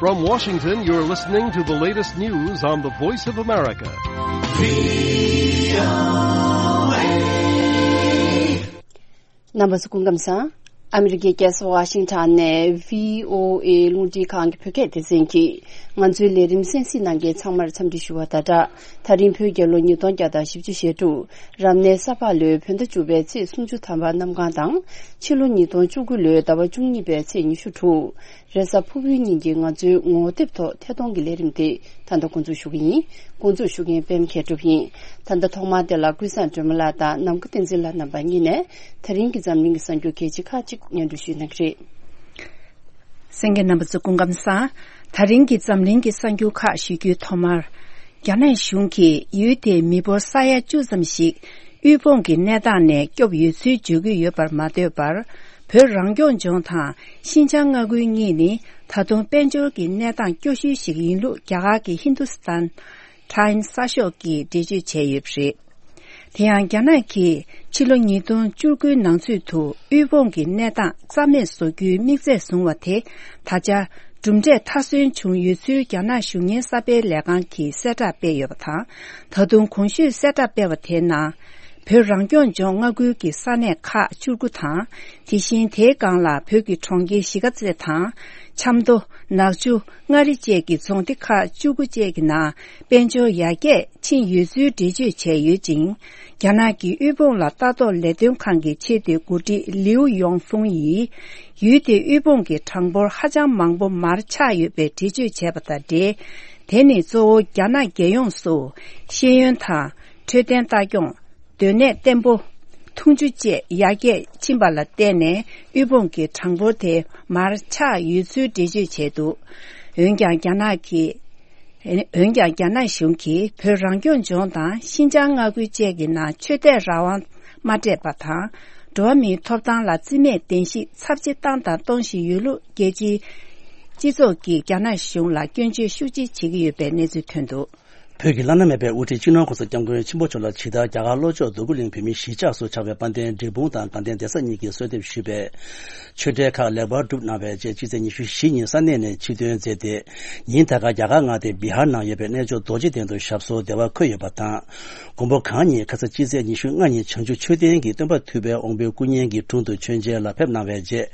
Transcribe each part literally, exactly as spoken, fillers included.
From Washington, you're listening to the latest news on the Voice of America. རྣམ་པ་ཚོ་སྐུ་ཁམས་བཟང་། ཨ་མི་རི་ཀའི་རྒྱལ་ས་ཝ་ཤིང་ཊོན་ནས་བྷི་ཨོ་ཨེ་རླུང་འཕྲིན་ཁང་གི་བོད་སྐད་སྡེ་ཚན་གྱིས་ང་ཚོའི་ལས་རིམ་གསན་གཟིགས་གནང་མཁན་ཚང་མར་འཚམས་འདྲི་ཞུ་བ་དང་སྦྲགས། ད་རིང་བོད་རྒྱལ་ལོ་ཉིས་སྟོང་བརྒྱ་དང་བཞི་བཅུ་ཞེ་དྲུག་རབ་གནས་ས་ཕག་ལོའི་བོད་ཟླ་བཅུ་པའི་ཚེས་སུམ་ཅུ་ཐམ་པ་གནམ་གང་དང་། ཕྱི་ལོ་ཉིས་སྟོང་བཅུ་དགུ་ལོའི་ཟླ་བ་བཅུ་གཉིས་པའི་ཚེས་ཉི་ཤུ་དྲུག་རེས་གཟའ་ཕུར་བུའི་ཉིན་གྱི་ང་ཚོའི་ངོ་དེབ་ཐོག་ཐད་གཏོང་གི་ལས་རིམ་དེ་ད་ལྟ་འགོ་འཛུགས་ཞུ་གི་ཡིན། འགོ་འཛུགས་ཞུ་མཁན་པད་མ་མཁས་གྲུབ་ཡིན། ད་ལྟ་ཐོག་མར་དེ་ལ་ཀུན་བཟང་སྒྲོལ་མ་ལགས་དང་ནམ་མཁའ་བསྟན་འཛིན་ལགས་རྣམ་པ་གཉིས་ནས་ད་རིང་གི་འཛམ་གླིང་གི་གསར་འགྱུར་གལ་ཆེ་ཁག་ཅིག་སྙན་སྒྲོན་ཞུ་གནང་གི་རེད། གསན་མཁན་རྣམ་པ་ཚོ་སྐུ་ཁམས་བཟང་། ད་རིང་གི་འཛམ་གླིང་གི་གསར་འགྱུར་ཁག་ཞུ་རྒྱུའི་ཐོག་མར། རྒྱ་ནག་གཞུང་གིས་ཡུལ་དེའི་མི་འབོར་ས་ཡ་བཅུ་ཙམ་ཞིག་དབུལ་ཕོངས་ཀྱི་གནས་སྟངས་ནས་སྐྱོབ་ཡོད་ཚུལ་བརྗོད་ཀྱི་ཡོད་པར་མ་ལྟོས་པར། བོད་རང་སྐྱོང་ལྗོངས་དང་ཤིན་ཅང་མངའ་ཁུལ་གཉིས་ནི་ད་དུང་དཔལ་འབྱོར་གྱི་གནས་སྟངས་སྐྱོ་ཤོས་ཤིག་ཡིན་ལུགས་རྒྱ་གར་གྱི་ཧིན་དུ་སི་ཐན་ཊའིམ་སི་གསར་ཤོག་གིས་འགྲེལ་བརྗོད་བྱས་ཡོད་པ་རེད། དེ་ཡང་རྒྱ་ནག་གིས་ཕྱི་ལོ་ཉིས་སྟོང་བཅུ་དགུའི་ནང་ཚུད་དུ་དབུལ་ཕོངས་ཀྱི་གནས་སྟངས་རྩ་མེད་བཟོ་རྒྱུའི་དམིགས་ཚད་བཟུང་བ་དེ་ད་ཆ་གྲུབ་འབྲས་མཐར་སོན་བྱུང་ཡོད་ཚུལ་རྒྱ་ནག་གཞུང་གཉེར་གསར་སྤེལ་ལས་ཁང་གིས་གསལ་བསྒྲགས་སྤེལ་ཡོད་པ་དང་། ད་དུང་གོང་ཞུས་གསལ་བསྒྲགས་སྤེལ་བ་དེའི་ནང་། བོད་རང་སྐྱོང་ལྗོངས་མངའ་ཁུལ་གྱི་ས་གནས་ཁག་བཅུ་དགུ་དང་། དེ་བཞིན་དེའི་སྒང་ལ་བོད་ཀྱི་གྲོང་ཁྱེར་གཞིས་ཀ་རྩེ་དང་། ཆབ་མདོ། ནག་ཆུ། མངའ་རིས་བཅས་ཀྱི་རྫོང་སྡེ་ཁག་བཅུ་དགུ་བཅས་ཀྱི་ནང་དཔལ་འབྱོར་ཡར་རྒྱས་ཕྱིན་ཡོད་ཚུལ་འགྲེལ་བརྗོད་བྱས་ཡོད་ཅིང་། རྒྱ་ནག་གི་དབུལ་ཕོངས་ལ་ལྟ་རྟོག་ལས་དོན་ཁང་གི་ཆེས་མཐོའི་འགོ་ཁྲིད་ལིའུ་ཡོང་ཧྥུང་ཡིས། ཡུལ་དེའི་དབུལ་ཕོངས་ཀྱི་གྲངས་འབོར་ཧ་ཅང་མང་པོ་མར་ཆག་ཡོད་པའི་འགྲེལ་བརྗོད་བྱས་པ་དང་འབྲེལ། དེ་ནི་གཙོ་བོ་རྒྱ་ནག་རྒྱལ་ཡོངས་སུ་ཤེས་ཡོན་དང་འཕྲོད་བསྟེན་ལྟ་སྐྱོང་། སྡོད་གནས་བརྟན་པོ། འཐུང་ཆུ་བཅས་ཡར་རྒྱས་ཕྱིན་པ་ལ་བརྟེན་ནས་དབུལ་ཕོངས་ཀྱི་གྲངས་འབོར་དེ་མར་ཆག་ཡོད་ཚུལ་འགྲེལ་བརྗོད་བྱས་འདུག་འོན་ཀྱང་རྒྱ་ནག་གིས། འོན་ཀྱང་རྒྱ་ནག་གཞུང་གིས་བོད་རང་སྐྱོང་ལྗོངས་དང་ཤིན་ཅང་མངའ་ཁུལ་བཅས་ཀྱི་ནང་ཆོས་དད་རང་དབང་མ་སྤྲད་པ་དང་། འགྲོ་བ་མིའི་ཐོབ་ཐང་ལ་བརྩི་མེད་གདན་ཞུ་ཚབས་ཆེ་བཏང་དང་གཏོང་བཞིན་ཡོད་ལུགས་རྒྱལ་སྤྱིའི་སྤྱི་ཚོགས་ཀྱིས་རྒྱ་ནག་གཞུང་ལ་སྐྱོན་བརྗོད་ཤུགས་ཆེ་བྱེད་ཀྱི་ཡོད་པའི་གནས་ཚུལ་ཐོན་འདུག་བོད་ཀྱི་བླ་ན་མེད་པའི་དབུ་ཁྲིད་སྤྱི་ནོར་ྋགོང་ས་ྋསྐྱབས་མགོན་ཆེན་པོ་མཆོག་ལ་ཇི་ལྟར་རྒྱ་གར་ལྷོ་ཕྱོགས་རྡོ་སྐུ་གླིང་བོད་མིའི་གཞིས་ཆགས་སུ་ཆགས་པའི་དཔལ་ལྡན་འབྲས་སྤུངས་དང་དགའ་ལྡན་སྡེ་ས་གཉིས་ཀྱིས་གསོལ་འདེབས་ཞུས་པའི་ཆོས་འབྲེལ་ཁག་ལེགས་པར་གྲུབ་གནང་བའི་རྗེས་ཕྱི་ཚེས་ཉི་ཤུ་བཞི་ཉིན་ས་གནས་ནས་ཕྱིར་ཐོན་མཛད་དེ། ཉིན་ད་ག་རྒྱ་གར་མངའ་སྡེ་བི་ཧར་ནང་ཡོད་པའི་གནས་མཆོག་རྡོ་རྗེ་གདན་དུ་ཞབས་སོར་བདེ་བར་འཁོད་ཡོད་པ་དང་། མགོན་པོ་གང་ཉིད་ཁ་ས་ཕྱི་ཚེས་ཉི་ཤུ་ལྔ་ཉིན་བྱང་ཆུབ་མཆོད་རྟེན་གྱི་སྟོན་པ་ཐུབ་པའི་དབང་པོའི་སྐུ་བརྙན་གྱི་དྲུང་དུ་མཆོད་མཇལ་ལ་ཕེབས་གནང་བའི་རྗེས།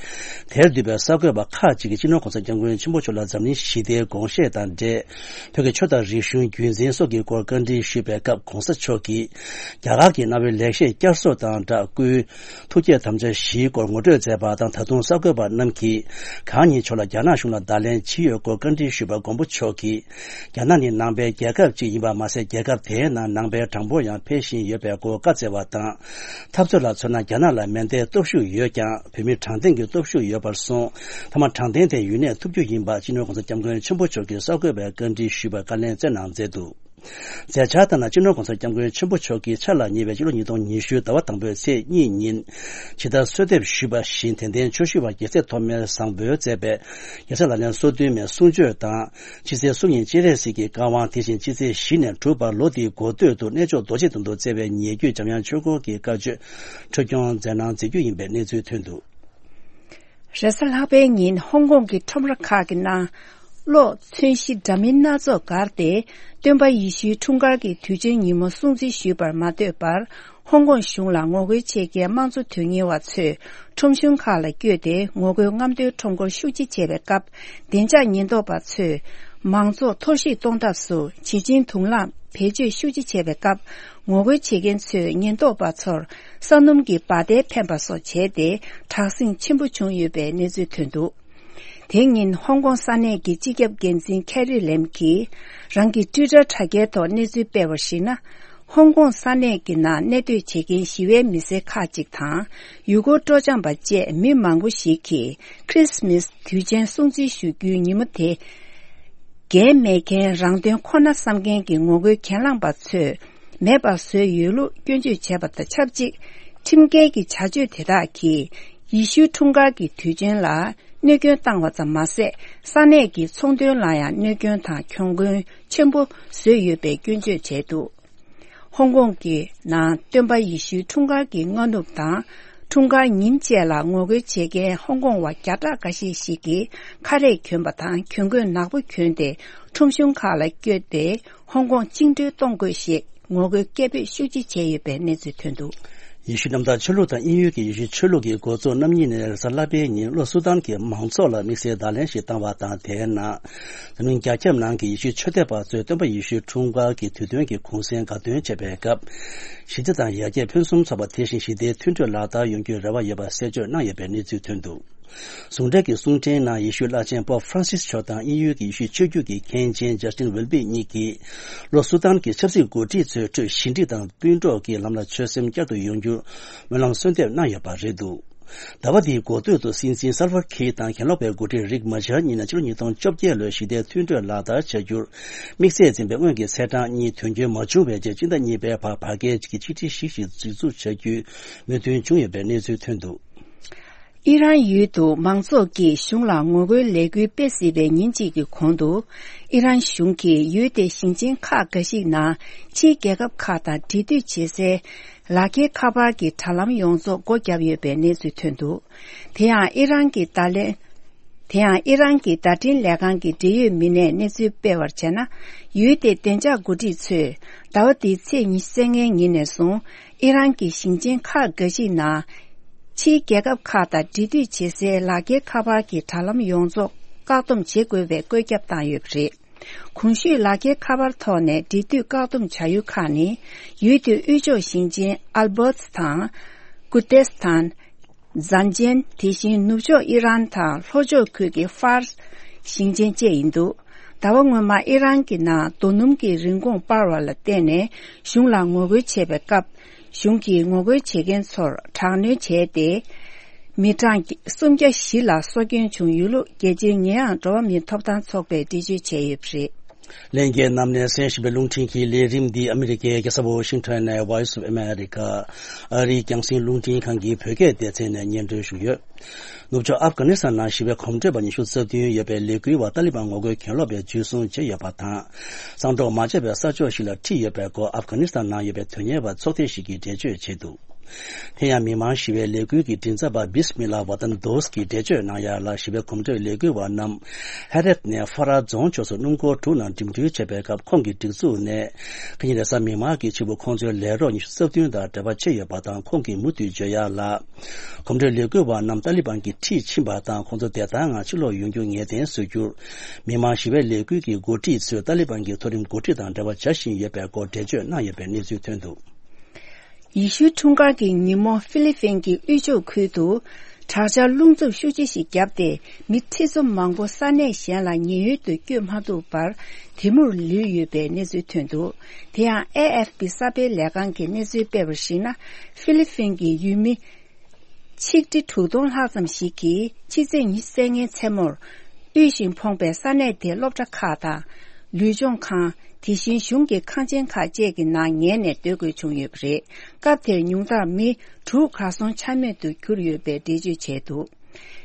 དེར་འདུས་པའི་གསར་འགོད་པ་ཁག་ཅིག་གིས་སྤྱི་ནོར་ྋགོང་ས་ྋསྐྱབས་མགོན་ཆེན་པོ་མཆོག་ལ་འཛམ་གླིང་ཞི་བདེའི་དགོངས་བཞེད་དང་འབྲེལ། བོད་ཀྱི་ཆོས་དང་རིག་གཞུང་རྒྱུན་འཛིན་སོགས་ཀྱི་སྐོར་བཀའ་འདྲི་ཞུས་པའི་སྐབས་ྋགོང་ས་མཆོག་གིས། རྒྱ་གར་གྱི་གནའ་བོའི་ལེགས་བཤད་བསྐྱར་གསོ་དང་སྦྲགས་སྐུའི་ཐུགས་བསྐྱེད་དམ་བཅའ་བཞིའི་སྐོར་ངོ་སྤྲོད་མཛད་པ་དང་། ད་དུང་གསར་འགོད་པ་རྣམས་ཀྱིས་གང་ཉིད་མཆོག་ལ་རྒྱ་ནག་གཞུང་ལ་བརྡ་ལན་ཇི་ཡོད་སྐོར་བཀའ་འདྲི་ཞུས་པར་མགོན་པོ་མཆོག་གིས། རྒྱ་ནག་ནི་ནང་པའི་རྒྱལ་ཁབ་ཅིག་ཡིན་པ་མ་ཟད། རྒྱལ་ཁབ་དེའི་ནང་ནང་པའི་གྲངས་འབོར་ཡང་འཕེལ་བཞིན་ཡོད་པའི་སྐོར་བཀའ་སྩལ་བ་དང་། འཐབ་རྩོད་ལ་མཚོན་ན་རྒྱ་ནག་ལ་མེ་མདའི་སྟོབས་ཤུགས་ཡོད་ཀྱང་། བོད་མིར་དྲང་བདེན་གྱི་སྟོབས་ཤུགས་ཡོད་པར་གསུངས། མཐའ་མ་དྲང་བདེན་དེ་ཡུན་གནས་ཐུབ་རྒྱུ་ཡིན་པ་སྤྱི་ནོར་ྋགོང་ས་ྋསྐྱབས་མགོན་ཆེན་པོ་མཆོག་གིས་གསར་འགོད་པའི་བཀའ་འདྲི་ཞུས་པར་བཀའ་ལན་སྩལ་གནང་མཛད་འདུག་མཛད་འཆར་ལྟར་ན། སྤྱི་ནོར་ྋགོང་ས་ྋསྐྱབས་མགོན་ཆེན་པོ་མཆོག་གིས་འཆར་ལ་ཉེ་བའི་ཕྱི་ལོ་ཉིས་སྟོང་ཉི་ཤུའི་ཟླ་བ་དང་པོའི་ཚེས་གཉིས་ཉིན། ཇི་ལྟར་གསོལ་འདེབས་ཞུས་པ་བཞིན། དད་ལྡན་ཆོས་ཞུ་བ་རྒྱལ་སྲས་ཐོགས་མེད་བཟང་པོས་མཛད་པའི་རྒྱལ་སྲས་ལག་ལེན་སོ་བདུན་མའི་གསུང་ཆོས་དང་། ཕྱི་ཚེས་གསུམ་ཉིན་སྤྱན་རས་གཟིགས་ཀྱི་བཀའ་དབང་། དེ་བཞིན་ཕྱི་ཚེས་བཞི་ནས་དྲུག་བར་ལོ་འདིའི་འགོ་སྟོད་དུ་གནས་མཆོག་རྡོ་རྗེ་གདན་དུ་བསྩལ་བའི་ཉེ་བརྒྱུད་འཇམ་དབྱངས་ཆོས་འཁོར་གྱི་བཀའ་ཆོས་འཁྲབ་སྐྱོང་མཛད་གནང་མཛད་རྒྱུ་ཡིན་པའི་གནས་ཚུལ་ཐོན་འདུག་རེས་གཟའ་ལྷག་པའི་ཉིན་ཧོང་ཀོང་གི་ཁྲོམ་ར་ཁག་གི་ནང་གློག་མཚོན་གཞི་འདྲ་མིན་སྣ་ཚོགས་བསྒར་ཏེ། སྟོན་པ་ཡེ་ཤུའི་འཁྲུངས་སྐར་གྱི་དུས་ཆེན་ཉིན་མོ་སྲུང་བརྩི་ཞུས་པར་མ་ལྟོས་པར། ཧོང་ཀོང་གཞུང་ལ་ངོ་རྒོལ་བྱེད་མཁན་དམངས་གཙོ་དོན་གཉེར་བ་ཚོས་ཁྲོམ་གཞུང་ཁག་ལ་བསྐྱོད་དེ། ངོ་རྒོལ་རྔམ་སྟོན་ཁྲོམ་སྐོར་ཤུགས་ཆེ་བྱས་པའི་སྐབས། བདེ་འཇགས་ཉེན་རྟོག་པ་ཚོས་མང་ཚོགས་འཐོར་ཞིག་གཏོང་ཐབས་སུ་བྱེ་ཆེན་དུག་རླངས་བེད་སྤྱོད་ཤུགས་ཆེ་བྱས་པའི་སྐབས། ངོ་རྒོལ་བྱེད་མཁན་ཚོས་ཉེན་རྟོག་པ་ཚོར་ས་སྣུམ་གྱི་འབའ་སྡེར་འཕེན་པ་སོགས་བྱས་ཏེ། དྲག་ཟིང་ཆེན་པོ་བྱུང་ཡོད་པའི་གནས་ཚུལ་ཐོན་འདུག་དེ་ཉིན་ཧོང་ཀོང་ས་གནས་ཀྱི་སྤྱི་ཁྱབ་འགན་འཛིན་ཁེ་རི་ལེམ་གྱིས་རང་གི་ཊུའི་ཊར་དྲ་རྒྱའི་ཐོག་གནས་ཚུལ་སྤེལ་བར་གཞིགས་ན། ཧོང་ཀོང་ས་གནས་ཀྱི་ནང་གནས་སྡོད་བྱེད་མཁན་ཞི་བའི་མི་སེར་ཁག་ཅིག་དང་། ཡུལ་སྐོར་སྤྲོ་འཆམ་པ་བཅས་མི་མང་པོ་ཞིག་གིས་ཁྲིས་མིས་དུས་ཆེན་སྲུང་བརྩི་ཞུ་རྒྱུའི་ཉིན་མོ་དེ། འགན་མེད་མཁན་རང་དོན་ཁོ་ན་བསམ་མཁན་གྱི་ངོ་རྒོལ་གྱེན་ལངས་པ་ཚོས་མེད་པར་བཟོས་ཡོད་ལུགས་སྐྱོན་བརྗོད་བྱས་པ་དང་ཆབས་ཅིག་ཁྲིམས་འགལ་གྱི་བྱ་སྤྱོད་དེ་དག་གིས་ཡེ་ཤུའི་འཁྲུངས་སྐར་གྱི་དུས་ཆེན་ལ་གནོད་སྐྱོན་བཏང་བ་ཙམ་མ་ཟད། ས་གནས་ཀྱི་ཚོང་དོན་ལ་ཡང་གནོད་སྐྱོན་དང་གྱོང་གུན་ཆེན་པོ་བཟོས་ཡོད་པའི་སྐྱོན་བརྗོད་བྱས་འདུག་ཧོང་ཀོང་གི་ནང་སྟོན་པ་ཡེ་ཤུའི་འཁྲུངས་སྐར་གྱི་སྔ་ནུབ་དང་ འཁྲུངས་སྐར་ཉིན་བཅས་ལ་ངོ་རྒོལ་བྱེད་མཁན་ཧོང་ཀོང་བ་བརྒྱ་ཕྲག་འགའ་ཤས་ཤིག་གིས་ཁ་རས་གྱོན་པ་དང་གྱོན་གོས་ནག་པོ་གྱོན་ཏེ་ཁྲོམ་གཞུང་ཁག་ལ་བསྐྱོད་དེ་ཧོང་ཀོང་བཅིངས་འགྲོལ་གཏོང་དགོས་ཞེས་ངོ་རྒོལ་སྐད་འབོད་ཤུགས་ཆེ་བྱས་ཡོད་པའི་གནས་ཚུལ་ཐོན་འདུག། ཡེ་ཤུ་གནམ་བདག་ཆོས་ལུགས་དང་དབྱིན་ཡུལ་གྱི་ཡེ་ཤུ་ཆོས་ལུགས་ཀྱི་འགོ་གཙོ་རྣམ་གཉིས་ནས་རེས་གཟའ་ལྷག་པའི་ཉིན་ལྷོ་སུ་དཱན་གྱི་མང་ཚོགས་ལ་དམིགས་བསལ་བརྡ་ལན་ཞིག་བཏང་བ་དང་། དེའི་ནང་། འཛམ་གླིང་རྒྱ་ཁྱབ་ནང་གི་ཡེ་ཤུ་ཆོས་དད་པ་ཚོས་སྟོན་པ་ཡེ་ཤུའི་འཁྲུངས་སྐར་གྱི་དུས་སྟོན་གྱི་གུང་སེང་དགའ་སྟོན་བྱེད་པའི་སྐབས། ཞི་བདེ་དང་ཡར་རྒྱས་ཕུན་སུམ་ཚོགས་པ། དེ་བཞིན་ཞི་བདེའི་མཐུན་གྲོས་ལག་བསྟར་ཡོང་རྒྱུའི་རེ་བ་ཡོད་པ་གསལ་བརྗོད་གནང་ཡོད་པའི་གནས་ཚུལ་ཐོན་འདུག། ཟུང་འབྲེལ་གྱི་གསུང་འཕྲིན་ནང་ཡེ་ཤུའི་བླ་ཆེན་པོབ་ཧྥ་རན་སིས་མཆོག་དང་དབྱིན་ཡུལ་གྱི་ཡེ་ཤུའི་ཆོས་བརྒྱུད་ཀྱི་མཁན་ཆེན་ཇ་སྟིན་ཝེལ་བི་གཉིས་ཀྱིས། ལྷོ་སུ་དཱན་གྱི་ཆབ་སྲིད་འགོ་ཁྲིད་ཚོའི་ཁྲོད་ཞི་འགྲིག་དང་སྤུན་གྲོགས་ཀྱི་ལམ་ལ་ཆོད་སེམས་བསྐྱར་དུ་ཡོང་རྒྱུར་སྨོན་ལམ་གསོལ་འདེབས་གནང་ཡོད་པ་རེད་འདུག། ཟླ་བ་འདིའི་འགོ་སྟོད་དུ་སྲིད་འཛིན་སལ་ཝ་ཁིར་དང་གྱེན་ལོག་པའི་འགོ་ཁྲིད་རིག་མ་ཆར་གཉིས་ནས་ཕྱི་ལོ་ཉིས་སྟོང་བཅོ་བརྒྱད་ལོའི་ཞི་བདེའི་མཐུན་གྲོས་ལག་བསྟར་བྱ་རྒྱུར། དམིགས་བསལ་འཛིན་པའི་སྔོན་གྱི་ཚེས་གྲངས་གཉིས་དོན་འཁྱོལ་མ་བྱུང་བའི་རྗེས། སྤྱི་ཟླ་གཉིས་པའི་བར་བར་བརྒལ་གྱི་ཆིག་སྒྲིལ་ཞིག་ཞིག་འཛུགས་གཏུག་བྱ་རྒྱུའི་མོས་མཐུན་བྱུང་ཡོད་པའི་གནས་ཚུལ་ཐོན་འདུག། ཨི་རན་ཡུལ་དུ་མང་ཚོགས་ཀྱིས་གཞུང་ལ་ངོ་རྒོལ་ལས་འགུལ་སྤེལ་སྲིད་པའི་ཉིན་གཅིག་གི་གོང་དུ། ཨི་རན་གཞུང་གིས་ཡུལ་དེའི་ཞིང་ཆེན་ཁག་འགའ་ཞིག་ནང་ཕྱིའི་རྒྱལ་ཁབ་ཁག་དང་འབྲེལ་མཐུད་བྱེད་སའི་ལག་འཁྱེར་ཁ་པར་གྱི་དྲ་ལམ་ཡོངས་རྫོགས་སྒོ་བརྒྱབ་ཡོད་པའི་གནས་ཚུལ་ཐོན་འདུག། དེ་ཡང་ཨི་རན་གྱི་བརྡ་ལན། དེ་ཡང་ཨི་རན་གྱི་བརྡ་འཕྲིན་ལས་ཁང་གི་འབྲེལ་ཡོད་མི་སྣས་གནས་ཚུལ་སྤེལ་བར་བྱས་ན། ཡུལ་དེའི་བདེ་འཇགས་འགོ་ཁྲིད་ཚོས་ཟླ་བ་འདིའི་ཚེས་ཉི་ཤུ་རྩ་ལྔའི་ཉིན་ནས་བཟུང་། ཨི་རན་གྱི་ཞིང་ཆེན་ཁག་འགའ་ཞིག་ནང་། ཕྱིའི་རྒྱལ་ཁབ་ཁག་དང་འབྲེལ་མཐུད་བྱེད་སའི་ལག་འཁྱེར་ཁ་པར་གྱི་དྲ་ལམ་ཡོངས་རྫོགས་བཀག་སྡོམ་བྱེད་དགོས་པའི་བཀོད་ཁྱབ་བཏང་ཡོད་པ་རེད། གོང་ཞུས་ལག་འཁྱེར་ཁ་པར་ཐོག་ནས་འབྲེལ་མཐུད་བཀག་སྡོམ་བྱ་ཡུལ་ཁག་ནི། ཡུལ་དེའི་དབུས་ཕྱོགས་ཞིང་ཆེན་ཨལ་བྷོད་དང་། ཀུར་ཏེས་ཐན། ཛན་ཅན། དེ་བཞིན་ནུབ་ཕྱོགས་ཨི་རན་དང་ལྷོ་ཕྱོགས་ཁུལ་གྱི་ཧྥ་ར་ཞིང་ཆེན་བཅས་ཡིན་འདུག། ཟླ་བ་སྔོན་མ་ཨི་རན་གྱི་ནང་རྡོ་སྣུམ་གྱི་རིན་གོང་སྤར་བ་ལ་བརྟེན་ནས་གཞུང་ལ་ངོ་རྒོལ་བྱས་པའི་སྐབས། གཞུང་གིས་ངོ་རྒོལ་བྱེད་མཁན་ཚོར་དྲག་གནོན་བྱས་ཏེ། མི་གྲངས་སུམ་བརྒྱ་བཞི་ལ་སྲོག་སྐྱོན་བྱུང་ཡོད་ལུགས་རྒྱལ་སྤྱིའི་ཉེས་ཡངས་འགྲོ་བ་མིའི་ཐོབ་ཐང་ཚོགས་པས་འགྲེལ་བརྗོད་བྱས་ཡོད་པ་རེད། ལྷན་རྒྱས་རྣམས་ནས་གསན་བཞིན་པའི་རླུང་འཕྲིན་གྱི་ལས་རིམ་འདི་ཨ་མི་རི་ཀའི་རྒྱལ་ས་ཝ་ཤིང་ཊོན་ནས་Voice of America ཨ་རིའི་རྒྱང་སྲིང་རླུང་འཕྲིན་ཁང་གི་བོད་སྐད་སྡེ་ཚན་ནས་སྙན་སྒྲོན་ཞུས་ཡོད། ནུབ་ཕྱོགས་ཨབ་གྷ་ནི་སི་ཐན་ནང་ཞི་བའི་གོམ་བགྲོད་པ་ཉི་ཤུ་རྩ་བདུན་ཡོད་པའི་ལས་འགུལ་བ་ཏཱ་ལི་བན་ངོ་རྒོལ་གྱེན་ལོག་པས་འཇུ་བཟུང་བྱས་ཡོད་པ་དང་། གསང་སྒྲོག་མ་བྱས་པའི་ས་ཕྱོགས་ཤིག་ལ་ཁྲིད་ཡོད་པའི་སྐོར་ཨབ་གྷ་ནི་སི་ཐན་ནང་ཡོད་པའི་དོན་གཉེར་བ་ཚོགས་སྡེ་ཞིག་གིས་འགྲེལ་བརྗོད་བྱས་འདུག། དེ་ཡང་མི་མང་ཞི་བའི་ལས་འགུལ་གྱི་མགྲིན་ཚབ་པ་བིས་མི་ལ་ཝ་ཏན་དོས་ཀྱིས་འགྲེལ་བརྗོད་གནང་ཡ་ལ། ཞི་བའི་གོམ་བགྲོད་ལས་འགུལ་བ་རྣམས་ཧེ་རད་ནས་ཧྥ་ར་རྫོང་ཕྱོགས་སུ་སྣུམ་འཁོར་དྲུག་ནང་འགྲིམ་འགྲུལ་བྱེད་པའི་སྐབས། ཁོང་གི་སྒྲིག་འཛུགས་ནས་ཁ་ཉིན་རེས་གཟའ་མིག་དམར་གྱི་ཕྱི་དྲོ་ཁོང་ཚོའི་ལས་རོགས་ཉི་ཤུ་རྩ་བདུན་དང་འབྲེལ་བ་ཆད་ཡོད་པ་དང་། ཁོང་གིས་མུ་མཐུད་བརྗོད་ཡ་ལ། གོམ་བགྲོད་ལས་འགུལ་བ་རྣམས་ཏཱ་ལི་བན་གྱིས་ཁྲིད་ཕྱིན་པ་དང་། ཁོང་ཚོ་བདེ་ཐང་ངང་ཕྱིར་ལོག་ཡོང་རྒྱུ་ངེས་གཏན་བཟོ་རྒྱུར། མི་མང་ཞི་བའི་ལས་འགུལ་གྱི་འགོ་ཁྲིད་ཚོས་ཏཱ་ལི་བན་གྱི་མཐོ་རིམ་འགོ་ཁྲིད་དང་འབྲེལ་བ་བྱ་བཞིན་ཡོད་པའི་སྐོར་འགྲེལ་བརྗོད་གནང་ཡོད་པའི་གནས་ཚུལ་ཐོན་འདུག། ཡེ་ཤུའི་འཁྲུངས་སྐར་གྱི་ཉིན་མོ་ཧྥི་ལི་ཕིན་གྱི་དབུས་ཕྱོགས་ཁུལ་དུ་དྲག་ཆར་རླུང་འཚུབ་ཤུགས་ཆེ་ཞིག་བརྒྱབ་སྟེ། མི་ཁྲི་ཚོ་མང་པོ་ས་གནས་གཞན་ལ་ཉེན་གཡོལ་དུ་བསྐྱོད་མ་ཐུབ་པར་དེ་མུར་ལུས་ཡོད་པའི་གནས་ཚུལ་ཐོན་འདུག། དེ་ཡང་ཨེ་ཨེཕ་པི་གསར་སྤེལ་ལས་ཁང་གིས་གནས་ཚུལ་སྤེལ་བར་གཞིགས་ན། ཧྥི་ལི་ཕིན་གྱི་ཡུལ་མི་ཆིག་ཁྲི་དྲུག་སྟོང་ལྷག་ཙམ་ཞིག་གིས་ཕྱི་ཚེས་ཉི་ཤུ་རྩ་ལྔའི་མཚན་མོར་དབུལ་ཞིང་ཕོངས་པའི་ས་གནས་དེའི་སློབ་གྲྭ་ཁག་དང་། ལུས་སྦྱོང་ཁང་། དེ་བཞིན་གཞུང་གི་ཁང་ཆེན་ཁག་བཅས་ཀྱི་ནང་ཉལ་ནས་སྡོད་དགོས་བྱུང་ཡོད་པ་རེད། སྐབས་དེར་ཉུང་མཐར་མི་དྲུག་གར་སོང་ཆ་མེད་དུ་གྱུར་ཡོད་པའི་འགྲེལ་བརྗོད་བྱས་འདུག།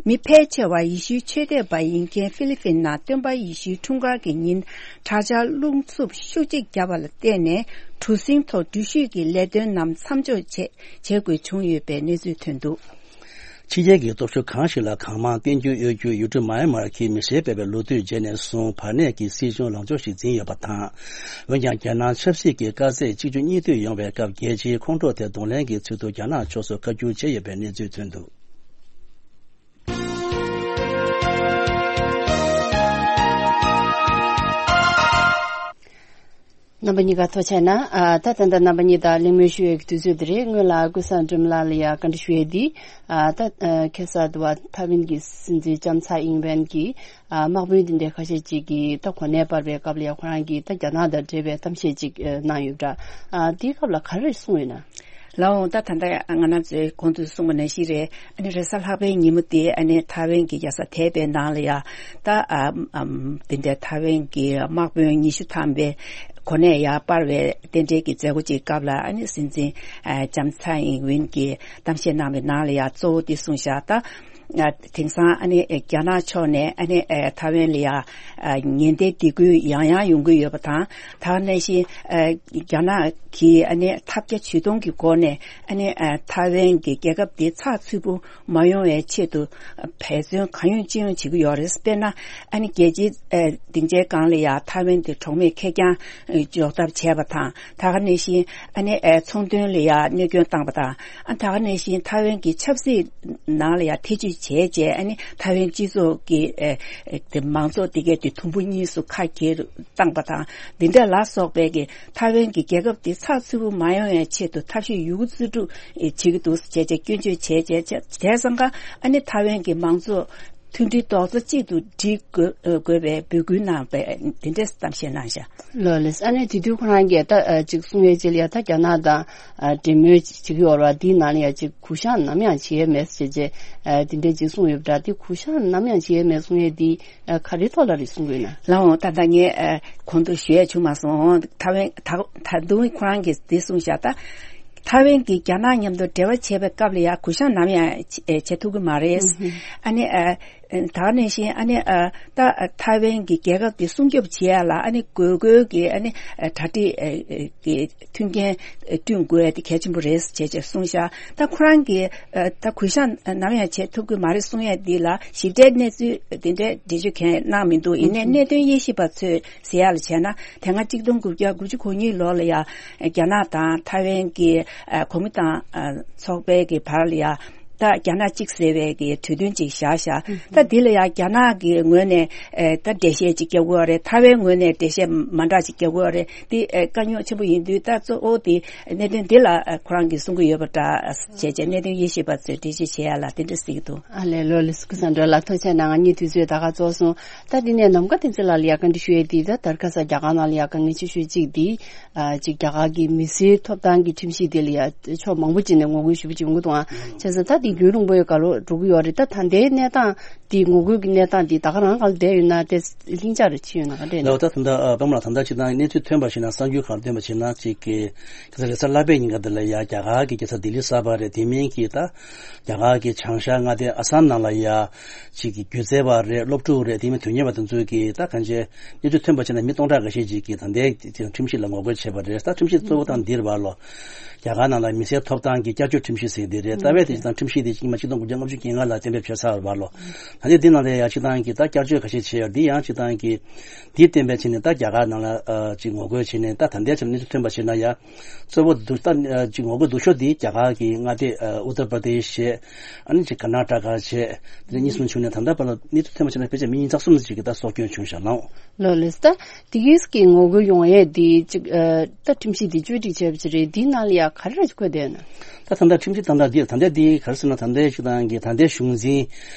མི་ཕལ་ཆེ་བ་ཡེ་ཤུའི་ཆོས་དད་པ་ཡིན་མཁན་ཧྥི་ལི་ཕིན་ནང་སྟོན་པ་ཡེ་ཤུའི་འཁྲུངས་སྐར་གྱི་ཉིན་དྲག་ཆར་རླུང་འཚུབ་ཤུགས་ཆེ་བརྒྱབ་པ་ལ་བརྟེན་ནས། གྲུ་གཟིངས་ཐོག་འགྲུལ་བཞུད་ཀྱི་ལས་དོན་རྣམས་མཚམས་འཇོག་བྱེད་བྱེད་དགོས་བྱུང་ཡོད་པའི་གནས་ཚུལ་ཐོན་འདུག། ཕྱི་རྒྱལ་གྱི་སྟོབས་ཤུགས་གང་ཞིག་ལ་གང་མང་བསྟན་འགྱུར་གཡོ་རྒྱུའི་ཡུལ་གྲུ་མཱ་ཡན་མར་གྱིས་མི་སེར་སྤེལ་བའི་ལོ་དུས་རྗེས་ནས་བཟུང་བར་གནས་ཀྱི་སྲིད་གཞུང་ལངས་ཕྱོགས་ཤིག་འཛིན་ཡོད་པ་དང་། འོན་ཀྱང་། རྒྱལ་ནང་ཆབ་སྲིད་ཀྱི་དཀའ་ཚེགས་གཅིག་གྱུར་གཉིས་མཐུད་ཡོང་བའི་སྐབས། རྒྱལ་སྤྱིའི་ཁོང་ཁྲོ་དེ་གདོང་ལེན་གྱི་ཚུལ་དུ་རྒྱ་ནག་ཕྱོགས་སུ་བཀའ་བསྒྱུར་བྱས་ཡོད་པའི་གནས་ཚུལ་ཐོན་འདུག། རྣམ་པ་གཉིས་ཀ་ཐུགས་རྗེ་གནང་། ཨ། ད་ད་ལྟ་རྣམ་པ་གཉིས་དང་གླེང་མོལ་ཞུ་ཡས་ཀྱི་དུས་ཚོད་འདི་རེད། སྔོན་ལ་ཀུན་བཟང་སྒྲོལ་མ་ལགས་ལ་ཡང་བཀའ་འདྲི་ཞུ་ཡས་འདི། ཨ། ད་ཨ། ཁ་སང་དུ་བ་ཐའེ་ཝན་གྱི་སྲིད་འཛིན་ལྕམ་ཚའེ་ཨིན་ཝེན་གྱིས། ཨ། དམག་དཔོན་འདི་འདྲའི་ཁ་ཤས་ཅིག་གིས་ད་གོ་གནས་སྤར་བའི་སྐབས་ལ་ཡང་ཁོ་རང་གིས་ད་རྒྱ་ནག་དང་འབྲེལ་བའི་གཏམ་བཤད་ཅིག་ཨ། གནང་ཡོད་པ་འདྲ། ཨ། དེའི་སྐབས་ལ་ག་རེ་གསུངས་ཡོད་ན། ལགས་འོང་། ད་ད་ལྟ་ང་རང་ཚོའི་གོང་དུ་གསུངས་པ་ནང་བཞིན་རེད། ཨ་ནི་རེས་གཟའ་ལྷག་པའི་ཉིན་མོ་དེ་ཨ་ནི་ཐའེ་ཝན་གྱི་རྒྱལ་ས་ཐའེ་པེ་ནང་ལ་ཡ་ད་ཨ་ཨམ་དེ་འདྲའི་ཐའེ་ཝན་གྱི་དམག་དཔོན་ཉི་ཤུ་ཐམ་པའི་གོ་གནས་ཡར་སྤར་བའི་རྟེན་འབྲེལ་གྱི་མཛད་སྒོ་ཅིག་སྐབས་ལ། ཨ་ནི་སྲིད་འཛིན་ཨ་ལྕམ་ཚའེ་ཨིན་ཝིན་གྱིས་གཏམ་བཤད་གནང་བའི་ནང་ལ་ཡ་གཙོ་བོ་དེ་གསུངས་བཞག། ད་ ཨ་དེང་སང་ཨ་ནི་རྒྱ་ནག་ཕྱོགས་ནས་ཨ་ནི་ཨ་ཐའེ་ཝན་ལ་ཡ་ཨ་ཉེན་བརྡའི་སྡིགས་སྐུལ་ཡང་ཡང་ཡོང་གི་ཡོད་པ་དང་། ད་ག་ནང་བཞིན་ཨ་རྒྱ་ནག་གིས་ཨ་ནི་ཐབས་བརྒྱ་ཇུས་སྟོང་གི་སྒོ་ནས་ཨ་ནི་ཨ་ཐའེ་ཝན་གྱི་རྒྱལ་ཁབ་དེ་ཚགས་ཚུད་པོ་མ་ཡོང་བའི་ཆེད་དུ་འབད་བརྩོན་གང་ཡོང་ཅི་ཡོང་བྱེད་ཀྱི་ཡོད་རེད། དཔེར་ན་ཨ་ནི་རྒྱལ་སྤྱིའི་ཨ་སྡིངས་ཆའི་སྒང་ལ་ཡ་ཐའེ་ཝན་དེ་གྲོགས་མེད་ཁེར་རྐྱང་འཇོག་ཐབས་བྱས་པ་དང་། ད་ག་ནང་བཞིན་ཨ་ནི་ཨ་ཚོང་དོན་ལ་ཡ་གནོད་སྐྱོན་བཏང་པ་དང་། ཨ་ད་ག་ནང་བཞིན་ཐའེ་ཝན་གྱི་ཆབ་སྲིད་ནང་ལ་ཡ་ཐེ་བྱུས་བྱས་རྗེས་ཨ་ནི་ཐའེ་ཝན་སྤྱི་ཚོགས་ཀྱི་ཨ་ཨ་དེ་མང་ཚོགས་དེ་གའི་དེ་དུམ་བུ་གཉིས་སུ་ཁ་གྱེས་བཏང་པ་དང་། འདི་འདྲ་ལ་སོགས་པའི་གི་ཐའེ་ཝན་གྱི་རྒྱལ་ཁབ་དེ་ཚགས་ཚུད་པོ་མ་ཡོང་བའི་ཆེད་དུ་ཐབས་ཤེས་ཡོད་རྒུ་རྩལ་སྤྲུགས་བྱེད་ཀྱི་འདུག་ཟེར་བྱས་བྱས་སྐྱོན་བརྗོད་བྱས་བྱས་བྱས་བྱས་ཙང་ཀ་ཨ་ནི་ཐའེ་ཝན་གྱི་མང་ཚོགས་མཐུན་སྒྲིལ་རྡོག་རྩ་གཅིག་ཏུ་སྒྲིལ་དགོས་དགོས་པའི་འབོད་སྐུལ་གནང་བའི་འདི་འདྲས་གཏམ་བཤད་གནང་བཞག་ལོ་ལེས། ཨ་ནེ་དེ་དུས་ཁོ་རང་གིས་ད་ཅིག་གསུང་ཡས་ཅིག་ལ་ཡ་ད་རྒྱ་ནག་དང་འབྲེལ་མོལ་བྱེད་ཀྱི་ཡོད་ར། དེའི་ནང་ལ་ཡ་ཅིག་གུ་བཤངས་ནམ་ཡང་བྱེད་ཡས་མེད་ཟེར་བྱས་དེ་འདྲས་ཅིག་གསུངས་ཡོད་པ་འདྲ། དེ་གུ་བཤངས་ནམ་ཡང་བྱེད་ཡས་མེད་གསུང་ཡས་དེ་ག་རེ་ཐོག་ལ་རེད་གསུང་གི་ཡོད་ན། ལའོ་ད་ལྟ་ངས་གོང་དུ་ཞུ་ཡས་བྱུང་མ་སོང་། ད་བན་ད་ད་དུང་ཁོ་རང་གིས་འདི་གསུངས་བཞག་ད། ཐའེ་ཝན་གྱིས་རྒྱ་ནག་མཉམ་དུ་འབྲེལ་བ་བྱས་པའི་སྐབས་ལ་ཡང་གུ་བཤངས་ནམ་ཡང་བྱེད་ཐུབ་ཀྱི་མ་རེད། ཨ་ནི་ད་ག་ནང་བཞིན་ཨ་ནི་ད་ཐའེ་ཝན་གྱི་རྒྱལ་ཁབ་དེ་སྲུང་སྐྱོབ་བྱེད་ཡ་ལ་ཨ་ནི་དགོས་དགོས་ཀྱི་ཨ་ནི་གྲ་སྒྲིག་གི་མཐུན་རྐྱེན་བསྐྲུན་དགོས་ཡ་དེ་གལ་ཆེན་པོ་རེད་ཅེས་ཅེས་གསུངས་ཤག་ད་ཁོ་རང་གིས་ད་གུ་བཤངས་ནམ་ཡང་བྱེད་ཐུབ་ཀྱི་མ་རེད་གསུང་ཡ་འདི་ལ་ཞིབ་ཕྲའི་གནས་ཚུལ་དེ་འདྲའི་འགྲེལ་བརྗོད་གང་ཡང་གནང་མི་འདུག་ཡིན་ནའི་གནད་དོན་དབྱེ་ཞིབ་པ་ཚོས་ཟེར་ཡ་ལ་བྱས་ན། དེ་སྔ་གཅིག་སྟོང་དགུ་བརྒྱ་དགུ་བཅུ་གོ་གཉིས་ལོ་ལ་ཡང་རྒྱ་ནག་དང་ཐའེ་ཝན་གྱི་གོ་མིན་ཏང་ཚོགས་པའི་གི་བར་ལ་ཡང་ད་རྒྱ་ནག་གཅིག་ཟེར་བའི་གི་གྲོས་མཐུན་ཅིག་བཞག་བཞག་ད་འདི་ལ་ཡང་རྒྱ་ནག་གི་ངོས་ནས་ད་འགྲེལ་བཤད་ཅིག་རྒྱག་དགོས་རེད། ཐའེ་ཝན་ངོས་ནས་འགྲེལ་བཤད་མ་འདྲ་ཅིག་རྒྱག་དགོས་རེད། འདི་དཀའ་རྙོག་ཆེན་པོ་ཡིན་དུས་ད་གཙོ་བོ་དེ་གནད་དོན་འདི་ལ་ཁོ་རང་གིས་གསུང་གི་ཡོད་པ་འདྲ་བྱས་བྱས་གནད་དོན་དབྱེ་ཞིབ་པ་ཚོས་འགྲེལ་བཤད་བྱེད་ཡ་ལ་དེ་འདྲ་གཟིགས་འདུག་ཨ་ལས། ལོ་ལི་སི་ཀུ་སན་འགྲོ་ལ་ཐུགས་རྗེ་གནང་། ངའི་དུས་ཚོད་ད་ག་ཚོགས་སོང་། ད་དེ་ནས་ནམ་མཁའ་བསྟན་འཛིན་ལགས་ལ་ཡ་བཀའ་འདྲི་ཞུ་ཡས་དེ་ད་དར་ཁ་ས་རྒྱ་གར་ནང་ལ་ཡ་དཀའ་ངལ་ཆེ་ཤོས་གཅིག་དེ་ཨ་ཅིག་རྒྱ་གར་གྱི་མི་སེར་ཐོབ་ཐང་གི་ཁྲིམས་གཞི་དེ་ལ་ཡ་ཕྱོགས་མང་པོ་ཅིག་ནས་ངོ་རྒོལ་ཞེ་པོ་ཅིག་ཡོང་གི་འདུག་ཨང་། བྱས་ཙང་ད་དེ་རྒྱུན་རིང་པོ་ཡོད་ག་ལོ་འགྲོ་གི་ཡོད་རེད། ད་ད་ལྟའི་གནས་སྟངས་དེ་ངོ་རྒོལ་གྱི་གནས་སྟངས་དེ་ད་ག་རང་ག་ལ་བསྡད་ཡོད་ན་དེ་ལྷིང་འཇགས་རེ་ཕྱིན་ཡོད་ན་ག་རེད་ན། ལོ་ད་ད་ལྟ་པདྨ་ལགས་ད་ལྟ་ཅིག་ད་གནས་ཚུལ་ཐོན་པ་ཞིག་ན་གསར་འགྱུར་ཁག་ཐོན་པ་ཞིག་ན་ཅིག་གི་ཁ་ས་རེས་གཟའ་ལྷག་པའི་ཉིན་ཀ་དེ་ལ་ཡ་རྒྱ་གར་གྱི་རྒྱལ་ས་ལྡི་ལི་གསར་པ་རེད། དེ་མིན་གྱི་ད་རྒྱ་གར་གྱི་བྱང་ཤར་མངའ་སྡེ་ཨ་སམ་ནང་ལ་ཡ་ཅིག་གི་སྒྱུ་རྩལ་བ་རེད། སློབ་ཕྲུག་རེད། དེ་མིན་དོན་གཉེར་བ་དེ་ཚོས་ཀྱི་ད་གང་ཅི་གནས་ཚུལ་ཐོན་པ་བྱས་ན་མི་སྟོང་ཕྲག་འགའ་ཤས་ཅིག་གིས་ད་ལྟའི་ཁྲིམས་གཞི་ལ་ངོ་རྒོལ་བྱས་པ་རེད། ད་ཁྲིམས་གཞི་གཙོ་བོ་དང་འདིར་བ་ལོ། རྒྱ་གར་ནང་ལ་མི་སེར་ཐོབ་ཐང་གི་བསྐྱར་བཅོས་ཁྲིམས་གཞི་ཟེར་འདི་རེད། རྩ་བའི་དེ་སྤྱིར་བཏང་ཁྲིམས་གཞི་དེ་སྔོན་མ་གཅིག་སྟོང་དགུ་བརྒྱ་ལྔ་བཅུ་གྱ་ལྔ་ལ་གཏན་འབེབས་བྱས་ཚར་བ་ལོ། ད་ལྟའི་འདི་ནང་ལ་ཡ་སྤྱིར་བཏང་གི་ད་བསྐྱར་བཅོས་ཁ་ཤས་བྱས་ཡོད། འདི་ཡང་སྤྱིར་བཏང་གི་འདི་གཏན་འབེབས་བྱས་ནས་ད་རྒྱ་གར་ནང་ལ་ཅིག་ངོ་རྒོལ་བྱས་ནས་ད་ད་ལྟའི་ཆར་གནས་ཚུལ་ཐོན་པ་བྱས་ན་ཡ། གཙོ་བོ་འདུ་ད་ཅིག་ངོ་རྒོལ་སྡུག་ཤོས་འདི་རྒྱ་གར་གྱི་མངའ་སྡེ་ཨུ་ཏར་པར་དེ་ཤི་བྱས། ཨ་ནི་ཅིག་ཀར་ནཱ་ཊ་ཀ་བྱས། དེ་གཉིས་གསུམ་བྱུང་ནས་ད་ལྟ་བར་ལ་གནས་ཚུལ་ཐོན་པ་བྱས་ན་ཕལ་ཆེར་མི་ཉིས་བརྒྱ་གསུམ་ཅིག་གི་ད་སྲོག་སྐྱོན་བྱུང་ཤག་ལགས། ལོ་ལེས། ད་དེ་གིས་ཀྱི་ངོ་རྒོལ་ཡོང་ཡས་དེ་ཅིག་ཨ་ད་ཁྲིམས་གཞི་དེ་བཅོས་སྒྲིག་བྱས་པ་ཅིག་རེད། དེའི་ནང་ལ་ཡ་ག་རེ་ར་ཅིག་འཁོད་བསྡད་ན། ད་ད་ལྟ་ཁྲིམས་གཞི་ད་ལྟ་འདི་ད་ལྟ་འདི་ག་རེ་ཟེར་ན་ད་ལྟའི་ཅིག་ཏང་གི་ད་ལྟའི་གཞུང་འཛིན་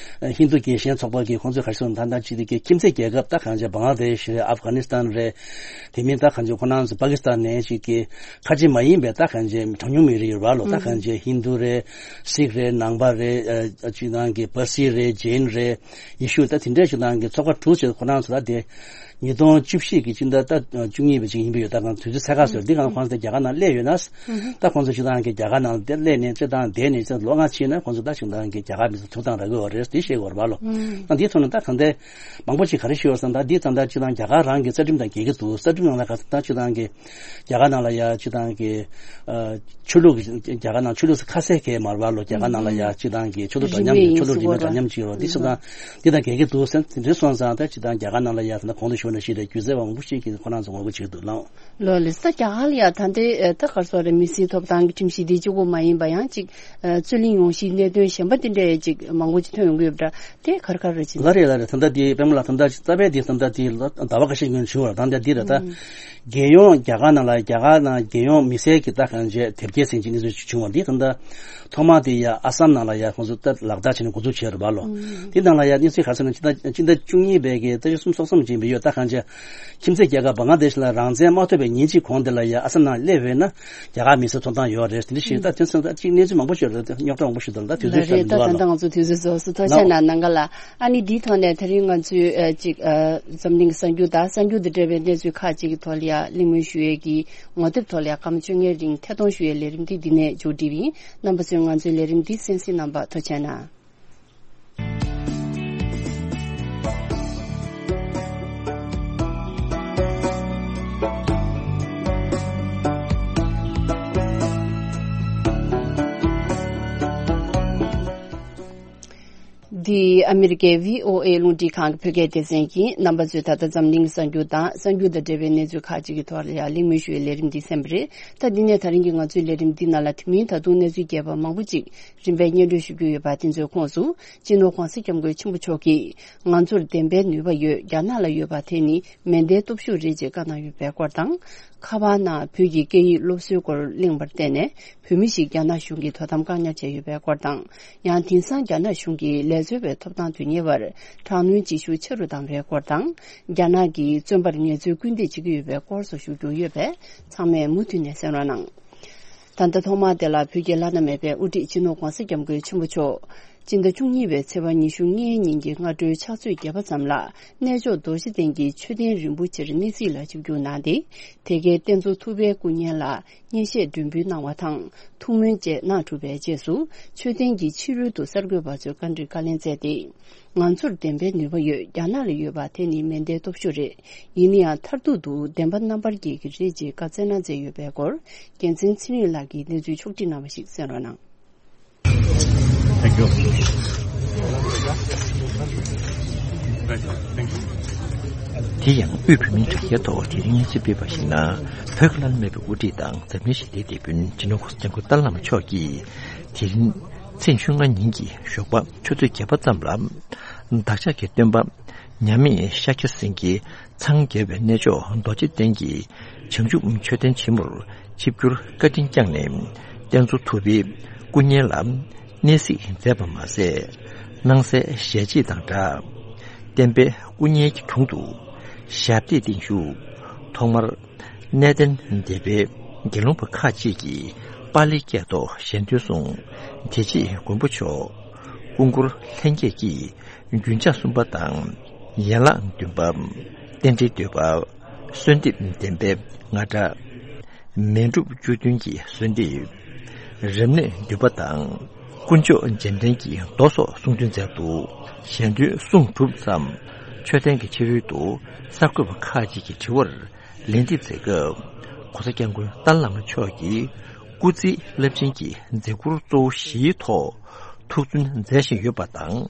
ཧིན་རྡུ་རྒྱལ་ཞེན་ཚོགས་པ་གི་ཁོང་ཚོས་ག་རེ་ཟེར་ན་ད་ལྟ་ཅིག་དེ་གི་ཁྱིམ་མཚེས་རྒྱལ་ཁབ་ད་གང་ཅི་བང་ལ་དེ་ཤི་རེད། ཨབ་གྷ་ནི་སི་ཐན་རེད། དེ་མིན་ད་གང་ཅི་ཁོ་རང་ཚོ་པ་ཀི་སི་ཐན་ནས་ཅིག་གི་ཁ་ཆེ་མ་ཡིན་པའི་ད་གང་ཅི་གྲངས་ཉུང་མི་རིགས་ཡོད་རེད་བ་ལོ། ད་གང་ཅི་ཧིན་རྡུ་རེད། སིག་རེད། ནང་པ་རེད། ཨ་ཅིག་ཏང་གི་པར་སི་རེད། ཇེན་རེད། ཡེ་ཤུ་ད་དེ་འདྲའི་ཅིག་ཏང་གི་ཚོགས་པ་དྲུག་ཅིག་ཁོ་རང་ཚོ་ད་དེ། ཉིས་སྟོང་བཅུ་བཞི་གི་སྤྱི་ཟླ་ད་བཅུ་གཉིས་པའི་ཅིག་ཡིན་པ་ཡོད། ད་གང་དུས་ཚོད་ཚད་བཀག་ཟེར་འདི་གང་ཁོང་ཚོ་རྒྱ་གར་ནང་སླེབས་ཡོད་ན། ད་ཁོང་ཚོ་སྤྱི་བཏང་གི་རྒྱ་གར་ནང་དེ་སླེབས་ནས་སྤྱི་བཏང་བསྡད་ནས་ལོ་ལྔ་ཕྱིན་ན་ཁོང་ཚོ་ད་སྤྱི་བཏང་གི་རྒྱ་གར་མི་ཚོ་ཐུག་སྟངས་རག་གི་ཡོད་རེད། དེ་ཤེས་དགོས་རེད་པ་ལོ། ད་འདིའི་ཐོག་ནས་ད་གང་ལྟར་མང་པོ་ཅིག་ག་རེ་ཤེས་ཡོད་ཟེར་ན། ད་འདི་ད་ལྟ་སྤྱི་བཏང་རྒྱ་གར་རང་གི་རྩ་ཁྲིམས་དང་འགལ་གྱི་འདུག་རྩ་ཁྲིམས་ནང་ལ་ག་ད་སྤྱི་བཏང་གི་རྒྱ་གར་ནང་ལ་ཡ་སྤྱི་བཏང་གི་ཨ་ཆོས་ལུགས་ཀྱི་རྒྱ་གར་ནང་ཆོས་ལུགས་སུ་ཁ་གསལ་གྱི་མ་རེད་པ་ལོ། རྒྱ་གར་ནང་ལ་ཡ་སྤྱི་བཏང་གི་ཆོས་ལུགས་འདྲ་མཉམ་གྱི་ཆོས་ལུགས་རིས་མེད་འདྲ་མཉམ་གྱི་ཡོད་རེད། འདི་སོང་ཙང་འདི་དང་འགལ་གྱི་འདུག་ཟེར་དེ་འདྲ་སོང་ཙང་ད་སྤྱི་བཏང་རྒྱ་གར་ནང་ལ་ཡ་ད་ལྟ་གོང་དུ་ཞུས་ནང་བཞིན་རེད། སྒྱུ་རྩལ་བ་མང་པོ་ཞིག་གིས་ཁོ་རང་ཚོ་ངོ་རྒོལ་བྱེད་ཀྱི་འདུག་ལགས། ལོ་ལེགས། ད་རྒྱ་གར་ལ་ཡ་ད་ལྟའི་ད་ག་རེ་ཟེར་རེད། མི་སེར་ཐོབ་ཐང་གི་ཁྲིམས་གཞི་འདི་གཅིག་པོ་མ་ཡིན་པ་ཡང་ཅིག་རྩོད་གླེང་ཡོང་གཞིའི་གནད་དོན་གཞན་པ་འདི་འདྲའི་ཅིག་མང་པོ་ཅིག་ཐོན་ཡོང་གི་ཡོད་པ་འདྲ། དེ་ག་རེ་ག་རེ་རེད་ཅེ་ན། ལགས་རེད། ལགས་རེད། ད་ལྟ་འདི་པདྨ་ལགས་ད་ལྟ་རྩ་བའི་འདི་ད་ལྟ་འདི་ཟླ་བ་ཁ་ཤས་སྔོན་བྱུང་བ་རེད། ད་ལྟ་འདི་རེད་ད། རྒྱལ་ཡོངས་རྒྱ་གར་ནང་ལ་རྒྱ་གར་ནང་རྒྱལ་ཡོངས་མི་སེར་གྱི་ད་གང་བྱས་དེབ་སྐྱེལ་ཟིན་གྱི་གནས་ཚུལ་ཞིག་བྱུང་བ་འདི་ད་ལྟ་ཐོག་མ་དེ་ཡ་ཨ་སམ་ནང་ལ་ཡ་ཁོང་ཚོ་ད་ལག་བསྟར་བྱས་ནས་འགོ་འཛུགས་བྱས་རེད་པ་ལོ། འདི་ནང་ལ་ཡ་གནས་ཚུལ་ག་རེ་ཟེར་ན། སྤྱི་ཟླ་སྤྱི་ཟླ་བཅུ་གཉིས་པའི་གི་ད་ཆ་གསུམ་སོག་གསུམ་ཅིག་ཡིན་པ་ཡོད། ད་གང་བྱས་ཁྱིམ་མཚེས་རྒྱལ་ཁབ་བང་ལ་དེ་ཤི་ལ་རང་བཙན་མ་ཐོབ་པའི་ཉིན་གཅིག་གོང་དེ་ལ་ཡ་ཨ་སམ་ནང་སླེབས་ཡོད་ན། རྒྱ་གར་མི་སེར་ཐོབ་ཐང་ཡོད་རེད། དེ་འདྲ་ཞིག་ད་དེ་ཚོ་ད་གཅིག་གནས་ཚུལ་མང་པོ་ཞིག་རེད། རྙོག་དྲ་མང་པོ་ཞིག་འདུག་ད་དུས་ཚོད་ལ་རེད། ད་ད་ལྟ་ང་ཚོ་དུས་ཚོད་རྫོགས་སོང་། ཐུགས་རྗེ་གནང་། ནང་ག་ལ་ཨ་ནི་འདིའི་ཐོག་ནས་དེ་རིང་ང་ཚོའི་ཨ་ཅིག་ཨ་འཛམ་གླིང་གི་གསར་འགྱུར་དང་གསར་འགྱུར་དང་འབྲེལ་བའི་གནས་ཚུལ་ཁག་ཅིག་གི་ཐོག་ལ་ཡ་གླེང་མོལ་ཞུ་ཡས་ཀྱི་ངོ་དེབ་ཐོག་ལ་ཡ་སྐར་མ་བཅོ་ལྔའི་རིང་ཐད་གཏོང་ཞུ་ཡས་ལས་རིམ་འདི་འདི་ནས་མཇུག་སྒྲིལ་བ་ཡིན། རྣམ་པ་ཚོས་ང་ཚོའི་ལས་རིམ་འདི་གསན་གཟིགས་གནང་བར་ཐུགས་རྗེ་གནང་། འདི་ཨ་མི་རི་ཀའི་བྷི་ཨོ་ཨེ་རླུང་འཕྲིན་ཁང་གི་བོད་སྐད་སྡེ་ཚན་ཡིན། རྣམ་པ་ཚོས་ད་ལྟ་འཛམ་གླིང་གི་གསར་འགྱུར་དང་། གསར་འགྱུར་དང་འབྲེལ་བའི་གནས་ཚུལ་ཁག་ཅིག་གི་ཐོག་ལ་ཡང་གླེང་མོལ་ཞུ་བའི་ལས་རིམ་འདི་གསན་པ་རེད། ད་འདི་ནས་ད་རིང་གི་ང་ཚོའི་ལས་རིམ་འདི་ནང་ལ་དེ་མིན་ད་དུང་གནས་ཚུལ་རྒྱས་པ་མང་པོ་ཅིག་རིམ་པས་སྙན་སྒྲོན་ཞུ་རྒྱུ་ཡོད་པ་དེ་ཚོའི་ཁོངས་སུ། སྤྱི་ནོར་༧གོང་ས་༧སྐྱབས་མགོན་ཆེན་པོ་མཆོག་གིས་ང་ཚོར་བདེན་པའི་ནུས་པ་ཡོད། རྒྱ་ནག་ལ་ཡོད་པ་དེ་ནི་མེ་མདའི་སྟོབས་ཤུགས་རེད་ཅེས་བཀའ་གནང་ཡོད་པའི་སྐོར་དང་། ཁ་པར་ནང་བོད་ཀྱི་སྐད་ཡིག་སློབ་གསོའི་སྐོར་གླེང་བར་བརྟེན་ནས། བོད་མི་ཞིག་རྒྱ་ནག་གཞུང་གིས་དོ་དམ་བཀག་ཉར་བྱས་ཡོད་པའི་སྐོར་དང་། ཡང་དེང་སང་རྒྱ་ནག་གཞུང་གིས་ལས་བཟོ་བའི་ཐོབ་ཐང་དོན་གཉེར་བར་དྲག་གནོན་བྱེད་ཤུགས་ཆེ་རུ་བཏང་བའི་སྐོར་དང་། རྒྱ་ནག་གིས་བཙོན་པར་ངལ་རྩོལ་སྐུལ་འདེད་བྱེད་ཀྱི་ཡོད་པའི་སྐོར་སོགས་ཞུ་རྒྱུ་ཡོད་པས། ཚང་མས་མུ་མཐུད་ནས་གསན་རོགས་གནང་། ད་ལྟ་ཐོག་མར་དེ་ལ་བོད་ཀྱི་བླ་ན་མེད་པའི་དབུ་ཁྲིད་སྤྱི་ནོར་༧གོང་ས་༧སྐྱབས་མགོན་ཆེན་པོ་མཆོག་སྤྱི་ཟླ་བཅུ་གཉིས་པའི་ཚེས་པ་ཉི་ཤུ་ལྔའི་ཉིན་གྱི་སྔ་དྲོའི་ཕྱག་ཚོད་བརྒྱད་པ་ཙམ་ལ། གནས་མཆོག་རྡོ་རྗེ་གདན་གྱི་མཆོད་རྟེན་རིན་པོ་ཆེར་གནས་གཟིགས་ལ་ཆིབས་བསྒྱུར་གནང་སྟེ། དེ་གའི་གཏེར་མཛོད་ཐུབ་པའི་སྐུ་བརྙན་ལ་སྙན་ཤལ་སྒྲོན་འབུལ་གནང་བ་དང་། ཐུགས་སྨོན་བཅས་གནང་གྲུབ་པའི་རྗེས་སུ། མཆོད་རྟེན་གྱི་ཕྱི་རོལ་དུ་གསར་འགོད་པ་ཚོས་བཀའ་འདྲི་བཀའ་ལན་སྩལ་ཏེ། ང་ཚོར་བདེན་པའི་ནུས་པ་ཡོད། རྒྱ་ནག་ལ་ཡོད་པ་དེ་ནི་མེ་མདའི་སྟོབས་ཤུགས་རེད། ཡིན་ན་ཡང་མཐར་ཐུག་ཏུ་བདེན་པ་རྣམ་པར་རྒྱལ་གྱི་རེད་ཅེས་བཀའ་སྩལ་གནང་མཛད་ཡོད་པའི་སྐོར། རྒྱལ་མཚན་ཚེ་རིང་ལགས་ཀྱིས་གནས་ཚུལ་ཕྱོགས་བསྒྲིགས་གནང་བ་ཞིག་གསན་རོགས་གནང་། Thank you. Thank you. དེ་ཡང་དབུས་བོད་མིའི་དྲ་རྒྱའི་ཐོག་དེ་རིང་སྙན་ཞུ་སྤེལ་བ་ཞིག་ན། བོད་ཀྱི་བླ་ན་མེད་པའི་དབུ་ཁྲིད་དང་འཛམ་གླིང་ཞི་བདེའི་དེད་དཔོན་སྤྱི་ནོར་༧གོང་ས་༧སྐྱབས་མགོན་ཏཱ་ལའི་བླ་མ་མཆོག་གིས། དེ་རིང་ཚེས་ཉི་ཤུ་ལྔ་ཉིན་གྱི་ཞོགས་པ་ཆུ་ཚོད་བརྒྱད་པ་ཙམ་ལ། བདག་ཅག་གི་སྟོན་པ་མཉམ་མེད་ཤཱཀྱ་སེང་གེ་འཚང་རྒྱ་བའི་གནས་མཆོག་རྡོ་རྗེ་གདན་གྱི་བྱང་ཆུབ་མཆོད་རྟེན་ཆེན་མོར་ཆིབས་བསྒྱུར་བཀའ་དྲིན་བསྐྱངས་ནས། གཏེར་མཛོད་ཐུབ་པའི་སྐུ་བརྙན་ལ་གནས་གཟིགས་མཛད་པ་མ་ཟད། སྣང་གསལ་ཞལ་ཕྱེ་དང་སྦྲགས། བསྟན་པའི་སྐུ་བརྙན་གྱི་དྲུང་དུ་ཞབས་བརྟན་བརྟན་བཞུགས། ཐོག་མར་གནས་བརྟན་སྡེ་པའི་དགེ་སློང་པ་ཁག་ཅིག་གིས་པཱ་ལིའི་སྐད་ཐོག་ཞལ་འདོན་གསུངས། དེ་རྗེས་མགོན་པོ་མཆོག་སྐུ་འཁོར་ལྷན་རྒྱས་ཀྱིས་རྒྱུན་ཆགས་གསུམ་པ་དང་། ཡན་ལག་བདུན་པ། རྟེན་འབྲེལ་བསྟོད་པ། གསོལ་འདེབས་བདེན་པའི་རྔ་སྒྲ། མཎྜལ་བཅུ་བདུན་གྱི་གསོལ་འདེབས། རབ་གནས་འདུས་པ་དང་། དཀོན་མཆོག་རྗེས་དྲན་གྱི་མདོ་སོགས་གསུང་འདོན་མཛད་འདུག་ཞལ་འདོན་གསུང་གྲུབ་མཚམས། མཆོད་རྟེན་གྱི་ཕྱི་རོལ་དུ་གསར་འགོད་པ་ཁག་ཅིག་གི་དྲི་བར་ལན་འདེབས་མཛད་སྐབས། ༸གོང་ས་༸སྐྱབས་མགོན་ཏཱ་ལའི་བླ་མ་མཆོག་གིས་སྐུ་ཚེའི་རླབས་ཆེན་གྱི་མཛད་ཁུར་གཙོ་བོ་བཞིའི་ཐོག་ཐུགས་བརྩོན་མཛད་བཞིན་ཡོད་པ་དང་།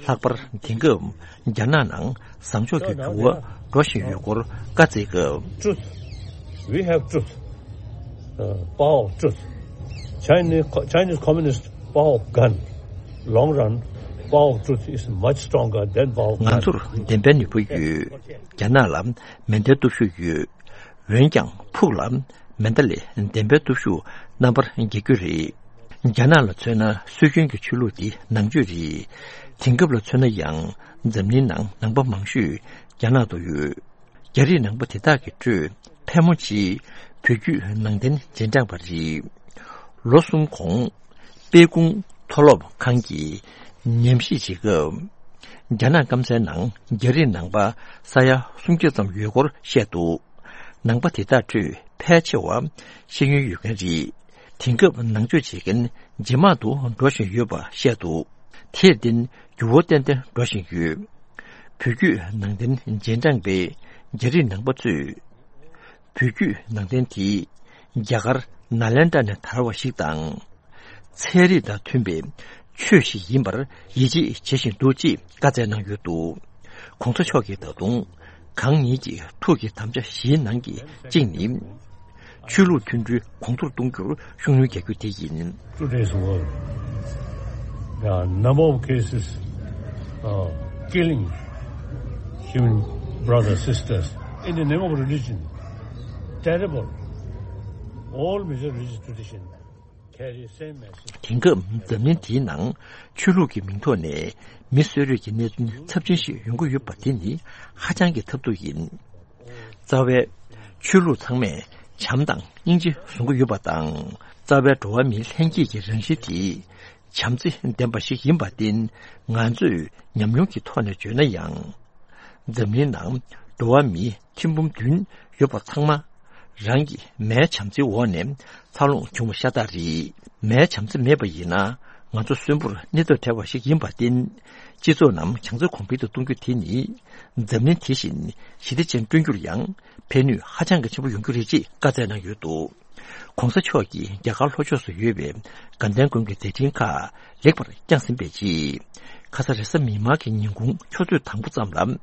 ལྷག་པར་དེང་སྐབས་རྒྱ་ནག་ནང་བཟང་ཕྱོགས་ཀྱི་འགྱུར་བ་འགྲོ་བཞིན་ཡོད་སྐོར་བཀའ་སྩལ་སྐབས། Truth. We have truth. Uh, power of truth. Chinese, Chinese communist power of gun. Long run, power of truth is much stronger than power of gun. ང་ཚོར་བདེན་པའི་ནུས་པ་ཡོད། རྒྱ་ནག་ལ་མེ་མདའི་སྟོབས་ཤུགས་ཡོད། འོན་ཀྱང་ཕུགས་ལ་མེ་མདའ་ལས་བདེན་པའི་སྟོབས་ཤུགས་རྣམ་པར་རྒྱལ་རྒྱུ་རེད། རྒྱ་ནག་ལ་མཚོན་ན་སྲོལ་རྒྱུན་གྱི་ཆོས་ལུགས་འདི་ནང་ཆོས་རེད། དེང་སྐབས་ལ་མཚོན་ན་ཡང་འཛམ་གླིང་ནང་ནང་པ་མང་ཤོས་རྒྱ་ནག་ཏུ་ཡོད། རྒྱ་རིགས་ནང་པ་དེ་དག་གི་ཁྲོད་ཕལ་མོ་ཆེ་བོད་བརྒྱུད་ནང་བསྟན་རྗེས་འབྲང་པ་རེད། ལོ་གསུམ་གོང་དཔལ་སྤུངས་མཐོ་སློབ་ཁང་གིས་ཉམས་ཞིབ་བྱེད་སྐབས། རྒྱ་ནག་སྐམ་སའི་ནང་རྒྱ་རིགས་ནང་པ་ས་ཡ་སུམ་བརྒྱ་ཙམ་ཡོད་སྐོར་བཤད་འདུག་ནང་པ་དེ་དག་ཁྲོད་ཕལ་ཆེ་བ་ཤེས་ཡོན་ཡོད་མཁན་རེད། དེང་སྐབས་ནང་ཆོས་བྱེད་མཁན་ཇེ་མང་དུ་འགྲོ་བཞིན་ཡོད་པ་བཤད་འདུག་དེར་བརྟེན་འགྱུར་བ་ཏན་ཏན་འགྲོ་བཞིན་ཡོད། བོད་བརྒྱུད་ནང་བསྟན་རྗེས་འབྲང་པས་རྒྱ་རིགས་ནང་པ་ཚོས། བོད་བརྒྱུད་ནང་བསྟན་དེ་རྒྱ་གར་ནཱ་ལེནྡྲ་ནས་དར་བ་ཞིག་དང་། ཚན་རིག་དང་མཐུན་པའི་ཆོས་ཤིག་ཡིན་པར་ཡིད་ཆེས་བྱེད་བཞིན་འདུག་ཅེས་བཀའ་སྩལ་གནང་ཡོད་འདུག་གོང་ས་མཆོག་གིས་ད་དུང་གང་ཉིད་ཀྱི་ཐུགས་ཀྱི་དམ་བཅའ་བཞིའི་ནང་གི་གཅིག་ནི། ཆོས་ལུགས་མཐུན་སྒྲིལ་གོང་མཐོར་གཏོང་རྒྱུར་ཤུགས་སྣོན་རྒྱག་རྒྱུ་དེ་ཡིན། Today's world, there are number of cases, uh, killing human brothers, sisters in the name of religion. Terrible. All major religious traditions carry same message. དེང་སྐབས་འཛམ་གླིང་འདིའི་ནང་ཆོས་ལུགས་ཀྱི་མིང་ཐོག་ནས་མི་གསོད་རེས་ཀྱི་གནད་དོན་ཚབས་ཆེན་ཞིག་ཡོང་གི་ཡོད་པ་དེ་ནི་ཧ་ཅང་གི་ཐབས་སྡུག་ཡིན། རྩ་བའི་ཆོས་ལུགས་ཚང་མས་བྱམས་དང་སྙིང་རྗེ་བཟུང་གི་ཡོད་པ་དང་། རྩ་བའི་འགྲོ་བ་མིའི་ལྷན་སྐྱེས་ཀྱི་རང་བཞིན་དེ་བྱམས་བརྩེ་ལྡན་པ་ཞིག་ཡིན་པར་བརྟེན། ང་ཚོས་ཉམས་མྱོང་གི་ཐོག་ནས་བརྗོད་ན་ཡང་། འཛམ་གླིང་ནང་འགྲོ་བ་མིའི་ཐེར་འབུམ་བདུན་ཡོད་པ་ཚང་མ་རང་གི་མའི་བྱམས་བརྩེའི་འོག་ནས་འཚར་ལོངས་བྱུང་བ་ཤ་སྟག་རེད། མའི་བྱམས་བརྩེ་མེད་པ་ཡིན་ན། ང་ཚོ་གསོན་པོར་གནས་ཐབས་བྲལ་བ་ཞིག་ཡིན་པར་བརྟེན། སྤྱི་ཚོགས་རྣམས་བྱང་རྩེ་གོང་འཕེལ་དུ་གཏོང་རྒྱུ་དེ་ནི། འཛམ་གླིང་དེ་བཞིན་ཞི་བདེ་ཅན་བསྐྲུན་རྒྱུར་ཡང་ཕན་ནུས་ཧ་ཅང་གི་ཆེན་པོ་ཡོང་རྒྱུ་རེད་ཅེས་བཀའ་སྩལ་གནང་ཡོད་འདུག ༸གོང་ས་མཆོག་གིས་རྒྱ་གར་ལྷོ་ཕྱོགས་སུ་ཡོད་པའི་དགའ་ལྡན་དགོན་གྱི་མཛད་འཕྲིན་ཁག་ལེགས་པར་བསྐྱངས་ཟིན་པའི་རྗེས། ཁ་ས་རེས་གཟའ་མིག་དམར་གྱི་ཉིན་གུང་ཆུ་ཚོད་དང་པོ་ཙམ་ལ།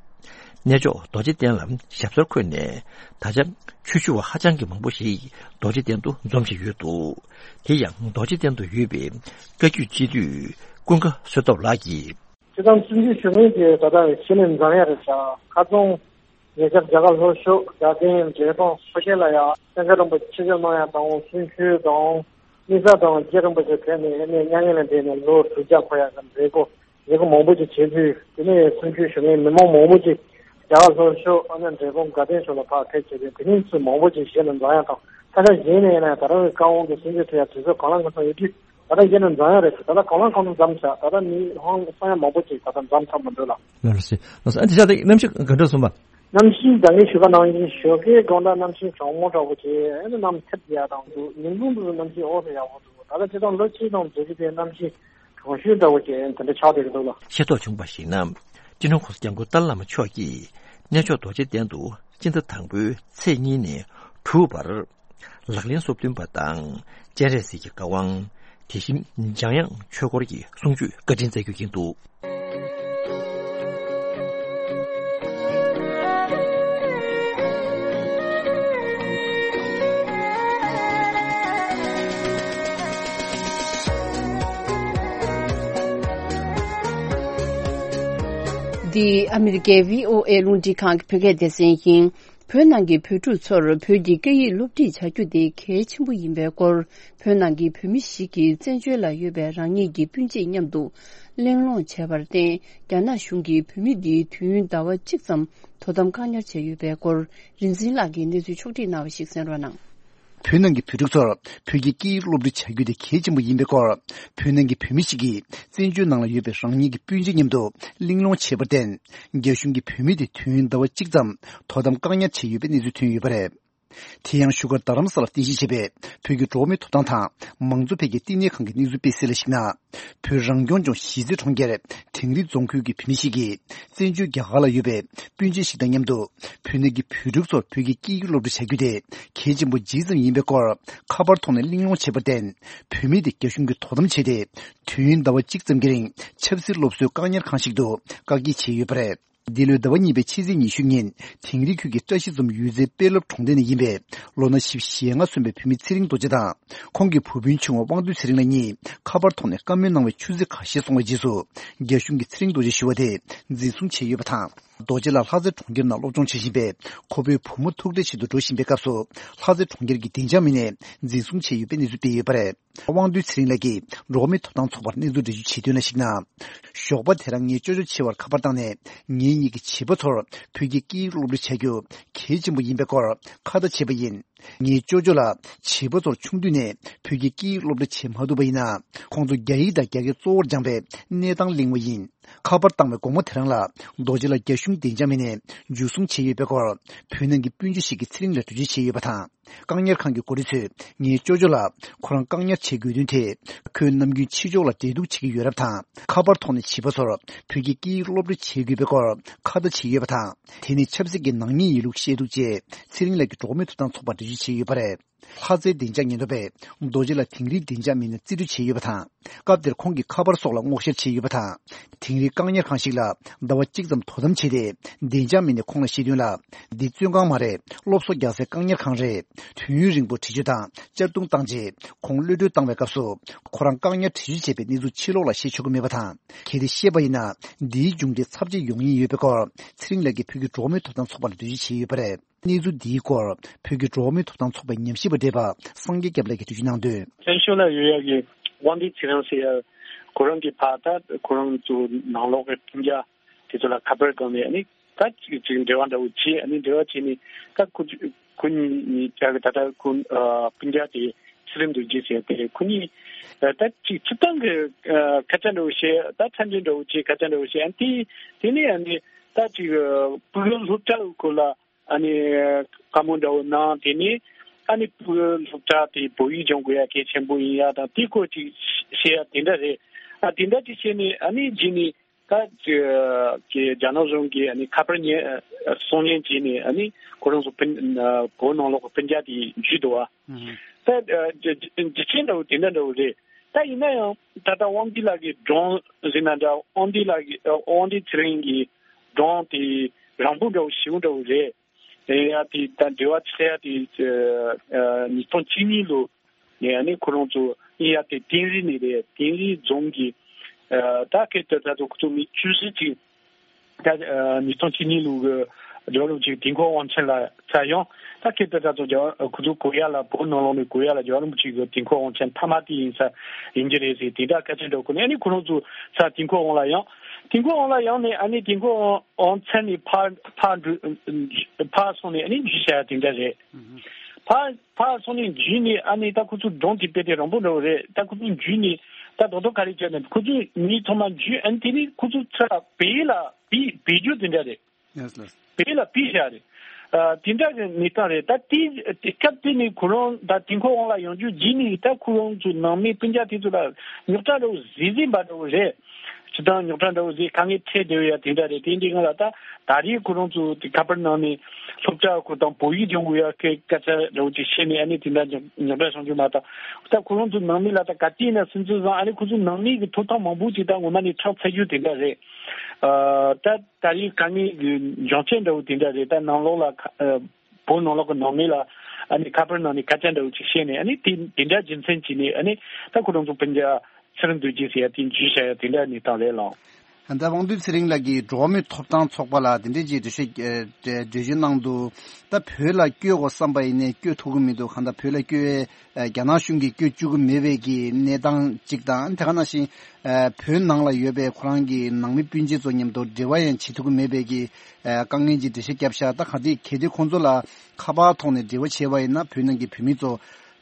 གནས་མཆོག་རྡོ་རྗེ་གདན་ལ་ཞབས་སོར་འཁོད་ནས། ད་ཆ་ཆོས་ཞུ་བ་ཧ་ཅང་གི་མང་པོ་ཞིག་རྡོ་རྗེ་གདན་དུ་འཛོམས་བཞིན་ཡོད་འདུག་དེ་ཡང་རྡོ་རྗེ་གདན་དུ་ཡོད་པའི་བཀའ་བརྒྱུད་སྤྱི་འཐུས་ཀུན་དགའ་བསོད་སྟོབས་ལགས་ཀྱིས། སྤྱིར་བཏང་བཙན་བྱོལ་གཞུང་གི་ད་ལྟ་གཞི་ནས་འཛིན་ཡ་རེད་ཤག་ཁ་རྩང་ཉེ་ཆར་རྒྱ་གར་ལྷོ་ཕྱོགས་དགའ་ལྡན་འབྲས་སྤུངས་མཚོ་ཁྱེར་ལ་ཡང་སེང་གེ་རིན་པོ་ཆེ་ཆིབས་བསྒྱུར་གནང་ཡ་དང་གསུང་ཆོས་དང་། དམིགས་བསལ་དང་རྗེ་རིན་པོ་ཆེ་ཕེབས་ནས་ཨ་ནི་མྱ་ངན་ལས་འདས་ནས་ལོ་དྲུག་བརྒྱ་འཁོར་ཡ་གི་མཛད་སྒོ་མཛད་སྒོ་མང་པོ་ཅིག་བྱས་དུས། དེ་ནས་བཙན་བྱོལ་གཞུང་གི་མི་མང་མང་པོ་ཅིག་རྒྱ་གར་ལྷོ་ཕྱོགས་ཨ་ནི་འབྲས་སྤུངས་དགའ་ལྡན་ཕྱོགས་ལ་ཕར་ཕེབས་བྱས་དུས། དེ་རིང་ཚོ་མང་པོ་ཅིག་གཞི་ནས་འཛིན་ཡ་དང་། ས་ཆ་གཞན་ནས་ཡིན་ན་ད་རང་གི་བཀའ་དབང་གི་གསུང་ཆོས་ཐོས་ཡ་དུས་ཚོད་གང་ལ་གང་འཚམ་ཡོད་དུས། ད་ལྟ་གཞི་ནས་འཛིན་ཡ་རེད་ཟེར། ད་ལྟ་གང་ལ་གང་འཚམ་འཛོམས་ཤག་ད་ལྟ་མི་ཧང་སང་ཡ་མང་པོ་ཅིག་ད་ལྟ་འཛོམས་ཚར་མི་འདུག་ལ། ལགས་སོ། ལགས་སོ། ཨ་འདི་ཆ་དེ་གནམ་གཤིས་ག་འདྲ་སོང་བ། གནམ་གཤིས་ད་ངས་ཞུ་བ་ནང་བཞིན་ཞོགས་ཀའི་དགོང་དག་གནམ་གཤིས་གྲང་མོ་འདྲ་བོ་བྱས། ཨ་ནི་གནམ་ཐེབས་ཡག་དང་འདུག་ཉིན་གུང་དུ་གནམ་གཤིས་ཨོ་ཙམ་ཡག་པོ་འདུག་ད་ལྟ་སྤྱིར་བཏང་ལོ་གཅིག་དང་བརྗེ་གི་དེ་གནམ་གཤིས་གྲང་ཤུལ་འདྲ་བོ་བྱས་དེ་འདྲ་ཆགས་བསྡད་ཀྱི་འདུག་ལ། ཤེས་རྟོགས་བྱུང་བར་གཞིགས་ན། སྤྱི་ནོར་༸གོང་ས་༸སྐྱབས་མགོན་ཏཱ་ལའི་བླ་མ་མཆོག་གིས་གནས་མཆོག་རྡོ་རྗེ་གདན་དུ་སྤྱི་ཟླ་དང་པོའི་ཚེས་གཉིས་ནས་དྲུག་བར། ལག་ལེན་སོ་བདུན་པ་དང་སྤྱན་རས་གཟིགས་ཀྱི་བཀའ་དབང་། དེ་བཞིན་འཇམ་དབྱངས་ཆོས་འཁོར་གྱི་གསུང་ཆོས་བཀའ་དྲིན་སྩལ་རྒྱུ་ཡིན་འདུག་འདི་ཨ་མི་རི་ཀའི་བྷི་ཨོ་ཨེ་རླུང་འཕྲིན་ཁང་གི་བོད་སྐད་སྡེ་ཚན་ཡིན། བོད་ནང་གི་བོད་ཕྲུག་ཚོར་བོད་ཀྱི་སྐད་ཡིག་སློབ་ཁྲིད་བྱ་རྒྱུ་དེ་གལ་ཆེན་པོ་ཡིན་པའི་སྐོར། བོད་ནང་གི་བོད་མི་ཞིག་གིས་བཙན་བྱོལ་ལ་ཡོད་པའི་རང་ཉིད་ཀྱི་སྤུན་མཆེད་མཉམ་དུ་གླེང་སློང་བྱས་པར་བརྟེན། རྒྱ་ནག་གཞུང་གིས་བོད་མི་འདིའི་དུས་ཡུན་ཟླ་བ་གཅིག་ཙམ་དོ་དམ་བཀག་ཉར་བྱས་ཡོད་པའི་སྐོར། རིག་འཛིན་ལགས་ཀྱིས་གནས་ཚུལ་ཕྱོགས་བསྒྲིགས་གནང་བ་ཞིག་གསན་རོགས་གནང་། བོད་ནང་གི་བོད་ཕྲུག་ཚོར་བོད་ཀྱི་སྐད་ཡིག་སློབ་ཁྲིད་བྱ་རྒྱུ་དེ་གལ་ཆེན་པོ་ཡིན་པའི་སྐོར། བོད་ནང་གི་བོད་མི་ཞིག་གིས་བཙན་བྱོལ་ནང་ལ་ཡོད་པའི་རང་ཉིད་ཀྱི་སྤུན་མཆེད་མཉམ་དུ་གླེང་སློང་བྱས་པར་བརྟེན། རྒྱ་གཞུང་གིས་བོད་མི་དེ་དུས་ཡུན་ཟླ་བ་གཅིག་ཙམ་དོ་དམ་བཀག་ཉར་བྱས་ཡོད་པའི་གནས་ཚུལ་ཐོན་ཡོད་པ་རེད། དེ་ཡང་བཞུགས་སྒར་རྡ་རམ་ས་ལར་རྟེན་གཞི་བྱས་པའི་བོད་ཀྱི་འགྲོ་བ་མིའི་ཐོབ་ཐང་དང་མང་གཙོ་འཕེལ་རྒྱས་བསྟི་གནས་ཁང་གི་གནས་ཚུལ་སྤེལ་གསལ་ལ་གཞིགས་ན། བོད་རང་སྐྱོང་ལྗོངས་གཞིས་རྩེ་གྲོང་ཁྱེར་དིང་རི་རྫོང་ཁུལ་གྱི་བོད་མི་ཞིག་གིས་བཙན་བྱོལ་རྒྱ་གར་ལ་ཡོད་པའི་སྤུན་མཆེད་ཞིག་དང་མཉམ་དུ་བོད་ནང་གི་བོད་ཕྲུག་ཚོར་བོད་ཀྱི་སྐད་ཡིག་སློབ་ཁྲིད་བྱ་རྒྱུ་དེ་གལ་ཆེན་པོ་ཇི་ཙམ་ཡིན་པའི་སྐོར་ཁ་པར་ཐོག་ནས་གླེང་སློང་བྱས་པར་བརྟེན། བོད་མི་དེ་རྒྱ་གཞུང་གིས་དོ་དམ་བྱས་ཏེ། དུས་ཡུན་ཟླ་བ་གཅིག་ཙམ་གྱི་རིང་ཆབ་སྲིད་སློབ་གསོའི་བཀག་ཉར་ཁང་ཞིག་ཏུ་བཀག་སྐྱིལ་བྱས་ཡོད་པ་རེད། འདི་ལོའི་ཟླ་བ་གཉིས་པའི་ཕྱི་ཚེས་ཉི་ཤུ་ཉིན་དིང་རི་ཁུལ་གྱི་བཀྲ་ཤིས་འཛོམས་གཡུལ་རྩེའི་དཔོན་སློབ་གྲོང་སྡེ་ནས་ཡིན་པའི་ལོ་ན་བཞི་བཅུ་ཞེ་ལྔ་སོན་པའི་བུད་མེད་ཚེ་རིང་རྡོ་རྗེ་དང་ཁོང་གི་བུ་སྤུན་ཆུང་བ་དབང་འདུས་ཚེ་རིང་ལགས་གཉིས་ཁ་པར་ཐོག་ནས་བཀའ་མོལ་གནང་བའི་ཆུ་ཚོད་ཁ་ཤས་སོང་བའི་རྗེས་སུ་རྒྱ་གཞུང་གིས་ཚེ་རིང་རྡོ་རྗེ་ཞུ་བ་དེ་འཛིན་བཟུང་བྱས་ཡོད་པ་དང་། རྡོ་རྗེ་ལགས་ལྷ་རྩེ་གྲོང་ཁྱེར་ནང་སློབ་སྦྱོང་བྱེད་བཞིན་པའི་ཁོ་བོའི་བུ་མོ་ཐུག་འཕྲད་ཆེད་དུ་འགྲོ་བཞིན་པའི་སྐབས་སུ་ལྷ་རྩེ་གྲོང་ཁྱེར་གྱི་བདེ་འཇགས་མི་སྣས་འཛིན་བཟུང་བྱས་ཡོད་པའི་གནས་ཚུལ་སྤེལ་ཡོད་པ་རེད། དབང་འདུས་ཚེ་རིང་ལགས་ཀྱིས་འགྲོ་བ་མིའི་ཐོབ་ཐང་ཚོགས་པར་གནས་ཚུལ་འགྲེལ་བརྗོད་བྱས་དོན་ལ་གཞིགས་ན། ཞོགས་པ་དེ་རང་ངའི་ཅོ་ཅོ་ཆེ་བར་ཁ་པར་བཏང་ནས་ངེད་གཉིས་ཀྱི་བྱིས་པ་ཚོར་བོད་ཀྱི་སྐད་ཡིག་སློབ་ཁྲིད་བྱ་རྒྱུ་གལ་ཆེན་པོ་ཡིན་པའི་སྐོར་ཁ་བརྡ་བྱས་པ་ཡིན། ངའི་ཅོ་ཅོ་ལ་བྱིས་པ་ཚོར་ཆུང་དུས་ནས་བོད་ཀྱི་སྐད་ཡིག་སློབ་ཁྲིད་བྱེད་མ་ཐུབ་པ་ཡིན་ན། ཁོང་ཚོ་རྒྱ་ཡིག་དང་རྒྱ་སྐད་གཙོ་བོར་སྦྱངས་པའི་གནས་སྟངས་གླེང་བ་ཡིན། ཁ་པར་བཏང་བའི་དགོང་མོ་དེ་རང་ལ་རྡོ་རྗེ་ལགས་རྒྱ་གཞུང་བདེ་འཇགས་མི་སྣས་འཇུ་བཟུང་བྱས་ཡོད་པའི་སྐོར་བོད་ནང་གི་སྤུན་མཆེད་ཞིག་གིས་ཚེ་རིང་ལ་འགྲེལ་བརྗོད་བྱས་ཡོད་པ་དང་། བཀག་ཉར་ཁང་གི་འགོ་ཁྲིད་ཚོས་ངའི་ཅོ་ཅོ་ལ་ཁོ་རང་བཀག་ཉར་བྱེད་དགོས་དོན་དེ། ཁོས་ནམ་རྒྱུན་ཕྱི་ཕྱོགས་ལ་འབྲེལ་གཏུག་བྱེད་ཀྱི་ཡོད་རབས་དང་། ཁ་པར་ཐོག་ནས་བྱིས་པ་ཚོར་བོད་ཀྱི་སྐད་ཡིག་སློབ་ཁྲིད་བྱེད་དགོས་པའི་སྐོར་ཁ་བརྡ་བྱས་ཡོད་པ་དང་། དེ་ནི་ཆབ་སྲིད་ཀྱི་ནག་ཉེས་ཡིན་ལུགས་བཤད་འདུག་ཅེས་ཚེ་རིང་ལགས་ཀྱིས་འགྲོ་བ་མིའི་ཐོབ་ཐང་ཚོགས་པར་འགྲེལ་བརྗོད་བྱས་ཡོད་པ་རེད། ལྷ་རྩེའི་བདེ་འཇགས་ཉེན་རྟོག་པས་རྡོ་རྗེ་ལགས་དིང་རིའི་བདེ་འཇགས་མི་སྣར་རྩིས་སྤྲོད་བྱས་ཡོད་པ་དང་། སྐབས་དེར་ཁོང་གིས་ཁ་པར་སོགས་ལ་སྔོག་བཤེར་བྱས་ཡོད་པ་དང་། དིང་རིའི་བཀག་ཉར་ཁང་ཞིག་ལ་ཟླ་བ་གཅིག་ཙམ་དོ་དམ་བྱས་ཏེ། བདེ་འཇགས་མི་སྣས་ཁོང་ལ་བཤད་དོན་ལ། འདི་བཙོན་ཁང་མ་རེད། སློབ་གསོ་རྒྱག་སའི་བཀག་ཉར་ཁང་རེད། དུས་ཡུན་རིང་པོ་འདྲི་གཅོད་དང་གཅར་རྡུང་བཏང་རྗེས། ཁོང་གློད་གྲོལ་བཏང་བའི་སྐབས་སུ། ཁོ་རང་བཀག་ཉར་འདྲི་གཅོད་བྱས་པའི་གནས་ཚུལ་ཕྱི་ལོགས་ལ་བཤད་ཆོག་གི་མེད་པ་དང་། གལ་ཏེ་བཤད་པ་ཡིན་ན། འདིའི་མཇུག་འབྲས་ཚབས་ཆེ་ཡོང་ཉེན་ཡོད་པའི་སྐོར། ཚེ་རིང་ལགས་ཀྱིས་བོད་ཀྱི་འགྲོ་བ་མིའི་ཐོབ་ཐང་ཚོགས་པ་ལ་འགྲེལ་བརྗོད་བྱས་ཡོད་པ་རེད། གནས་ཚུལ་འདིའི་སྐོར་བོད་ཀྱི་འགྲོ་བ་མིའི་ཐོབ་ཐང་ཚོགས་པའི་ཉམས་ཞིབ་པ་བགྲེས་པ་སངས་རྒྱས་སྐྱབས་ལགས་ཀྱིས་འགྲེལ་བརྗོད་གནང་དོན། བཙན་བྱོལ་ལ་ཡོད་ཡག་གི་དབང་འདུས་ཚེ་རིང་ཟེར་ཡ། ཁོ་རང་གི་ཕ་ད་ཁོ་རང་ཚོ་ནང་ལོགས་ཀྱི་སྤུན་ཀྱག་དེ་ཚོ་ལ་ཁ་པར་བསྒང་ནས་ཨ་ནི་ད་ཅིག་ཅིག་འབྲེལ་བ་འདྲ་བོ་བྱས། ཨ་ནི་འབྲེལ་བ་བྱས་ནས་ད་ཁོ་ཁོ་གཉིས་ཀྱག་གི་ད་ད་ཁོ་སྤུན་ཀྱག་དེ་ཚེ་རིང་རྡོ་རྗེ་ཟེར་ཡ་དེ་ཁོ་གཉིས་ད་ཅིག་སྤྱིར་བཏང་གི་ཁ་ཆ་འདྲ་བོ་བཤད། ད་མཚམས་འཇོག་འདྲ་བོ་བྱས། ཁ་ཆ་འདྲ་བོ་བཤད། ཨ་ནི་དེ་དེ་ནས་ཨ་ནི་ད་ཅིག་ཕྲུ་གུ་སློབ་གྲྭ་སྐོར་ལ་ཨ་ནི་བཀའ་མོལ་འདྲ་བོ་གནང་། དེ་ནས་ཨ་ནི་ཕྲུ་གུ་སློབ་གྲྭ་དེ་བོད་ཡིག་སྦྱང་དགོས་ཡ་གལ་ཆེན་པོ་ཡིན་ཡ་དང་དེ་སྐོར་ཅིག་བཤད་ཡ་དེ་འདྲ་རེད། ད་དེ་འདྲ་ཅིག་བྱས་ནས་ཨ་ནི་རྗེས་ནས་ད་ཀྱི་རྒྱ་ནག་གཞུང་གིས་ཨ་ནི་ཁ་པར་ཉན་གསུང་ཉན་བྱས་ནས་ཨ་ནི་ཁོ་རང་ཚོ་སྤུན་བོད་ནང་ལོགས་ཀྱི་སྤུན་ཀྱག་དེ་འཇུས་འདུག་བ། ད་རྒྱུ་རྐྱེན་འདྲ་བོ་དེ་འདྲ་འདྲ་བོ་རེད། ད་ཡིན་ན་ཡང་ད་ལྟ་དབང་འདུས་ལགས་ཀྱི་སྒྲུང་ཟེར་ན་འདྲ། དབང་འདུས་ལགས་ཀྱི་དབང་འདུས་ཚེ་རིང་གི་སྒྲུང་དེ་རིང་པོ་འདྲ་བོ་ཞིབ་པོ་འདྲ་བོ་རེད། དེ་ཡ་དེ་ད་འབྲེལ་བ་ཆགས་ཡ་དེ་ཉིས་སྟོང་བཅུ་གཉིས་ལོ་ནས་ཨ་ནི་ཁོ་རང་ཚོ་ཨིན་ཡ་དེ་དིང་རི་ནས་རེད། དིང་རི་རྫོང་གི་ད་སྐད་དུ་ད་ཚོ་ཁོ་ཚོ་མི་བཅུ་བཞི་ཅིག་ད་ཉིས་སྟོང་བཅུ་གཉིས་ལོ་གི་རྒྱལ་བ་རིན་པོ་ཆེ་དུས་འཁོར་དབང་ཆེན་ལ་ཚར་ཡང་ད་སྐད་དུ་ད་ཚོ་རྒྱལ་བ་ཁོ་ཚོ་གོ་ཡ་ལ་བོད་ནང་ལོགས་ནས་གོ་ཡ་ལ་རྒྱལ་བ་རིན་པོ་ཆེ་གི་དུས་འཁོར་དབང་ཆེན་མཐའ་མ་དེ་ཡིན་ས་ཡིན་གྱི་རེད་ཟེར་དེ་འདྲ་སྐད་ཆ་འདྲ་གོ་ནས་ཨ་ནི་ཁོ་རང་ཚོ་ཚར་དུས་འཁོར་དབང་ལ་ཡང་དུས་འཁོར་དབང་ལ་ཡང་ནས་ཨ་ནི་དུས་འཁོར་དབང་ཚར་ནས་ཕར་ཕར་འགྲོ་ཕར་སོང་ནས་ཨ་ནི་འཇུས་བྱ་ཡ་དེ་འདྲ་རེད། ཕར་ཕར་སོང་ནས་འཇུས་ནས་ཨ་ནི་ད་ཁོ་ཚོ་སྒྲུང་དེ་དཔེ་དེ་རིང་པོ་འདྲ་བོ་རེད། ད་ཁོ་ཚོ་འཇུས་ནས་ད་རྡོག་རྡོག་ག་རེ་བྱས་ནས་ཁོ་ཚོ་མི་ཚང་མ་འཇུས། ཨ་ནི་དེ་ནས་ཁོ་ཚོ་ཚུར་བོད་ལ་བོད་བོད་རྒྱུ་དེ་འདྲ་རེད། ཡེས་ལེས། བོད་ལ་བོད་བཞག་རེད། ཨ་དེ་འདྲ་གི་གནས་སྟངས་རེད། ད་དེ་དེ་སྐབས་དེ་ནས་ཁོ་རང་ད་དུས་འཁོར་དབང་ལ་ཡོང་རྒྱུ་རྗེས་ནས་ད་ཁོ་རང་ཚོ་ནང་མི་སྤུན་ཀྱག་དེ་ཚོ་ལ་རྙོག་དྲ་འདྲ་བོ་བཟོས་བཟོས་པ་འདྲ་བོ་རེད། སྤྱིར་བཏང་རྙོག་དྲ་འདྲ་བོ་བཟོས་དཀའ་ངལ་འཕྲད་བསྡད་ཡ་དེ་འདྲ་རེད། དེ་འདྲའི་སྒང་ལ་ད་ད་རེས་ཁོ་རང་ཚོ་དེ་ཁ་པར་ནང་ནས་སློབ་གྲྭ་ཁོ་དང་བོད་ཡིག་སྦྱོང་དགོས་ཡ་སྐད་སྐད་ཆ་འདྲ་བོ་ཅིག་བཤད་ནས་ཨ་ནི་དེ་འདྲ་རྙོག་རྙོག་དྲ་བྱུང་རྒྱུ་མ་གཏོགས། ད་ཁོ་རང་ཚོ་ནང་མི་ལ་ད་ག་དུས་ཡིན་ན་སུན་གཙེར་བཟང་། ཨ་ནི་ཁོ་ཚོ་ནང་མི་གི་ཐོབ་ཐང་མང་པོ་ཅིག་ད་ངོ་མ་ནས་ཁྲག་འཚལ་རྒྱུ་དེ་འདྲ་རེད། ཨ་ད་ད་རེས་དཀའ་ངལ་གྱི་འབྱུང་རྐྱེན་འདྲ་བོ་དེ་འདྲ་རེད། ད་ནང་ལོགས་ལ་ཁ་ཨ་བོད་ནང་ལོགས་ཀྱི་ནང་མི་ལ་ཨ་ནི་ཁ་པར་ནང་ནས་སྐད་ཆ་འདྲ་བོ་ཅིག་བཤད་ནས་ཨ་ནི་དེ་དེ་འདྲ་རྒྱུ་མཚན་བྱས་ནས་ཨ་ནི་ད་ཁོ་རང་ཚོ་སྤུན་ཀྱག་ཚུར་འདུག་རྒྱུ་ཟེར་ཡ་དེ་འཇུས་བྱ་ཡ་དེ་འདྲ་གནས་སྟངས་རེད་ལགས། ད་དབང་འདུས་ཚེ་རིང་ལགས་ཀྱིས་འགྲོ་བ་མིའི་ཐོབ་ཐང་ཚོགས་པ་ལ་དེ་འདྲས་ཀྱི་འགྲེལ་བཤད་ཨ་འགྲེལ་བརྗོད་གནང་འདུག་ད་བོད་ལ་བསྐྱོད་དགོས་བསམ་པ་ཡིན་ནའི་བསྐྱོད་ཐུབ་ཀྱི་མི་འདུག་གང་ལྟར་བོད་ལ་བསྐྱོད་ཨ་རྒྱ་ནག་གཞུང་གིས་བསྐྱོད་བཅུག་གི་མེད་པའི་གི་གནས་སྟངས་གཅིག་དང་། དེ་ག་ནང་བཞིན་ཨ་བོད་ནང་ལ་ཡོད་པའི་ཁོ་རང་གི་ནང་མི་སྤུན་མཆེད་ཚོ་མཉམ་དུ་འབྲེལ་བ་ཡང་བྱེད་ཐུབ་ཀྱི་མེད་པའི་གི་ཨ་དཀའ་ངལ་གྱི་འགྲེལ་བཤད་བརྒྱབ་ཤག་ད་ག་དུས་གལ་ཏེ་ཁོང་ཚོ་ལ་ཁ་པར་ཐོག་ནས་འབྲེལ་བ་བྱས་པ་ཡིན་ན་བོད་ནང་གི་བོད་མི་ཚོ་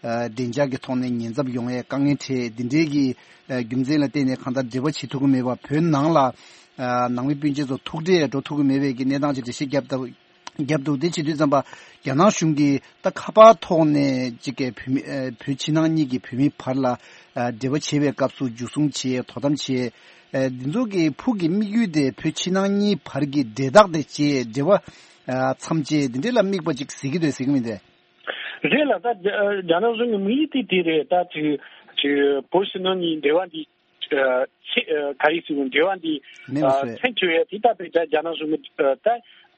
ཨ་བདེ་འཇགས་ཀྱི་ཐོག་ནས་ཉེན་ཚབས་ཡོང་བའི་དཀའ་ངལ་འཕྲད། འདི་འདྲའི་གི་ཨ་རྒྱུ་མཚན་ལ་བརྟེན་ནས་གང་ལྟར་འབྲེལ་བ་བྱེད་ཐུབ་ཀྱི་མེད་པ། བོད་ནང་ལ་ཨ་ནང་མི་སྤུན་མཆེད་ཚོ་ཐུག་འཕྲད་འགྲོ་ཐུབ་ཀྱི་མེད་པའི་གི་གནས་སྟངས་ཅིག་འགྲེལ་བཤད་བརྒྱབ་ད་བརྒྱབ་འདུག་དེ་བྱེད་དུས་ཙམ་པ་རྒྱ་ནག་གཞུང་གིས་ད་ཁ་པར་ཐོག་ནས་ཅིག་གི་བོད་མི་ཨ་བོད་ཕྱི་ནང་གཉིས་ཀྱི་བོད་མི་བར་ལ་ཨ་འབྲེལ་བ་བྱེད་པའི་སྐབས་སུ་འཇུ་བཟུང་བྱེད། དོ་དམ་བྱེད། ཨ་འདི་ཚོ་གི་ཕུགས་ཀྱི་དམིགས་ཡུལ་དེ་བོད་ཕྱི་ནང་གཉིས་བར་གྱི་འབྲེལ་ཐག་དེ་བཅད། འབྲེལ་བ་ཨ་མཚམས་བཅད། འདི་འདྲ་ལ་དམིགས་པ་ཅིག་གཟིགས་ཀྱི་འདུག་གཟིགས་ཀྱི་མི་འདུག་རེད་ལ། ད་རྒྱ་རྒྱ་ནག་གཞུང་གི་དམིགས་ཡུལ་དེ་དེ་རེད། ད་ཅིག་ཅིག་བོད་ཕྱི་ནང་གཉིས་འབྲེལ་བ་འདི་ཨ་ཆེ་ཨ་ག་རེ་ཟེར་དགོས། འབྲེལ་བ་འདི་མེད་པ་ཨ་བཟོས། མཚམས་གཅོད་ཡ་དེ་ད་དཔེ་ད་རྒྱ་ནག་གཞུང་གི་ཨ་ད་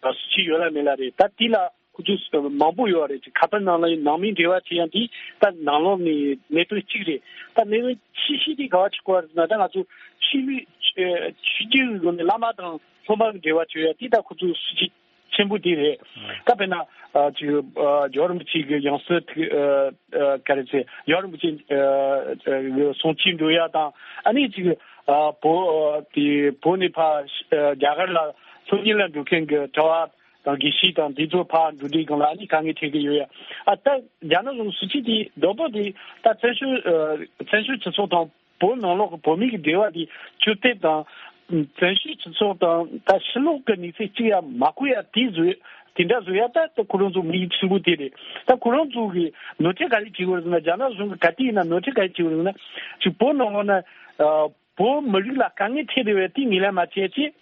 ཨ་སྲིད་ཇུས་ཡོད་ལ་མེད་ལ་རེད། ད་དེ་ལ་ཁོ་ཚོ་མང་པོ་ཡོད་རེད། ཅིག་ཁ་པར་ནང་ལ་ནང་མིའི་འབྲེལ་བ་བྱེད་ཡ་འདི་ད་ནང་ལོགས་ནས་གནད་དོན་གཅིག་རེད། ད་གནད་དོན་ཆེ་ཤོས་དེ་ག་བ་ཆགས་ཀྱི་ཡོད་རེད་ཟེར་ན། ད་ང་ཚོ་ཆོས་ལུགས་ཨ་ཆོས་བརྒྱུད་ཀྱི་སྒོ་ནས་བླ་མ་དང་སློབ་མ་གི་འབྲེལ་བ་བྱེད་ཡ་དེ་ད་ཁོ་ཚོ་སྲིད་ཇུས་ཆེན་པོ་དེ་རེད། ཨ་ད་དཔེར་ན་ཨ་ཅིག་ཨ་རྒྱལ་བ་རིན་པོ་ཆེ་གི་ཡང་སྲིད་ཐིག་ཨ་ཨ་ག་རེ་ཟེར། རྒྱལ་བ་རིན་པོ་ཆེ་ཨ་ཨ་གི་གསུང་ཆོས་འགྲོ་ཡ་དང་། ཨ་ནི་ཅིག་ཨ་བོད་ཨ་དེ་བོད་ནས་ཕར་ཨ་རྒྱ་གར་ལ་སློབ་གཉེར་ལ་འགྲོ་མཁན་གི་གྲྭ་བ་དང་དགེ་བཤེས་དང་དེ་ཚོ་ཕར་འགྲོ་དུས་སྒང་ལ་ཨ་ནི་དཀའ་ངལ་འཕྲད་ཀྱི་ཡོད་ཡ། ཨ་ད་རྒྱ་ནག་གཞུང་སྲིད་ཇུས་དེ་རྡོག་རྡོག་དེ་ད་བཙན་བྱོལ་ཨ་བཙན་བྱོལ་སྤྱི་ཚོགས་དང་། བོད་ནང་ལོགས་ཀྱི་བོད་མི་གི་འབྲེལ་བ་དེ་ཆུ་གཏེར་དང་། བཙན་བྱོལ་སྤྱི་ཚོགས་དང་ད་ཕྱི་ལོགས་ཀྱི་གནས་ཚུལ་གཅིག་ཡང་མ་གོ་ཡ་དེ་བཟོས། དེ་འདྲ་བཟོ་ཡ་ད་ད་ཁོ་རང་ཚོ་དམིགས་ཡུལ་ཆེན་པོ་དེ་རེད། ད་ཁོ་རང་ཚོ་གི་ནོར་འཁྲུལ་ག་རེ་བྱེད་དགོས་རེད་ཟེར་ན། རྒྱ་ནག་གཞུང་གི་ག་དུས་ཡིན་ན་ནོར་འཁྲུལ་ག་རེ་བྱེད་དགོས་རེད་ཟེར་ན། ཅིག་བོད་ནང་ལོགས་ན་ཨ་བོད་མི་རིགས་ལ་དཀའ་ངལ་འཕྲད་བསྡད་པའི་དེ་ངོས་ལེན་མ་བྱས་ཅིག་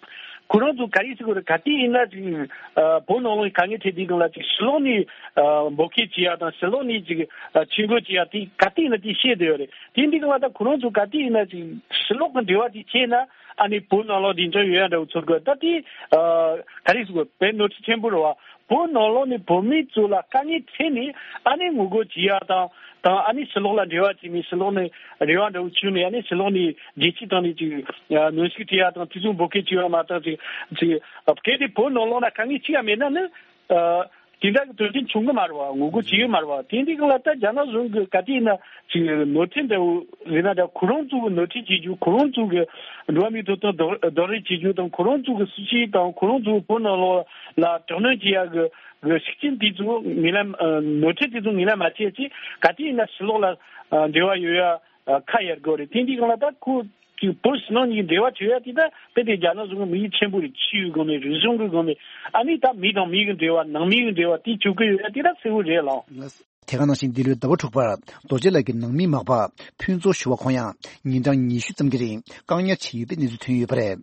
ཁོ་རང་ཚོ་ག་རེ་བྱེད་དགོས་རེད། ག་དུས་ཡིན་ན་ཅིག་ཨ་བོད་ནང་ལོགས་ནས་དཀའ་ངལ་འཕྲད་དུས་སྒང་ལ་ཅིག་ཕྱི་ལོགས་ནས་ཨ་འབོད་སྐུལ་བྱེད་ཡ་དང་། ཕྱི་ལོགས་ནས་ཅིག་ཨ་ཆིབས་བསྒྱུར་བྱེད་ཡ་དེ་ག་དུས་ཡིན་ན་དེ་བཤད་བསྡད་ཡོད་རེད། དེ་འདི་གང་ལ་ད་ཁོ་རང་ཚོ་ག་དུས་ཡིན་ན་ཅིག་ཕྱི་ལོགས་ཀྱི་འབྲེལ་བ་དེ་བྱས་ན་ཨ་ནི་བོད་ནང་ལོགས་བདེ་འཇགས་ཡོད་ཡ་འདྲ་བོ་ཚོར་གི། ད་དེ་ཨ་ག་རེ་ཟེར་དགོས། དཔེ་ནོར་འཁྲུལ་ཆེན་པོ་རེད་བ། བོད་ནང་ལོགས་ནས་བོད་མི་ཚོ་ལ་དཀའ་ངལ་འཕྲད་ནས་ཨ་ནི་ངོ་རྒོལ་བྱེད་ཡ་དང་། དང་ཨ་ནི་ཕྱི་ལོགས་ལ་འབྲེལ་བ་བྱས་ནས་ཕྱི་ལོགས་ནས་རེ་བ་འདྲ་བོ་བྱུང་ནས་ཨ་ནི་ཕྱི་ལོགས་ནས་རྒྱལ་སྤྱིའི་སྟེང་ནས་ཅིག་གནོན་ཤུགས་སྤྲད་ཡ་དང་དེ་ཚོ་འབོད་སྐུལ་བྱེད་ཡ་མ་གཏོགས་ཅིག་ཅིག་གལ་ཏེ་བོད་ནང་ལོགས་ན་དཀའ་ངལ་ཅི་ཡང་མེད་ན་ནི་ཨ། དེ་འདྲ་གི་དོན་རྐྱེན་བྱུང་གི་མ་རེད་བ། ངོ་རྒོལ་བྱེད་ཀྱི་མ་རེད་བ། དེ་འདི་གང་ལ་ད་རྒྱ་ནག་གཞུང་གི་ག་དུས་ཡིན་ན་ཅིག་ནོར་འཁྲུལ་འདྲ་བོ་རེད་ན་འདྲ། ཁོ་རང་ཚོ་གི་ནོར་འཁྲུལ་བྱེད་རྒྱུ། ཁོ་རང་ཚོ་གི་འགྲོ་བ་མིའི་ཐོབ་ཐང་རྡོག་རྡོག་རོལ་བྱེད་རྒྱུ་དང་། ཁོ་རང་ཚོ་གི་སྲིད་ཇུས་དང་ཁོ་རང་ཚོ་གི་བོད་ནང་ལོགས་ལ་དྲག་གནོན་བྱེད་ཡ་གི་གི་ཤུགས་རྐྱེན་དེ་ཚོ་ངོས་ལེན་ཨ་ནོར་འཁྲུལ་དེ་ཚོ་ངོས་ལེན་མ་བྱས་ཅིག་ག་དུས་ཡིན་ན་ཕྱི་ལོགས་ལ་ཨ་འབྲེལ་བ་ཡོད་ཡ་ཨ་ཁ་གཡར་དགོས་རེད། དེ་འདི་གང་ལ་ད་ཁོ་ཅིག་བོད་ཕྱི་ནང་གཉིས་འབྲེལ་བ་བྱེད་ཡ་དེ་ད་དཔེ་དེ་རྒྱ་ནག་གཞུང་གི་དམིགས་ཡུལ་ཆེན་པོ་རེད། ཆོས་ཀྱི་སྒོ་ནས། རིག་གཞུང་གི་སྒོ་ནས། ཨ་ནི་ད་མི་དང་མི་གི་འབྲེལ་བ། ནང་མི་གི་འབྲེལ་བ་དེ་བྱེད་དགོས་ཡོད་ཡ་དེ་ད་གསལ་བོ་རེད་ལགས། དེ་ག་ནང་བཞིན་འདི་ལོའི་ཟླ་བ་དྲུག་པར་རྡོ་རྗེ་ལགས་ཀྱི་ནང་མི་མག་པ་ཕུན་ཚོགས་ཞུ་བ་ཁོང་ཡང་ཉིན་གྲངས་ཉི་ཤུ་ཙམ་གྱི་རིང་བཀག་ཉར་བྱས་ཡོད་པའི་གནས་ཚུལ་ཐོན་ཡོད་པ་རེད།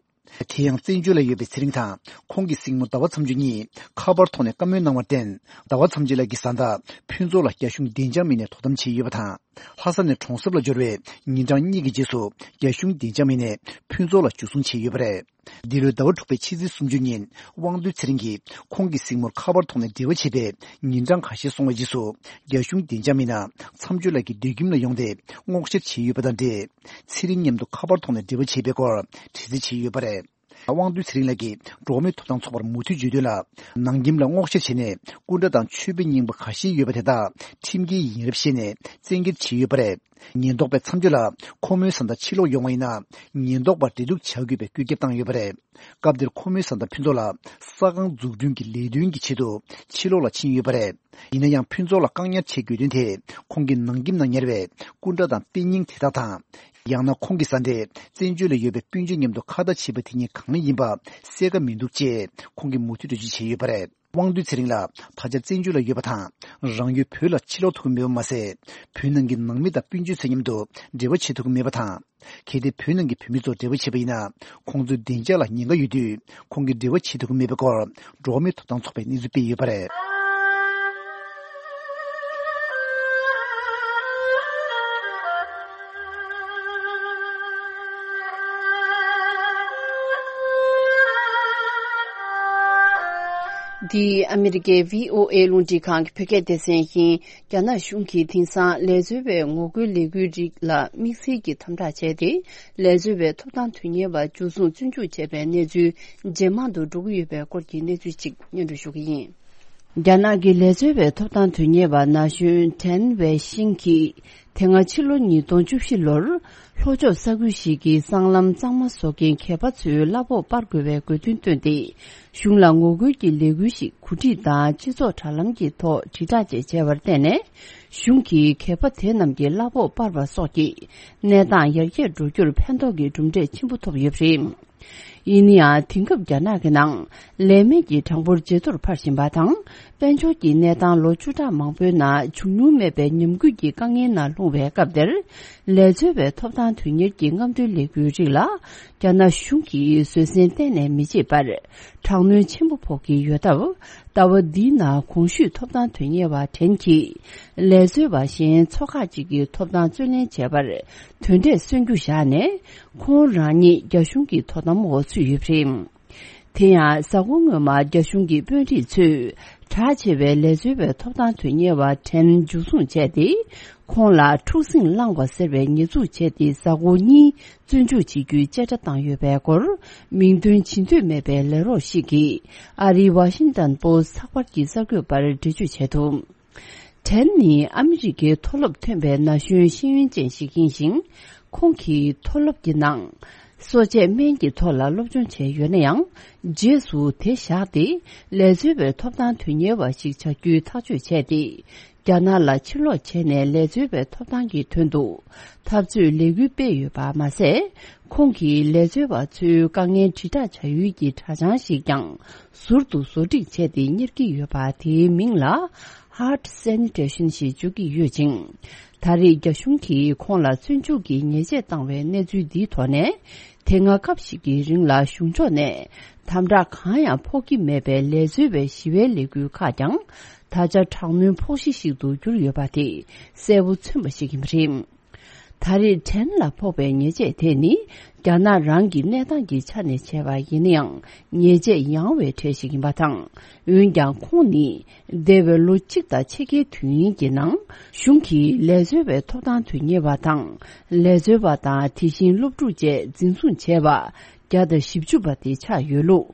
དེ་ཡང་བཙན་བྱོལ་ལ་ཡོད་པའི་ཚེ་རིང་དང་ཁོང་གི་སྲིང་མོ་ཟླ་བ་མཚམས་གཅོད་གཉིས་ཁ་པར་ཐོག་ནས་བཀའ་མོལ་གནང་བར་བརྟེན། ཟླ་བ་མཚམས་གཅོད་ལགས་ཀྱི་བཟའ་ཟླ་ཕུན་ཚོགས་ལགས་རྒྱ་གཞུང་བདེ་འཇགས་མི་སྣས་དོ་དམ་བྱས་ཡོད་པ་དང་། ལྷ་ས་ནས་གྲོང་གསེབ་ལ་འབྱོར་བའི་ཉིན་གྲངས་གཉིས་ཀྱི་རྗེས་སུ་རྒྱ་གཞུང་བདེ་འཇགས་མི་སྣས་ཕུན་ཚོགས་ལགས་འཇུ་བཟུང་བྱས་ཡོད་པ་རེད། འདི་ལོའི་ཟླ་བ་དྲུག་པའི་ཕྱི་ཚེས་སུམ་ཅུ་ཉིན་དབང་འདུས་ཚེ་རིང་གིས་ཁོང་གི་སྲིང་མོར་ཁ་པར་ཐོག་ནས་འབྲེལ་བ་བྱས་པའི་ཉིན་གྲངས་ཁ་ཤས་སོང་བའི་རྗེས་སུ་རྒྱ་གཞུང་བདེ་འཇགས་མི་སྣ་མཚམས་གཅོད་ལགས་ཀྱི་སྡོད་ཁྱིམ་ལ་ཡོང་སྟེ་སྔོག་བཤེར་བྱས་ཡོད་པ་དང་འབྲེལ། ཚེ་རིང་མཉམ་དུ་ཁ་པར་ཐོག་ནས་འབྲེལ་བ་བྱས་པའི་སྐོར་དྲི་རྩད་བྱས་ཡོད་པ་རེད། དབང་འདུས་ཚེ་རིང་ལགས་ཀྱིས་འགྲོ་བ་མིའི་ཐོབ་ཐང་ཚོགས་པར་མུ་མཐུད་བརྗོད་དོན་ལ། ནང་ཁྱིམ་ལ་སྔོག་བཤེར་བྱས་ནས་སྐུ་འདྲ་དང་མཆོད་པའི་རྙིང་པ་ཁ་ཤས་ཡོད་པ་དེ་དག་ཁྲིམས་འགལ་ཡིན་རབས་བཤད་ནས་བཙན་འཁྱེར་བྱས་ཡོད་པ་རེད། ཉེན་རྟོག་པས་མཚམས་གཅོད་ལ་ཁོ་མོའི་བཟའ་ཟླ་ཕྱིར་ལོག་ཡོང་བ་ཡིན་ན་ཉེན་རྟོག་པར་འབྲེལ་གཏུག་བྱ་དགོས་པའི་བཀོད་ཁྱབ་བཏང་ཡོད་པ་རེད། སྐབས་དེར་ཁོ་མོའི་བཟའ་ཟླ་ཕུན་ཚོགས་ལགས་ས་ཁང་འཛུགས་སྐྲུན་གྱི་ལས་དོན་གྱི་ཆེད་དུ་ཕྱིར་ལོག་ལ་ཕྱིན་ཡོད་པ་རེད། ཡིན་ན་ཡང་ཕུན་ཚོགས་ལགས་བཀག་ཉར་བྱེད་དགོས་དོན་དེ་ཁོང་གི་ནང་ཁྱིམ་ནང་ཉར་བའི་སྐུ་འདྲ་དང་དཔེ་རྙིང་དེ་དག་དང་། ཡང་ན་ཁོང་གི་བཟའ་ཟླས་བཙན་བྱོལ་ལ་ཡོད་པའི་སྤུན་མཆེད་མཉམ་དུ་ཁ་བརྡ་བྱས་པ་དེ་གཉིས་གང་ཡིན་པ་གསལ་ཁ་མི་འདུག་ཅེས་ཁོང་གིས་མུ་མཐུད་འགྲེལ་བརྗོད་བྱས་ཡོད་པ་རེད། དབང་འདུས་ཚེ་རིང་ལགས་ད་ཆ་བཙན་བྱོལ་ལ་ཡོད་པ་དང་། རང་ཡུལ་བོད་ལ་ཕྱིར་ལོག་ཐུབ་ཀྱི་མེད་པ་མ་ཟད། བོད་ནང་གི་ནང་མི་དང་སྤུན་མཆེད་ཚོ་མཉམ་དུ་འབྲེལ་བ་བྱེད་ཐུབ་ཀྱི་མེད་པ་དང་། གལ་ཏེ་བོད་ནང་གི་བོད་མི་ཚོར་འབྲེལ་བ་བྱས་པ་ཡིན་ན། ཁོང་ཚོའི་བདེ་འཇགས་ལ་ཉེན་ཁ་ཡོད་དུས། ཁོང་གིས་འབྲེལ་བ་བྱེད་ཐུབ་ཀྱི་མེད་པའི་སྐོར། འགྲོ་བ་མིའི་ཐོབ་ཐང་ཚོགས་པས་གནས་ཚུལ་སྤེལ་ཡོད་པ་རེད། འདི་ཨ་མི་རི་ཀའི་བྷི་ཨོ་ཨེ་རླུང་འཕྲིན་ཁང་གི་བོད་སྐད་སྡེ་ཚན་ཡིན། རྒྱ་ནག་གཞུང་གིས་དེང་སང་ལས་བཟོ་བའི་ངོ་རྒོལ་ལས་འགུལ་རིགས་ལ་དམིགས་བསལ་གྱི་དམ་དྲག་བྱས་ཏེ། ལས་བཟོ་བའི་ཐོབ་ཐང་དོན་གཉེར་བ་འཇུ་བཟུང་བཙོན་འཇུག་བྱས་པའི་གནས་ཚུལ་ཇེ་མང་དུ་འགྲོ་གི་ཡོད་པའི་སྐོར་གྱི་གནས་ཚུལ་ཅིག་སྙན་སྒྲོན་ཞུ་གི་ཡིན། རྒྱ་ནག་གི་ལས་བཟོ་བའི་ཐོབ་ཐང་དོན་གཉེར་བ་ན་གཞོན་ཊན་ཝེ་ཤིང་གིས། དེ་སྔ་ཕྱི་ལོ་ཉིས་སྟོང་བཅུ་བཞི་ལོར། ལྷོ་ཕྱོགས་ས་ཁུལ་ཞིག་གི་སྲང་ལམ་གཙང་མ་བཟོ་མཁན་གད་པ་ཚོའི་གླ་ཕོགས་སྤར་དགོས་པའི་དགོས་འདུན་བཏོན་ཏེ། གཞུང་ལ་ངོ་རྒོལ་གྱི་ལས་འགུལ་ཞིག་གོ་སྒྲིག་དང་སྤྱི་ཚོགས་དྲ་ལམ་གྱི་ཐོག་དྲིལ་བསྒྲགས་བཅས་བྱས་པར་བརྟེན་ནས། གཞུང་གིས་གད་པ་དེ་རྣམས་ཀྱི་གླ་ཕོགས་སྤར་བ་སོགས་ཀྱིས་གནས་སྟངས་ཡར་རྒྱས་འགྲོ་རྒྱུར་ཕན་ཐོགས་ཀྱི་གྲུབ་འབྲས་ཆེན་པོ་ཐོབ་ཡོད་པ་རེད། ཡིན་ན་ཡང་། དེང་སྐབས་རྒྱ་ནག་གི་ནང་ལས་མེད་ཀྱི་གྲངས་འབོར་ཇེ་མཐོར་འཕར་བཞིན་པ་དང་། དཔལ་འབྱོར་གྱི་གནས་སྟངས་ལོ་བཅུ་ཕྲག་མང་པོའི་ནང་བྱུང་མྱོང་མེད་པའི་ཉམས་རྒུད་ཀྱི་དཀའ་ངལ་ནང་ལྷུང་བའི་སྐབས་དེར། ལས་བཟོ་བའི་ཐོབ་ཐང་དོན་གཉེར་གྱི་རྔམ་སྟོན་ལས་འགུལ་རིགས་ལ། རྒྱ་ནག་གཞུང་གིས་བཟོད་བསྲན་གཏན་ནས་མི་བྱེད་པར། དྲག་གནོན་ཆེན་པོ་ཕོག་གི་ཡོད་སྟབས། ཟླ་བ་འདིའི་ནང་གོང་ཞུས་ཐོབ་ཐང་དོན་གཉེར་བ་ཊན་གྱིས། ལས་བཟོ་བ་གཞན་ཚོ་ཁག་ཅིག་གི་ཐོབ་ཐང་རྩོད་ལེན་བྱས་པར། དོན་འབྲས་སོན་རྒྱུ་བཞག་ནས། ཁོང་རང་ཉིད་རྒྱ་གཞུང་གི་དོ་དམ་འོག་ཚུད་ཡོད་པ་རེད། དེ་ཡང་། གཟའ་འཁོར་སྔོན་མ་རྒྱ་གཞུང་གི་དཔོན་རིགས་ཚོས། གྲགས་ཆེ་བའི་ལས་བཟོ་བའི་ཐོབ་ཐང་དོན་གཉེར་བ་ཊན་འཇུ་བཟུང་བྱས་ཏེ། ཁོང་ལ་འཁྲུག་ཟིང་བསླངས་པ་ཟེར་བའི་ཉེས་འཛུགས་བྱས་ཏེ། གཟའ་འཁོར་གཉིས་བཙོན་འཇུག་བྱེད་རྒྱུའི་བཅད་ཁྲ་བཏང་ཡོད་པའི་སྐོར། མིང་འདོན་བྱེད་འདོད་མེད་པའི་ལས་རོགས་ཤིག་གིས། ཨ་རིའི་ཝ་ཤིང་ཏན་པོ་སི་ཚགས་པར་གྱི་གསར་འགོད་པར་འགྲེལ་བརྗོད་བྱས་འདུག་ཊན་ནི་ཨ་མི་རི་ཀའི་མཐོ་སློབ་ཐོན་པའི་ན་གཞོན་ཤེས་ཡོན་ཅན་ཞིག་ཡིན་ཞིང་། ཁོང་གིས་མཐོ་སློབ་ཀྱི་ནང་། གསོ་དཔྱད་སྨན་གྱི་ཐོག་ལ་སློབ་སྦྱོང་བྱས་ཡོད་ན་ཡང་། རྗེས་སུ་དེ་བཞག་སྟེ། ལས་བཟོ་བའི་ཐོབ་ཐང་དོན་གཉེར་བ་ཞིག་བྱ་རྒྱུའི་ཐག་གཅོད་བྱས་ཏེ། རྒྱ་ནག་ལ་ཕྱིར་ལོག་བྱས་ནས་ལས་བཟོ་བའི་ཐོབ་ཐང་གི་དོན་དུ། འཐབ་རྩོད་ལས་འགུལ་སྤེལ་ཡོད་པ་མ་ཟད། ཁོང་གིས་ལས་བཟོ་བ་ཚོའི་དཀའ་ངལ་དྲིལ་བསྒྲགས་བྱ་ཡུལ་གྱི་དྲ་བྱང་ཞིག་ཀྱང་ཟུར་དུ་བཟོ་སྒྲིག་བྱས་ཏེ་གཉེར་གྱི་ཡོད་པ། དེའི་མིང་ལ་Heart Sanitation ཞེས་བརྗོད་ཀྱི་ཡོད་ཅིང་། ད་རེས་རྒྱ་གཞུང་གིས་ཁོང་ལ་བཙོན་འཇུག་གི་ཉེས་ཆད་བཏང་བའི་གནས་ཚུལ་འདིའི་ཐོག་ནས། དེ་སྔ་སྐབས་ཤིག་གི་རིང་ལ་གཞུང་ཕྱོགས་ནས་དམ་དྲག་གང་ཡང་ཕོག་གི་མེད་པའི་ལས་བཟོ་བའི་ཞི་བའི་ལས་འགུལ་ཁག་ཀྱང་། ད་ཆ་དྲག་གནོན་ཕོག་གཞི་ཞིག་ཏུ་གྱུར་ཡོད་པ་དེ་གསལ་པོ་མཚོན་པ་ཞིག་ཡིན་པ་རེད། ད་རེས་ཊན་ལ་ཕོག་པའི་ཉེས་ཆད་དེ་ནི། རྒྱ་ནག་རང་གི་གནས་སྟངས་ཀྱི་ཆ་ནས་བྱས་པ་ཡིན་ན་ཡང་། ཉེས་ཆད་ཡང་བའི་གྲས་ཤིག་ཡིན་པ་དང་། འོན་ཀྱང་ཁོང་ནི། འདས་པའི་ལོ་གཅིག་དང་ཕྱེད་ཀའི་དུས་ཡུན་གྱི་ནང་། གཞུང་གིས་ལས་བཟོ་བའི་ཐོབ་ཐང་དོན་གཉེར་བ་དང་། ལས་བཟོ་བ་དང་། དེ་བཞིན་སློབ་ཕྲུག་བཅས་འཛིན་བཟུང་བྱས་པ། བརྒྱ་དང་བཞི་བཅུ་པ་དེ་ཆགས་ཡོད་ལུགས།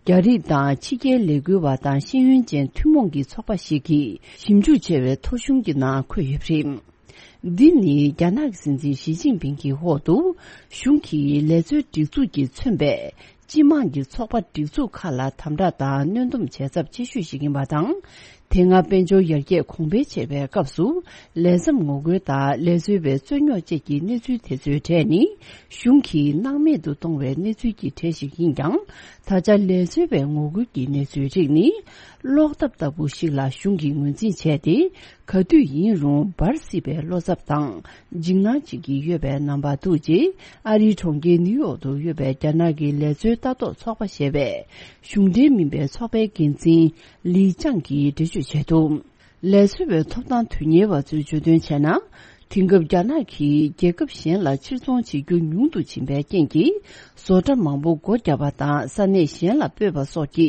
རྒྱ་རིགས་དང་ཕྱི་རྒྱལ་ལས་འགུལ་བ་དང་ཤེས་ཡོན་ཅན་ཐུན་མོང་གི་ཚོགས་པ་ཞིག་གིས་ཞིབ་འཇུག་བྱས་པའི་ཐོ་གཞུང་གི་ནང་འཁོད་ཡོད་པ་རེད། འདི་ནི་རྒྱ་ནག་གི་སྲིད་འཛིན་ཞི་ཅིན་ཕིང་གི་འོག་ཏུ་གཞུང་གིས་ལས་བཟོའི་སྒྲིག་འཛུགས་ཀྱིས་མཚོན་པའི་སྤྱི་དམངས་ཀྱི་ཚོགས་པ་སྒྲིག་འཛུགས་ཁག་ལ་དམ་དྲག་དང་གནོན་སྡོམ་བྱས་ཚབས་ཆེ་ཤོས་ཤིག་ཡིན་པ་དང་། དེ་སྔ་དཔལ་འབྱོར་ཡར་རྒྱས་གོང་འཕེལ་བྱས་པའི་སྐབས་སུ། ལས་མཚམས་ངོ་རྒོལ་དང་ལས་བཟོ་བའི་རྩོད་རྙོག་བཅས་ཀྱི་གནས་ཚུལ་དེ་ཚོའི་གྲས་ནི། གཞུང་གིས་སྣང་མེད་དུ་གཏོང་བའི་གནས་ཚུལ་གྱི་གྲས་ཤིག་ཡིན་ཀྱང་། ད་ཆ་ལས་བཟོ་བའི་ངོ་རྒོལ་གྱི་གནས་ཚུལ་རིགས་ནི། གློག་ཐབ་ལྟ་བུ་ཞིག་ལ་གཞུང་གིས་ངོས་འཛིན་བྱས་ཏེ། ག་དུས་ཡིན་རུང་འབར་སྲིད་པའི་བློ་འཚབ་དང་། འཇིགས་སྣང་བྱེད་ཀྱི་ཡོད་པའི་རྣམ་པ་འདུག་ཅེས། ཨ་རིའི་གྲོང་ཁྱེར་ནིའུ་ཡོག་ཏུ་ཡོད་པའི་རྒྱ་ནག་གི་ལས་བཟོའི་ལྟ་རྟོག་ཚོགས་པ་ཞེས་པའི། གཞུང་འབྲེལ་མིན་པའི་ཚོགས་པའི་འགན་འཛིན། ལི་ཅང་གིས་འགྲེལ་བརྗོད་བྱས་འདུག་ལས་བཟོ་བའི་ཐོབ་ཐང་དོན་གཉེར་བ་ཚོས་བརྗོད་དོན་བྱས་ན། དེང་སྐབས་རྒྱ་ནག་གིས་རྒྱལ་ཁབ་གཞན་ལ་ཕྱིར་ཚོང་བྱེད་རྒྱུ་ཉུང་དུ་ཕྱིན་པའི་རྐྱེན་གྱིས། བཟོ་གྲྭ་མང་པོ་སྒོ་བརྒྱབ་པ་དང་ས་གནས་གཞན་ལ་སྤོས་པ་སོགས་ཀྱི་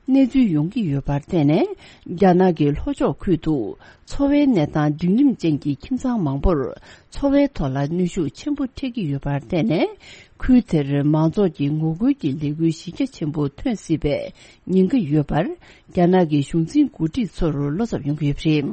གནས་ཚུལ་ཡོང་གི་ཡོད་པར་བརྟེན་ནས། རྒྱ་ནག་གི་ལྷོ་ཕྱོགས་ཁུལ་དུ་འཚོ་བའི་གནས་སྟངས་འབྲིང་རིམ་ཅན་གྱི་ཁྱིམ་ཚང་མང་པོར། འཚོ་བའི་ཐོག་ལ་གནོན་ཤུགས་ཆེན་པོ་འཕྲད་ཀྱི་ཡོད་པར་བརྟེན་ནས། ཁུལ་དེར་མང་ཚོགས་ཀྱི་ངོ་རྒོལ་གྱི་ལས་འགུལ་གཞི་རྒྱ་ཆེན་པོ་ཐོན་སྲིད་པའི་ཉེན་ཁ་ཡོད་པར། རྒྱ་ནག་གི་གཞུང་འཛིན་འགོ་ཁྲིད་ཚོར་བློ་འཚབ་ཡོང་གི་ཡོད་པ་རེད།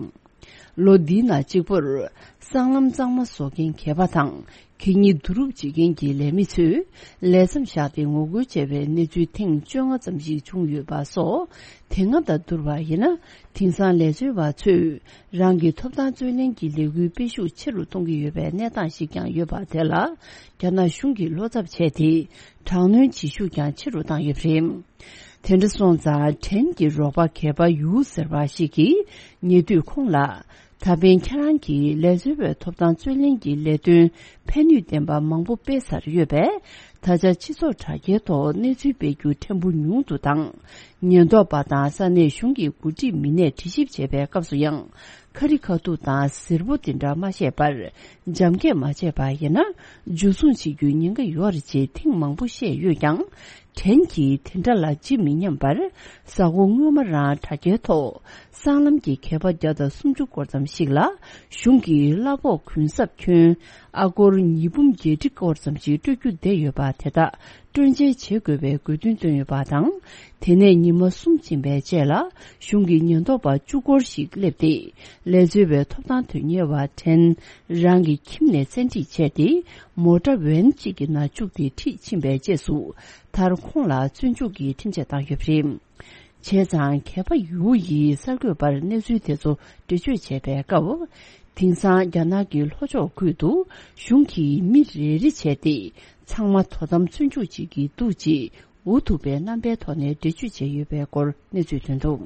ལོ་འདིའི་ནང་གཅིག་པུར། སྲང་ལམ་གཙང་མ་བཟོ་མཁན་མཁས་པ་དང་། གད་སྙིགས་བསྡུ་རུབ་བྱེད་མཁན་གྱི་ལས་མི་ཚོས། ལས་མཚམས་བཞག་སྟེ་ངོ་རྒོལ་བྱས་པའི་གནས་ཚུལ་ཐེངས་བཅོ་ལྔ་ཙམ་ཞིག་བྱུང་ཡོད་པ་སོགས། དེ་སྔ་དང་བསྡུར་བ་ཡིན་ན། དེང་སང་ལས་བཟོ་བ་ཚོས། རང་གི་ཐོབ་ཐང་རྩོད་ལེན་གྱི་ལས་འགུལ་སྤེལ་ཤུགས་ཆེ་རུ་གཏོང་གི་ཡོད་པའི་གནས་སྟངས་ཤིག་ཀྱང་ཡོད་པ་དེ་ལ། རྒྱ་ནག་གཞུང་གིས་བློ་འཚབ་བྱས་ཏེ། དྲག་གནོན་བྱེད་ཤུགས་ཀྱང་ཆེ་རུ་བཏང་ཡོད་པ་རེད། དེ་འདྲ་སོང་ཙང་། ཊན་གྱི་རོགས་པ་མཁས་པ་ཡུའུ་ཟེར་བ་ཞིག་གིས། ཉེ་དུས་ཁོང་ལ། ད་ཕན་ཁྱེད་རང་གིས་ལས་བཟོ་བའི་ཐོབ་ཐང་རྩོད་ལེན་གྱི་ལས་དོན་ཕན་ནུས་ལྡན་པ་མང་པོ་སྤེལ་ཚར་ཡོད་པས། ད་ཆ་སྤྱི་ཚོགས་དྲ་རྒྱའི་ཐོག་གནས་ཚུལ་སྤེལ་རྒྱུ་ཕྲན་བུ་ཉུང་དུ་དང་། ཉེན་རྟོག་པ་དང་ས་གནས་གཞུང་གི་འགོ་ཁྲིད་མི་སྣས་དྲི་ཞིབ་བྱས་པའི་སྐབས་སུ་ཡང་། ཁ་རི་ཁ་ཐུག་དང་གཟིར་པོ་དེ་འདྲ་མ་བཤད་པར། འཇམ་སྐད་མ་བྱས་པ་ཡིན་ན། འཇུ་བཟུང་བྱེད་རྒྱུའི་ཉེན་ཁ་ཡོད་རེད་ཅེས་ཐེངས་མང་པོ་བཤད་ཡོད་ཀྱང་། ཊན་གྱིས་དེ་འདྲ་ལ་ཇི་མི་སྙམ་པར། གཟའ་འཁོར་སྔོན་མ་རང་དྲ་རྒྱའི་ཐོག་སྲང་ལམ་གྱི་མཁས་པ་བརྒྱ་དང་སུམ་ཅུ་སྐོར་ཙམ་ཞིག་ལ། གཞུང་གིས་གླ་ཕོགས་གུན་གསབ་ཁྱོན་ཨ་སྒོར་ཉིས་འབུམ་བརྒྱད་ཁྲི་སྐོར་ཙམ་ཞིག་སྤྲོད་རྒྱུ་བསྡད་ཡོད་པ་དེ་དག་སྤྲོད་འཇལ་བྱེད་དགོས་པའི་དགོས་འདུན་བཏོན་ཡོད་པ་དང་། དེ་ནས་ཉི་མ་གསུམ་ཕྱིན་པའི་རྗེས་ལ། གཞུང་གི་ཉེན་རྟོག་པ་བཅུ་སྐོར་ཞིག་སླེབས་ཏེ། ལས་བཟོ་བའི་ཐོབ་ཐང་དོན་གཉེར་བ་ཊན་རང་གི་ཁྱིམ་ནས་བཙན་ཁྲིད་བྱས་ཏེ། མོ་ཊ་ཝན་གཅིག་གི་ནང་བཅུག་སྟེ་ཁྲིད་ཕྱིན་པའི་རྗེས་སུ། མཐར་ཁོང་ལ་བཙོན་འཇུག་གི་ཁྲིམས་ཆད་བཏང་ཡོད་པ་རེད། བྱས་ཙང་། མཁས་པ་ཡུའུ་ཡིས་གསར་འགོད་པར་གནས་ཚུལ་དེ་ཚོ་འགྲེལ་བརྗོད་བྱས་པའི་སྐབས། དེང་སང་རྒྱ་ནག་གི་ལྷོ་ཕྱོགས་ཁུལ་དུ་གཞུང་གིས་མི་རེ་རེ་བྱས་ཏེ། ཚང་མ་དོ་དམ་བཙོན་འཇུག་བྱེད་ཀྱི་འདུག་ཅེས། འུ་ཐུག་པའི་རྣམ་པའི་ཐོག་ནས་འགྲེལ་བརྗོད་བྱས་ཡོད་པའི་སྐོར་གནས་ཚུལ་ཐོན་འདུག་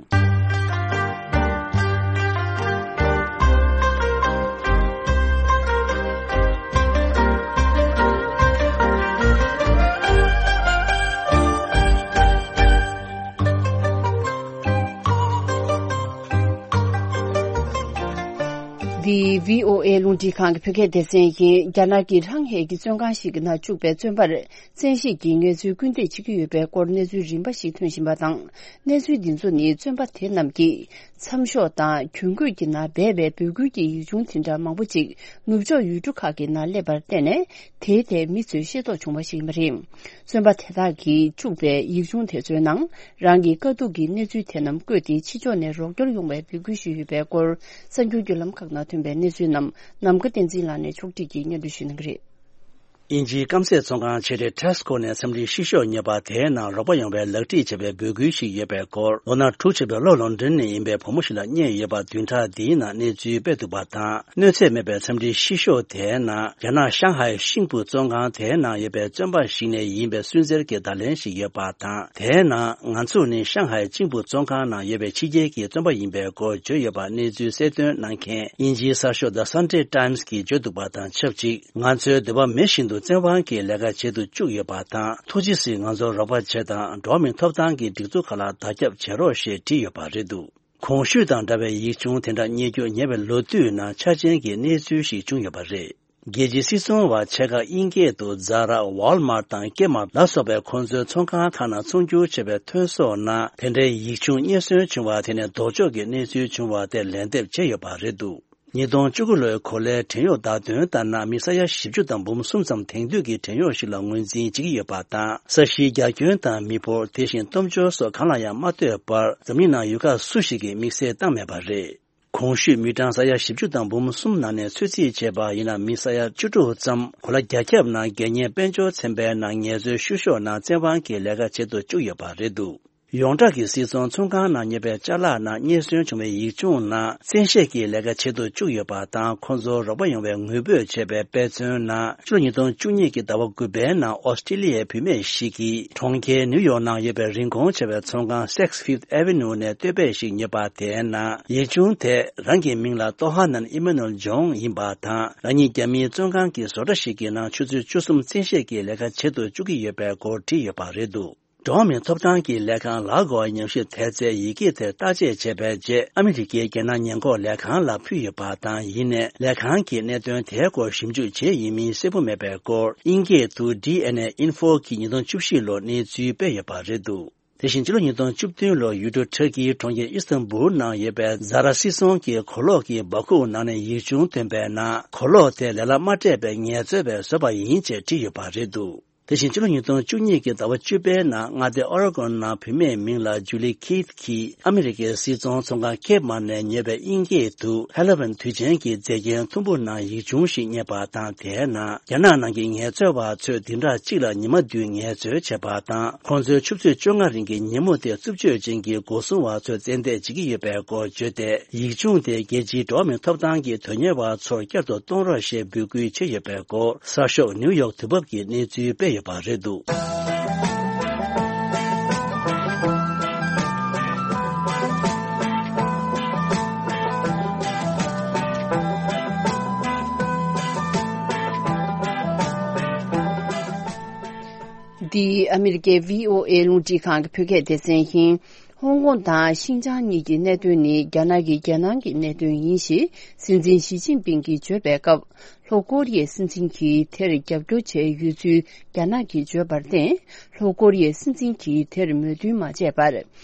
འདི་བྷི་ཨོ་ཨེ་རླུང་འཕྲིན་ཁང་གི་བོད་སྐད་སྡེ་ཚན་ཡིན། རྒྱ་ནག་གི་ཧྲང་ཧའེ་གྱི་བཙོན་ཁང་ཞིག་གི་ནང་བཅུག་པའི་བཙོན་པར། བཙན་ཤེད་ཀྱིས་ངལ་རྩོལ་སྐུལ་འདེད་བྱེད་ཀྱི་ཡོད་པའི་སྐོར་གནས་ཚུལ་རིམ་པ་ཞིག་ཐོན་བཞིན་པ་དང་། གནས་ཚུལ་འདི་ཚོ་ནི་བཙོན་པ་དེ་རྣམས་ཀྱིས་མཚམས་ཤོག་དང་གྱོན་གོས་ཀྱི་ནང་སྦས་པའི་འབོད་སྐུལ་གྱི་ཡིག་ཆུང་དེ་འདྲ་མང་པོ་ཅིག་ནུབ་ཕྱོགས་ཡུལ་གྲུ་ཁག་གི་ནང་སླེབས་པར་བརྟེན་ནས། དེའི་ཐད་མི་ཚོས་ཤེས་རྟོགས་བྱུང་བ་ཞིག་ཡིན་པ་རེད། བཙོན་པ་དེ་དག་གིས་བཅུག་པའི་ཡིག་ཆུང་དེ་ཚོའི་ནང་། རང་གི་དཀའ་སྡུག་གི་གནས་ཚུལ་དེ་རྣམས་བཀོད་དེ། ཕྱི་ཕྱོགས་ནས་རོགས་སྐྱོར་ཡོང་བའི་འབོད་སྐུལ་ཞུས་ཡོད་པའི་སྐོར། གསར་འགྱུར་བརྒྱུད་ལམ་ཁག་ནང་ཐོན་པའི་གནས་ཚུལ་རྣམས་ནམ་མཁའ་བསྟན་འཛིན་ལགས་ནས་ཕྱོགས་སྒྲིག་གིས་སྙན་སྒྲོན་ཞུ་གནང་གི་རེད། དབྱིན་ཇིའི་སྐམ་སའི་བཙོན་ཁང་ཆེ་གྲས་Tesco་ནས་འཚམས་འདྲིའི་ཕྱི་ཤོག་རྙེད་པ་དེའི་ནང་རོགས་པ་ཡོང་བའི་ལག་བྲིས་བྱས་པའི་འབོད་སྐུལ་ཞིག་ཡོད་པའི་སྐོར། ལོ་ན་དྲུག་ཅུ་པའི་ལོ་ལོན་ཌོན་ནས་ཡིན་པའི་བུ་མོ་ཞིག་ལ་བརྙེས་ཡོད་པ་བདུན་ཕྲག་འདིའི་ནང་གནས་ཚུལ་སྤེལ་འདུག་པ་དང་། གནོད་འཚེ་མེད་པའི་འཚམས་འདྲིའི་ཕྱི་ཤོག་དེའི་ནང་། རྒྱ་ནག་ཤང་ཧའེ་ཤིང་ཕུ་བཙོན་ཁང་དེའི་ནང་ཡོད་པའི་བཙོན་པ་ཞིག་ནས་ཡིན་པའི་སུན་གཙེར་གྱི་བརྡ་ལན་ཞིག་ཡོད་པ་དང་། དེའི་ནང་། ང་ཚོ་ནི་ཤང་ཧའེ་ཤིང་ཕུ་བཙོན་ཁང་ནང་ཡོད་པའི་ཕྱི་རྒྱལ་གྱི་བཙོན་པ་ཡིན་པའི་སྐོར་བརྗོད་ཡོད་པ་གནས་ཚུལ་གསལ་སྟོན་གནང་མཁན་དབྱིན་ཇིའི་གསར་ཤོག་The Sunday Times་གིས་བརྗོད་འདུག་པ་དང་ཆབས་ཅིག་ང་ཚོའི་འདོད་པ་མེད་བཞིན་དུ་བཙན་དབང་གིས་ལས་ཀ་བྱེད་དུ་བཅུག་ཡོད་པ་དང་། ཐུགས་རྗེ་གཟིགས། ང་ཚོར་རོགས་པ་བྱེད་དང་། འགྲོ་བ་མིའི་ཐོབ་ཐང་གི་སྒྲིག་འཛུགས་ཁག་ལ་བརྡ་ཁྱབ་བྱེད་རོགས་ཞེས་བྲིས་ཡོད་པ་རེད་འདུག་གོང་ཞུས་དང་འདྲ་བའི་ཡིག་ཆུང་དེ་འདྲ་རྙེད་རྒྱུ་ཉེ་བའི་ལོ་དུས་ནང་ཆ་རྐྱེན་གྱི་གནས་ཚུལ་ཞིག་བྱུང་ཡོད་པ་རེད། རྒྱལ་སྤྱིའི་སྲིད་ཚོང་བ་ཆེ་ཁག་དབྱིན་སྐད་དུ་Zara, Walmart་དང་Kmart་ལ་སོགས་པའི་ཁོང་ཚོའི་ཚོང་ཁང་ཁག་ནང་ཚོང་སྒྱུར་བྱས་པའི་ཐོན་ཟོག་ནང་དེ་འདྲའི་ཡིག་ཆུང་རྙེད་སོན་བྱུང་བ་དེ་ནི་ལྡོག་ཕྱོགས་ཀྱི་གནས་ཚུལ་བྱུང་བ་དེར་ལན་འདེབས་བྱས་ཡོད་པ་རེད་འདུག་ཉིས་སྟོང་བཅུ་དགུ་ལོའི་གོ་ལའི་བྲན་གཡོག་བརྡ་དོན་ལྟར་ན། མི་ས་ཡ་བཞི་བཅུ་དང་འབུམ་གསུམ་ཙམ་དེང་དུས་ཀྱི་བྲན་གཡོག་ཞིག་ལ་ངོས་འཛིན་བྱེད་ཀྱི་ཡོད་པ་དང་། ས་གཞིའི་རྒྱ་ཁྱོན་དང་མི་འབོར། དེ་བཞིན་སྟོབས་འབྱོར་སོགས་གང་ལ་ཡང་མ་ལྟོས་པར། འཛམ་གླིང་ནང་ཡུལ་ཁག་སུ་ཞིག་གིས་དམིགས་བསལ་བཏང་མེད་པ་རེད། གོང་ཞུས་མི་གྲངས་ས་ཡ་བཞི་བཅུ་དང་འབུམ་གསུམ་ནང་ནས་ཚོད་རྩིས་བྱས་པ་ཡིན་ན། མི་ས་ཡ་བཅུ་དྲུག་ཙམ་གོ་ལ་རྒྱ་ཁྱབ་ནང་རྒྱལ་གཉེར་དཔལ་འབྱོར་ཚན་པའི་ནང་ངལ་རྩོལ་བཤུ་གཞོག་ནང་བཙན་དབང་གིས་ལས་ཀ་བྱེད་དུ་བཅུག་ཡོད་པ་རེད་འདུག་ཡོངས་གྲགས་ཀྱི་སིལ་ཚོང་ཚོང་ཁང་ནང་ཉོས་པའི་ཅ་ལག་ནང་རྙེད་སོན་བྱུང་བའི་ཡིག་ཆུང་ནང་བཙན་ཤེད་ཀྱིས་ལས་ཀ་བྱེད་དུ་བཅུག་ཡོད་པ་དང་། ཁོང་ཚོར་རོགས་པ་ཡོང་བའི་ངུ་འབོད་བྱས་པའི་དཔེ་མཚོན་ནང་ཕྱི་ལོ་ཉིས་སྟོང་བཅུ་གཉིས་ཀྱི་ཟླ་བ་དགུ་པའི་ནང་ཨོ་སི་ཀྲི་ལི་ཡའི་བུད་མེད་ཞིག་གིས་གྲོང་ཁྱེར་ནིའུ་ཡོག་ནང་ཡོད་པའི་རིན་གོང་ཆེ་བའི་ཚོང་ཁང་Saks Fifth Avenue ནས་སྟོད་པའི་ཞིག་ཉོས་པ་དེའི་ནང་ཡིག་ཆུང་དེ་རང་གི་མིང་ལ་ཏོ་ཧ་ནན་ཨི་མ་ནུ་ཨེལ་ཇོང་ཡིན་པ་དང་། རང་ཉིད་རྒྱ་མིའི་བཙོན་ཁང་གི་བཟོ་གྲྭ་ཞིག་གི་ནང་ཆུ་ཚོད་བཅུ་གསུམ་བཙན་ཤེད་ཀྱིས་ལས་ཀ་བྱེད་དུ་བཅུག་གི་ཡོད་པའི་སྐོར་བྲིས་ཡོད་པ་རེད་འདུག་འགྲོ་བ་མིའི་ཐོབ་ཐང་གི་ལས་ཁང་ལ་གོ་ཉམས་ཞིབ་དེབ་རྩའི་ཡི་གེ་དེར་བརྟག་དཔྱད་བྱས་པའི་རྗེས། ཨ་མི་རི་ཀའི་རྒྱལ་ནང་ཉེན་འགོག་ལས་ཁང་ལ་ཕུལ་ཡོད་པ་དང་། ཡིན་ནའི་ལས་ཁང་གིས་གནད་དོན་དེའི་སྐོར་ཞིབ་འཇུག་བྱས་ཡིན་མིན་གསལ་པོ་མེད་པའི་སྐོར་དབྱིན་སྐད་དུ་ཌི་ཨེན་ཨེ་ཨིན་ཧྥོ་གིས་ཉིས་སྟོང་བཅུ་བཞི་ལོར་གནས་ཚུལ་སྤེལ་ཡོད་པ་རེད་འདུག་དེ་བཞིན་ཕྱི་ལོ་ཉིས་སྟོང་བཅུ་བདུན་ལོར་ཡུལ་གྲུ་ཊར་ཀིའི་གྲོང་ཁྱེར་ཨི་སི་ཐན་བུལ་ནང་ཡོད་པའི་ཛ་ར་སིལ་ཚོང་གི་གོས་ལོག་གི་འབག་ཁུག་ནང་ནས་ཡིག་ཆུང་ཐོན་པའི་ནང་། གོས་ལོག་དེ་ལས་སླ་མ་སྤྲད་པའི་ངལ་རྩོལ་བས་བཟོས་པ་ཡིན་ཅེས་བྲིས་ཡོད་པ་རེད་འདུག་དེ་བཞིན་ཕྱི་ལོ་ཉིས་སྟོང་བཅུ་གཉིས་ཀྱི་ཟླ་བ་བཅུ་པའི་ནང་མངའ་སྡེ་ཨོ་རེ་གོན་ནང་བུད་མེད་མིང་ལ་ཇུ་ལི་ཁིད་ཀྱིས་ཨ་མི་རི་ཀའི་སིལ་ཚོང་ཚོང་ཁང་ཁེབ་མ་ནས་ཉོས་པའི་དབྱིན་སྐད་དུ་Helen དུས་ཆེན་གྱི་མཛེས་རྒྱན་ཐུམ་བུ་ནང་ཡིག་ཆུང་ཞིག་རྙེད་པ་དང་། དེའི་ནང་རྒྱ་ནག་ནང་གི་ངལ་རྩོལ་བ་ཚོས་བདུན་ཕྲག་གཅིག་ལ་ཉི་མ་བདུན་ངལ་རྩོལ་བྱེད་པ་དང་། ཁོང་ཚོའི་ཆུ་ཚོད་བཅོ་ལྔ་རིང་གི་ཉིན་མོ་དེ་རྩུབ་སྤྱོད་ཅན་གྱི་སྒོ་སྲུང་བ་ཚོས་བཙན་འདེད་བྱེད་ཀྱི་ཡོད་པའི་སྐོར་བརྗོད་དེ། ཡིག་ཆུང་དེ་རྒྱལ་སྤྱིའི་འགྲོ་བ་མིའི་ཐོབ་ཐང་གི་དོན་གཉེར་བ་ཚོར་བསྐྱར་དུ་གཏོང་རོགས་ཞེས་འབོད་སྐུལ་བྱས་ཡོད་པའི་སྐོར་གསར་ཤོག་ནིའུ་ཡོག་དུས་བབ་ཀྱིས་གནས་ཚུལ་སྤེལ་ཡོད་པ་རེད་འདུག་འདི་ཨ་མི་རི་ཀའི་བྷི་ཨོ་ཨེ་རླུང་འཕྲིན་ཁང་གི་བོད་སྐད་སྡེ་ཚན་ཡིན། ཧོང་ཀོང་དང་ཤིན་ཅང་གཉིས་ཀྱི་གནད་དོན་ནི་རྒྱ་ནག་གི་རྒྱལ་ནང་གི་གནད་དོན་ཡིན་ཞེས་སྲིད་འཛིན་ཞི་ཅིན་ཕིང་གིས་བརྗོད་པའི་སྐབས། ལྷོ་ཀོ་རི་ཡའི་སྲིད་འཛིན་གྱིས་དེར་རྒྱབ་སྐྱོར་བྱས་ཡོད་ཚུལ་རྒྱ་ནག་གིས་བརྗོད་པར་བརྟེན། ལྷོ་ཀོ་རི་ཡའི་སྲིད་འཛིན་གྱིས་དེར་མོས་མཐུན་མ་བྱས་པར།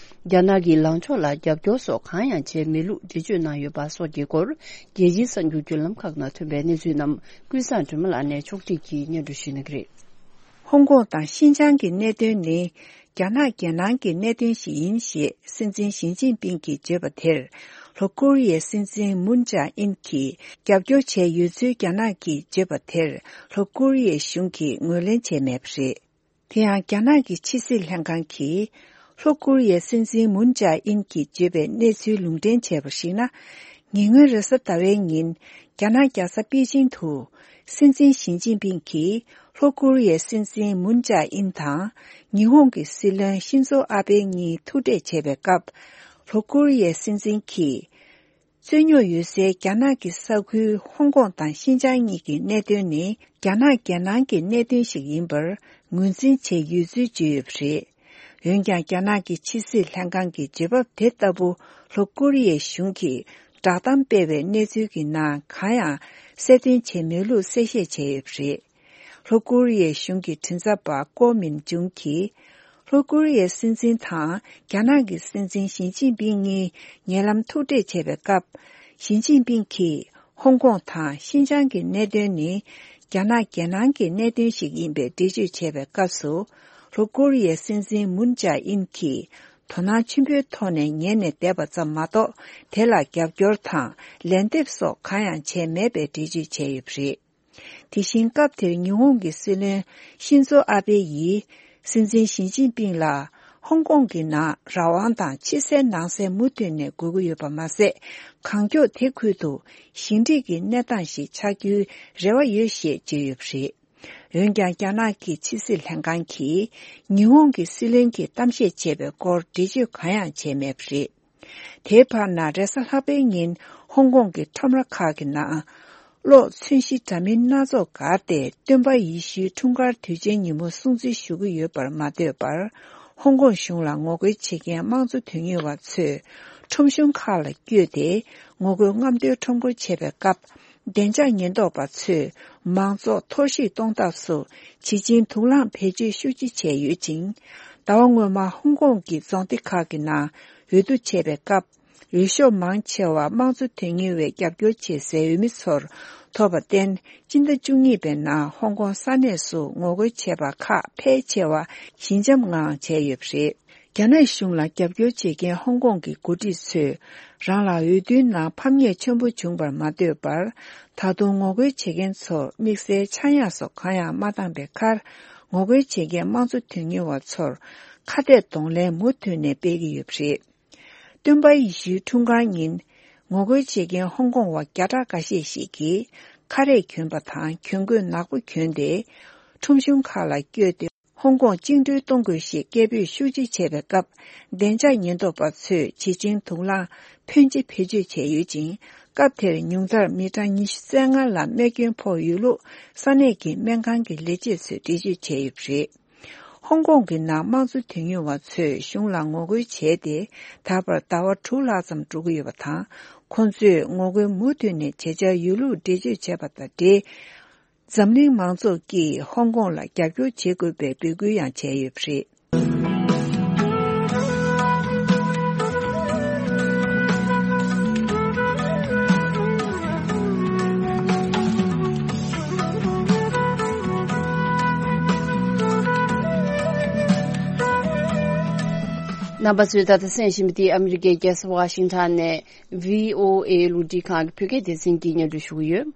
རྒྱ་ནག་གི་ལངས་ཕྱོགས་ལ་རྒྱབ་སྐྱོར་སོགས་གང་ཡང་བྱས་མེད་ལུགས་འགྲེལ་བརྗོད་གནང་ཡོད་པ་སོགས་ཀྱི་སྐོར། རྒྱལ་སྤྱིའི་གསར་འགྱུར་བརྒྱུད་ལམ་ཁག་ནང་ཐོན་པའི་གནས་ཚུལ་རྣམས་ཀུན་བཟང་སྒྲོལ་མ་ལགས་ནས་ཕྱོགས་སྒྲིག་གིས་སྙན་སྒྲོན་ཞུ་གནང་གི་རེད། ཧོང་ཀོང་དང་ཤིན་ཅང་གི་གནད་དོན་ནི་རྒྱ་ནག་རྒྱལ་ནང་གི་གནད་དོན་ཞིག་ཡིན་ཞེས་སྲིད་འཛིན་ཞི་ཅིན་ཕིང་གིས་བརྗོད་པ་དེར། ལྷོ་ཀོ་རི་ཡའི་སྲིད་འཛིན་མུན་ཅང་ཨིན་གྱིས་རྒྱབ་སྐྱོར་བྱས་ཡོད་ཚུལ་རྒྱ་ནག་གིས་བརྗོད་པ་དེར། ལྷོ་ཀོ་རི་ཡའི་གཞུང་གིས་ངོས་ལེན་བྱས་མེད་པ་རེད། དེ་ཡང་རྒྱ་ནག་གི་ཕྱི་སྲིད་ལྷན་ཁང་གིས། ལྷོ་ཀོ་རི་ཡའི་སྲིད་འཛིན་མུན་ཅང་ཨིན་གྱིས་བརྗོད་པའི་གནས་ཚུལ་ལུང་འདྲེན་བྱས་པར་གཞིགས་ན། ཉེ་སྔོན་རེས་གཟའ་ཟླ་བའི་ཉིན། རྒྱ་ནག་རྒྱལ་ས་པེ་ཅིང་དུ། སྲིད་འཛིན་ཞི་ཅིན་ཕིང་གིས། ལྷོ་ཀོ་རི་ཡའི་སྲིད་འཛིན་མུན་ཅང་ཨིན་དང་། ཉི་ཧོང་གི་སྲིད་བློན་ཤིན་ཛོ་ཨ་བྷེ་གཉིས་ཐུག་འཕྲད་བྱས་པའི་སྐབས། ལྷོ་ཀོ་རི་ཡའི་སྲིད་འཛིན་གྱིས། རྩོད་རྙོག་ཡོད་སའི་རྒྱ་ནག་གི་ས་ཁུལ་ཧོང་ཀོང་དང་ཤིན་ཅང་གཉིས་ཀྱི་གནད་དོན་ནི་རྒྱ་ནག་རྒྱལ་ནང་གི་གནད་དོན་ཞིག་ཡིན་པར་ངོས་འཛིན་བྱས་ཡོད་ཚུལ་བརྗོད་ཡོད་པ་རེད། འོན་ཀྱང་རྒྱ་ནག་གི་ཕྱི་སྲིད་ལྷན་ཁང་གི་བརྗོད་བབ་དེ་ལྟ་བུ་ལྷོ་ཀོ་རི་ཡའི་གཞུང་གིས་བསྒྲགས་གཏམ་སྤེལ་བའི་གནས་ཚུལ་གྱི་ནང་གང་ཡང་གསལ་སྟོན་བྱས་མེད་ལུགས་གསལ་བཤད་བྱས་ཡོད་པ་རེད། ལྷོ་ཀོ་རི་ཡའི་གཞུང་གི་མགྲིན་ཚབ་པ་ཀོ་མིན་ཇུང་གིས། ལྷོ་ཀོ་རི་ཡའི་སྲིད་འཛིན་དང་རྒྱ་ནག་གི་སྲིད་འཛིན་ཞི་ཅིན་ཕིང་གཉིས་ཉེ་ལམ་ཐུག་འཕྲད་བྱས་པའི་སྐབས། ཞི་ཅིན་ཕིང་གིས་ཧོང་ཀོང་དང་ཤིན་ཅང་གི་གནད་དོན་ནི་རྒྱ་ནག་རྒྱལ་ནང་གི་གནད་དོན་ཞིག་ཡིན་པའི་འགྲེལ་བརྗོད་བྱས་པའི་སྐབས་སུ། ལྷོ་ཀོ་རི་ཡའི་སྲིད་འཛིན་མུན་ཅང་ཨིན་གྱིས་དོ་སྣང་ཆེན་པོའི་ཐོག་ནས་ཉན་ནས་བསྡད་པ་ཙམ་མ་གཏོགས། དེ་ལ་རྒྱབ་སྐྱོར་དང་ལན་འདེབས་སོགས་གང་ཡང་བྱས་མེད་པའི་འགྲེལ་བརྗོད་བྱས་ཡོད་པ་རེད། དེ་བཞིན་སྐབས་དེར་ཉི་ཧོང་གི་སྲིད་བློན་ཤིན་ཛོ་ཨ་བྷེ་ཡིས་སྲིད་འཛིན་ཞི་ཅིན་ཕིང་ལ་ཧོང་ཀོང་གི་ནང་རང་དབང་དང་ཕྱི་གསལ་ནང་གསལ་མུ་མཐུད་ནས་དགོས་ཀྱི་ཡོད་པ་མ་ཟད། གང་མགྱོགས་དེ་ཁུལ་དུ་ཞི་འགྲིག་གི་གནས་སྟངས་ཤིག་ཆགས་རྒྱུའི་རེ་བ་ཡོད་ཞེས་བརྗོད་ཡོད་པ་རེད། འོན་ཀྱང་རྒྱ་ནག་གི་ཕྱི་སྲིད་ལྷན་ཁང་གིས་ཉི་ཧོང་གི་སྲིད་བློན་གྱིས་གཏམ་བཤད་བྱས་པའི་སྐོར་འགྲེལ་བརྗོད་གང་ཡང་བྱས་མེད་པ་རེད། དེའི་བར་ན་རེས་གཟའ་ལྷག་པའི་ཉིན་ཧོང་ཀོང་གི་ཁྲོམ་ར་ཁག་གི་ནང་། གློག་མཚོན་གཞི་འདྲ་མིན་སྣ་ཚོགས་བསྒར་ཏེ་སྟོན་པ་ཡེ་ཤུའི་འཁྲུངས་སྐར་དུས་ཆེན་ཉིན་མོ་སྲུང་བརྩི་ཞུ་གི་ཡོད་པར་མ་ལྟོས་པར། ཧོང་ཀོང་གཞུང་ལ་ངོ་རྒོལ་བྱེད་མཁན་དམངས་གཙོ་དོན་གཉེར་བ་ཚོས་ཁྲོམ་གཞུང་ཁག་ལ་བསྐྱོད་དེ་ངོ་རྒོལ་རྔམ་སྟོན་ཁྲོམ་སྐོར་བྱེད་པའི་སྐབས། བདེ་འཇགས་ཉེན་རྟོག་པ་ཚོས་མང་ཚོགས་གཏོར་བཤིག་གཏོང་ཐབས་སུ་བྱེད་ཀྱིན་དུག་རླངས་བེད་སྤྱོད་ཤུགས་ཆེ་བྱས་ཡོད་ཅིང་། ཟླ་བ་སྔོན་མ་ཧོང་ཀོང་གི་རྫོང་སྡེ་ཁག་གི་ནང་འོས་བསྡུ་བྱས་པའི་སྐབས། འོས་ཤོག་མང་ཆེ་བ་དམངས་གཙོ་དོན་གཉེར་བས་རྒྱབ་སྐྱོར་བྱེད་སའི་འོས་མི་ཚོར་ཐོབ་པར་བརྟེན། སྤྱི་ཟླ་བཅུ་གཉིས་པའི་ནང་ཧོང་ཀོང་ས་གནས་སུ་ངོ་རྒོལ་བྱས་པ་ཁག་ཕལ་ཆེ་བ་ཞི་འཇམ་ངང་བྱས་ཡོད་པ་རེད། རྒྱ་ནག་གཞུང་ལ་རྒྱབ་སྐྱོར་བྱེད་མཁན་ཧོང་ཀོང་གི་འགོ་ཁྲིད་ཚོས་རང་ལ་འོས་བསྡུའི་ནང་ཕམ་ཉེས་ཆེན་པོ་བྱུང་བར་མ་ལྟོས་པར། ད་དུང་ངོ་རྒོལ་བྱེད་མཁན་ཚོར་དམིགས་བསལ་ཆག་ཡང་སོགས་གང་ཡང་མ་བཏང་པའི་ཁར། ངོ་རྒོལ་བྱེད་མཁན་དམངས་གཙོ་དོན་གཉེར་བ་ཚོར་ ཁ་གཏད་གདོང་ལེན་མུ་མཐུད་ནས་སྤེལ་གྱི་ཡོད་པ་རེད། སྟོན་པ་ཡེ་ཤུའི་འཁྲུངས་སྐར་ཉིན། ངོ་རྒོལ་བྱེད་མཁན་ཧོང་ཀོང་བ་བརྒྱ་ཕྲག་འགའ་ཤས་ཤིག་གིས། ཁ་རས་གྱོན་པ་དང་གྱོན་གོས་ནག་པོ་གྱོན་ཏེ། ཁྲོམ་གཞུང་ཁག་ལ་བསྐྱོད་དེ། ཧོང་ཀོང་བཅིངས་འགྲོལ་གཏོང་དགོས་ཞེས་སྐད་འབོད་ཤུགས་ཆེ་བྱས་པའི་སྐབས། བདེ་འཇགས་ཉེན་རྟོག་པ་ཚོས་བྱེ་ཆེན་དུག་རླངས་ཕོན་ཆེ་བེད་སྤྱོད་བྱས་ཡོད་ཅིང་། སྐབས་དེར་ཉུང་མཐར་མི་གྲངས་ཉི་ཤུ་རྩ་ལྔ་ལ་རྨས་སྐྱོན་ཕོག་ཡོད་ལུགས་ས་གནས་ཀྱི་སྨན་ཁང་གི་ལས་བྱེད་ཚོས་འགྲེལ་བརྗོད་བྱས་ཡོད་པ་རེད། ཧོང་ཀོང་གི་ནང་དམངས་གཙོ་དོན་གཉེར་བ་ཚོས་གཞུང་ལ་ངོ་རྒོལ་བྱས་ཏེ། ད་བར་ཟླ་བ་དྲུག་ལྷག་ཙམ་འགྲོ་གི་ཡོད་པ་དང་། ཁོང་ཚོས་ངོ་རྒོལ་མུ་མཐུད་ནས་བྱེད་འཆར་ཡོད་ལུགས་འགྲེལ་བརྗོད་བྱས་པ་དང་འབྲེལ། འཛམ་གླིང་མང་ཚོགས་ཀྱིས་ཧོང་ཀོང་ལ་རྒྱབ་སྐྱོར་བྱེད་དགོས་པའི་འབོད་སྐུལ་ཡང་བྱས་ཡོད་པ་རེད། རྣམ་པ་ཚོས་ད་ལྟ་གསན་བཞིན་པ་འདི་ཨ་མི་རི་ཀའི་རྒྱལ་ས་ཝ་ཤིང་ཊོན་ནས་བྷི་ཨོ་ཨེ་རླུང་འཕྲིན་ཁང་གི་བོད་སྐད་སྡེ་ཚན་གྱིས་སྙན་སྒྲོན་ཞུ་གི་ཡོད།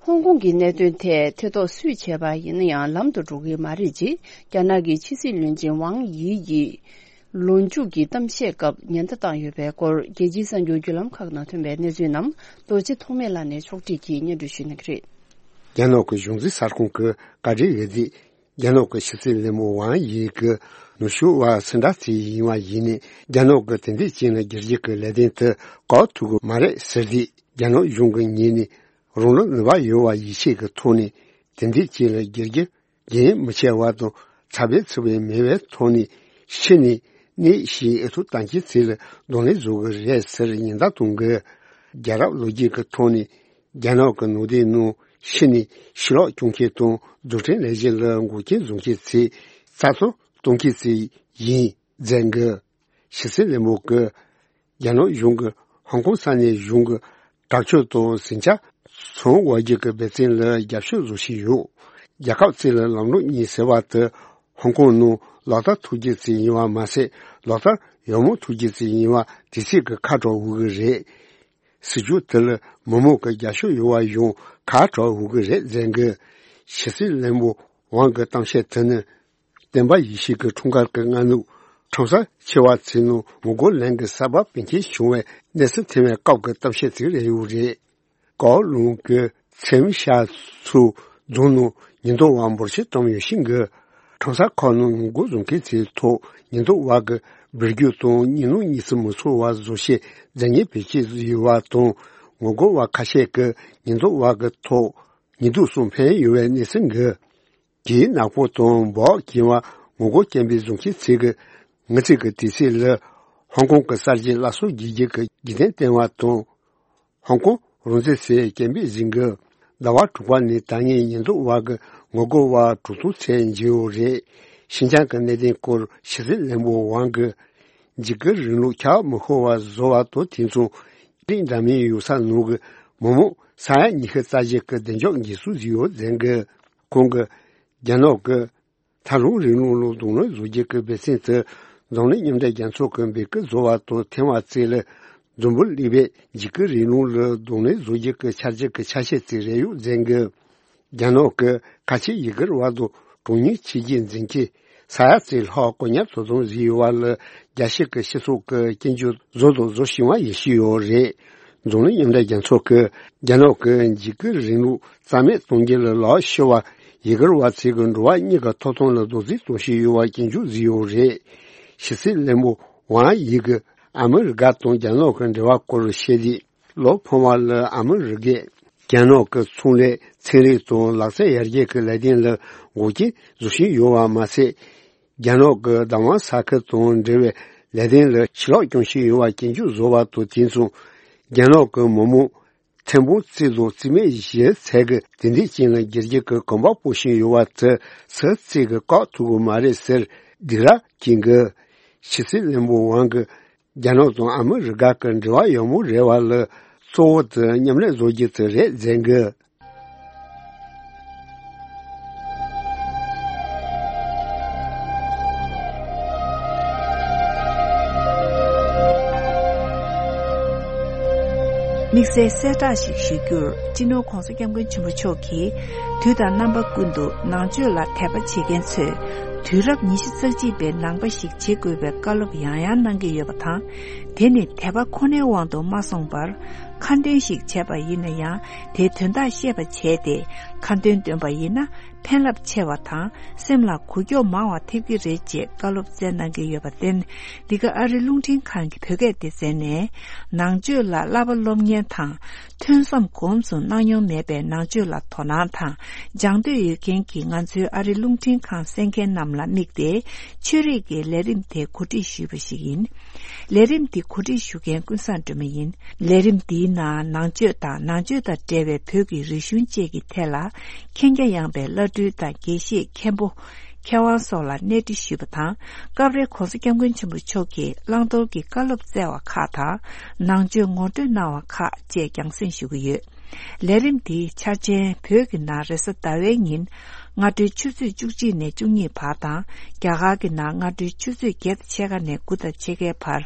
ཧོང་ཀོང་གི་གནད་དོན་ཐད་ཐེ་གཏོགས་སུས་བྱས་པ་ཡིན་ན་ཡང་ལམ་དུ་འགྲོ་གི་མ་རེད་ཅེས་རྒྱ་ནག་གི་ཕྱི་སྲིད་བློན་ཆེན་ཝང་ཡི་ཡིས་ལོ་མཇུག་གི་གཏམ་བཤད་སྐབས་ཉེན་བརྡ་བཏང་ཡོད་པའི་སྐོར་རྒྱལ་སྤྱིའི་གསར་འགྱུར་བརྒྱུད་ལམ་ཁག་ནང་ཐོན་པའི་གནས་ཚུལ་རྣམས་རྡོ་རྗེ་ཐོགས་མེད་ལགས་ནས་ཕྱོགས་སྒྲིག་གིས་སྙན་སྒྲོན་ཞུ་གནང་གི་རེད། རྒྱ་ནག་གི་གཞུང་འཛིན་གསར་ཁང་གི་བཀའ་འགྲེལ་ཡོད་དེ། རྒྱ་ནག་གི་ཕྱི་སྲིད་བློན་པོ་ཝང་ཡི་གིས་ནུབ་ཕྱོགས་བར་སེ་འདྲ་ཚིག་ཡིན་བ་ཡིན་ནས་རྒྱ་ནག་གི་དེ་འདྲའི་ཅན་ལ་སྒེར་གྱི་ལས་དོན་དུ་བཀག་ཐུབ་ཀྱི་མ་རེད་ཟེར་ཏེ། རྒྱ་ནག་གཞུང་གི་ངོས་ནས་རང་ལུགས་ནུས་པ་ཡོད་པ་ཡིད་ཆེས་ཀྱི་ཐོག་ནས་དེ་འདྲའི་ཅན་ལ་སྒེར་གྱི་རྒྱུན་མི་ཆད་པ་དང་ཚ་བའི་ཚུ་བའི་མེད་པའི་ཐོག་ནས་ཕྱི་ནས་གནས་ཤིང་ཨེ་ཐུག་བཏང་གི་ཚིག་ལ་གདོང་ལེན་བཟོ་གི་རེད་ཟེར་ཉེན་བརྡ་གཏོང་གི། རྒྱལ་རབས་ལོ་རྒྱུས་ཀྱི་ཐོག་ནས། རྒྱ་ནག་གི་ནང་བསྟན་ནང་ཕྱི་ནས་ཕྱི་ལོག་སྐྱོང་མཁན་དང་རྫུ་འཕྲུལ་ལས་གཞི་ལ་འགོག་རྐྱེན་བཟོ་མཁན་ཚོའི་རྩ་གཏོར་གཏོང་མཁན་ཚོ་ཡིན་མཛད་འགི། ཕྱི་སྲིད་བློན་པོ་གིས་རྒྱ་ནག་གཞུང་གིས་ཧོང་ཀོང་ས་གནས་གཞུང་གི་དྲག་སྤྱོད་དང་ཟིང་ཆ་སོང་བ་བརྒྱུད་ཀྱི་འབད་བརྩོན་ལ་རྒྱབ་སྐྱོར་བཟོ་བཞིན་ཡོད། རྒྱལ་ཁབ་གཅིག་ལ་ལམ་ལུགས་གཉིས་ཟེར་བ་དེ་ཧོང་ཀོང་ནང་ལག་བསྟར་ཐུབ་རྒྱུ་ཅིག་ཡིན་པ་མ་ཟད། ལག་བསྟར་ཡག་མོ་ཐུབ་རྒྱུ་ཅིག་ཡིན་པ་དེ་ཚིག་གི་ཁ་གྲག་འོས་ཀྱི་རེད། སྲིད་ཇུས་དེ་ལ་མི་མང་གི་རྒྱབ་སྐྱོར་ཡོད་པ་ཡང་ཁ་གྲག་འོས་ཀྱི་རེད་མཛད་འགི། ཕྱི་སྲིད་བློན་པོ་ཝང་གི་གཏམ་བཤད་དེ་ནི། སྟོན་པ་ཡེ་ཤུ་གི་འཁྲུངས་སྐར་གྱི་སྔ་ནུབ་ཁྲོམ་ས་ཆེ་བ་ཚོའི་ནང་ངོ་རྒོལ་ལན་གྱི་ས་བབ་གལ་ཆེན་བྱུང་བའི་གནས་ཚུལ་ཐོན་པའི་སྐབས་ཀྱི་གཏམ་བཤད་ཅིག་རེད་ཡོད་རེད། ཀའོ་ལུང་གི་ཚེམ་ཤ་ཚུ་རྫོང་ནང་ཉེན་རྟོག་པ་འབོར་ཆེན་བཀྲམ་ཡོད་ཤིང་གི། ཁྲོམ་ས་ཁག་ནང་ངོ་རྒོལ་བཟོ་མཁན་ཚོའི་ཐོག་ཉེན་རྟོག་པ་གི་འབུར་རྒྱུག་དང་གཉིད་སྣང་གཉིད་སད་མི་ཚོར་བ་བཟོ་ཆེད་རྫས་ངན་བེད་སྤྱོད་བཟོས་ཡོད་པ་དང་། ངོ་རྒོལ་བ་ཁ་ཤས་ཀྱིས་ཉེན་རྟོག་པ་གི་ཐོག་ཉེས་འཛུགས་སོགས་འཕེན་ཡོད་པའི་གནས་ཚུལ་འགའ། གྱི་ནག་པོ་དང་འབག་གྱིན་པ་ངོ་རྒོལ་སྐད་འབོད་བཟོ་མཁན་ཚོས་ཀྱི་ངེས་ཚིག་གི་དུས་ཚིགས་ལ་ཧོང་ཀོང་གི་གསར་བརྗེ་སླར་གསོ་བྱེད་རྒྱུ་གི་རྒྱུན་ལྡན་བསྟན་པ་དང་། ཧོང་ཀོང་རང་བཙན་ཟེར་སྐད་འབོད་བཟོ་མཁན་ཟླ་བ་དྲུག་པ་ནས་ད་ངས་ཉེན་རྟོག་པ་གི་ངོ་རྒོལ་བ་དྲུག་སྟོང་ཚད་འཇལ་ཡོད་རེད། ཤིན་ཅང་གི་གནད་དོན་སྐོར་ཕྱི་སྲིད་བློན་པོ་ཝང་གིས། འཇིགས་སྐུལ་རིང་ལུགས་ཁྱབ་མི་ཤོར་བ་བཟོ་བ་དང་དེ་མཚུངས་རིགས་འདྲ་མིན་ཡོད་ས་ནང་གི་མི་མང་ས་ཡ་ཉི་ཤུ་རྩ་བཞི་གི་བདེ་འཇགས་འགན་སྲུང་བཟོས་ཡོད་ཟེར་གི། ཁོང་གིས་རྒྱ་ནག་གི་ཐལ་རླུང་རིང་ལུགས་ལ་གདོང་ལེན་བཟོ་རྒྱུ་གི་འབད་བརྩོན་དེ་འཛམ་གླིང་མཉམ་འབྲེལ་རྒྱལ་ཚོགས་ཀྱི་འབོད་སྐུལ་བཟོ་བ་དང་འཐེན་པ་བརྩིས་ལ་འཛམ་བུ་གླིང་པས་འཇིགས་སྐུལ་རིང་ལུགས་ལ་གདོང་ལེན་བཟོ་རྒྱུ་གི་འཆར་གཞི་གི་ཆ་ཤས་ཅིག་རེད་ཡོད་ཟེར་གི། རྒྱ་ནག་གི་ཁ་ཆེ་ཡུ་གུར་བ་དང་གྲངས་ཉུང་ཆོས་བརྒྱུད་འཛིན་སྐྱོང་ས་ཡ་གཅིག་ལྷག་བཀག་ཉར་དོ་དམ་བཟོས་ཡོད་པ་ལ་རྒྱལ་སྤྱི་གི་སྤྱི་ཚོགས་ཀྱི་སྐྱོན་བརྗོད་བཟོ་དང་བཟོ་བཞིན་པ་ཡིན་ཞུས་ཡོད་རེད། འཛམ་གླིང་མཉམ་འབྲེལ་རྒྱལ་ཚོགས་ཀྱིས་རྒྱ་ནག་གི་འཇིགས་སྐུལ་རིང་ལུགས་རྩ་མེད་གཏོང་རྒྱུ་ལ་ལག་ཤོར་བ་ཡུ་གུར་བ་ཚོའི་གི་འགྲོ་བ་མིའི་གི་ཐོབ་ཐང་ལ་རྡོག་རྫིས་གཏོང་བཞིན་ཡོད་པ་སྐྱོན་བརྗོད་བཟོས་ཡོད་རེད། ཕྱི་སྲིད་བློན་པོ་ཝང་ཡི་གིས་ཨ་མི་རི་ཀ་དང་རྒྱ་ནག་གི་འབྲེལ་བ་སྐོར་བཤད་དུས། ལོ་འཕོངས་པ་ལ་ཨ་མི་རི་ཀས་རྒྱ་ནག་གི་ཚོང་ལས་ཚན་རིག་དང་ལག་རྩལ་ཡར་རྒྱས་ཀྱི་ལས་དོན་ལ་འགོག་རྐྱེན་བཟོ་བཞིན་ཡོད་པ་མ་ཟད། རྒྱ་ནག་གི་བདག་དབང་ས་ཁུལ་དང་འབྲེལ་བའི་ལས་དོན་ལ་ཕྱིར་ལོག་རྐྱང་བཞིན་ཡོད་པ་སྐྱོན་བརྗོད་བཟོ་བ་དང་དེ་མཚུངས། རྒྱ་ནག་གི་མི་མང་ཐེར་འབུམ་གཅིག་དང་རྩིས་མེད་བཞི་ཚོས་ཀྱི་དེ་འདྲའི་རྐྱེན་ལ་སྒེར་གྱི་གི་གོམ་པ་སྤོ་བཞིན་ཡོད་པ་དེ་སུ་གཅིག་གིས་བཀག་ཐུབ་ཀྱི་མ་རེད་ཟེར་སྡིགས་ར་སྐྱེས་གི། ཕྱི་སྲིད་བློན་པོ་ཝང་གིས། རྒྱ་ནག་དང་ཨ་མི་རི་ཀ་གི་འབྲེལ་བ་ཡག་མོ་རེད་པ་ལ་གཙོ་བོ་དེ་མཉམ་ལས་བཟོ་རྒྱུ་དེ་རེད་ཟེར་གི། དམིགས་བསལ་གསལ་བསྒྲགས་ཤིག་ཞུ་རྒྱུར། སྤྱི་ནོར་༧གོང་ས་༧སྐྱབས་མགོན་ཆེན་པོ་མཆོག་གིས་དུས་དང་རྣམ་པ་ཀུན་ཏུ་ནང་ཆོས་ལ་དད་པ་བྱེད་མཁན་ཚོས་ དུས་རབས་ཉི་ཤུ་རྩ་གཅིག་པའི་ནང་པ་ཞིག་བྱེད་དགོས་པའི་བཀའ་སློབ་ཡང་ཡང་གནང་གི་ཡོད་པ་དང་། དེ་ནི་དད་པ་ཁོ་ནའི་དབང་དུ་མ་སོང་བར། ཁ་འདོན་ཞིག་བྱས་པ་ཡིན་ན་ཡང་། དེའི་དོན་དག་ཤེས་པ་བྱས་ཏེ། ཁ་འདོན་འདོན་པ་ཡིན་ན། ཕན་རླབས་ཆེ་བ་དང་། སེམས་ལ་འགུལ་སྐྱོད་མང་བ་ཐེབས་ཀྱི་རེད་ཅེས་བཀའ་སློབ་སྩལ་གནང་གི་ཡོད་པར་བརྟེན། འདི་ག་ཨ་རི་རླུང་འཕྲིན་ཁང་གི་བོད་སྐད་སྡེ་ཚན་ནས། ནང་ཆོས་ལ་བསླབ་པ་སློབ་གཉེར་དང་། ཐོས་བསམ་སྒོམ་གསུམ་གནང་མྱོང་མེད་པའི་ནང་ཆོས་ལ་དོ་སྣང་དང་། སྦྱང་འདོད་ཡོད་མཁན་གྱི་ང་ཚོའི་ཨ་རི་རླུང་འཕྲིན་ཁང་གསན་མཁན་རྣམས་ལ་དམིགས་ཏེ། ཆོས་རིག་གི་ལས་རིམ་དེ་གོ་སྒྲིག་ཞུས་པ་ཞིག་ཡིན། ལས་རིམ་འདི་གོ་སྒྲིག་ཞུ་མཁན་ཀུན་བཟང་སྒྲོལ་མ་ཡིན། ལས་རིམ་འདིའི་ནང་ནང་ཆོས་དང་ནང་ཆོས་དང་འབྲེལ་བའི་བོད་ཀྱི་རིག་གཞུང་བཅས་ཀྱི་ཐད་ལ་མཁྱེན་རྒྱ་ཡངས་པའི་བླ་སྤྲུལ་དང་དགེ་བཤེས་མཁན་པོ། མཁས་དབང་སོགས་ལ་གནས་འདྲི་ཞུས་པ་དང་། སྐབས་རེ་༸གོང་ས་༸སྐྱབས་མགོན་ཆེན་པོ་མཆོག་གིས་བླང་དོར་གྱི་བཀའ་སློབ་སྩལ་བ་ཁག་དང་། ནང་ཆོས་ངོ་སྤྲོད་གནང་བ་ཁག་བཅས་རྒྱང་སྲིང་ཞུ་གི་ཡོད། ལས་རིམ་འདིའི་འཆར་ཅན་བོད་ཀྱི་ནང་རེས་གཟའ་ཟླ་བའི་ཉིན། སྔ་དྲོའི་ཆུ་ཚོད་བཅུ་གཅིག་ནས་བཅུ་གཉིས་བར་དང་། རྒྱ་གར་གྱི་ནང་སྔ་དྲོའི་ཆུ་ཚོད་བརྒྱད་དང་ཕྱེད་ཀ་ནས་དགུ་དང་ཕྱེད་ཀའི་བར།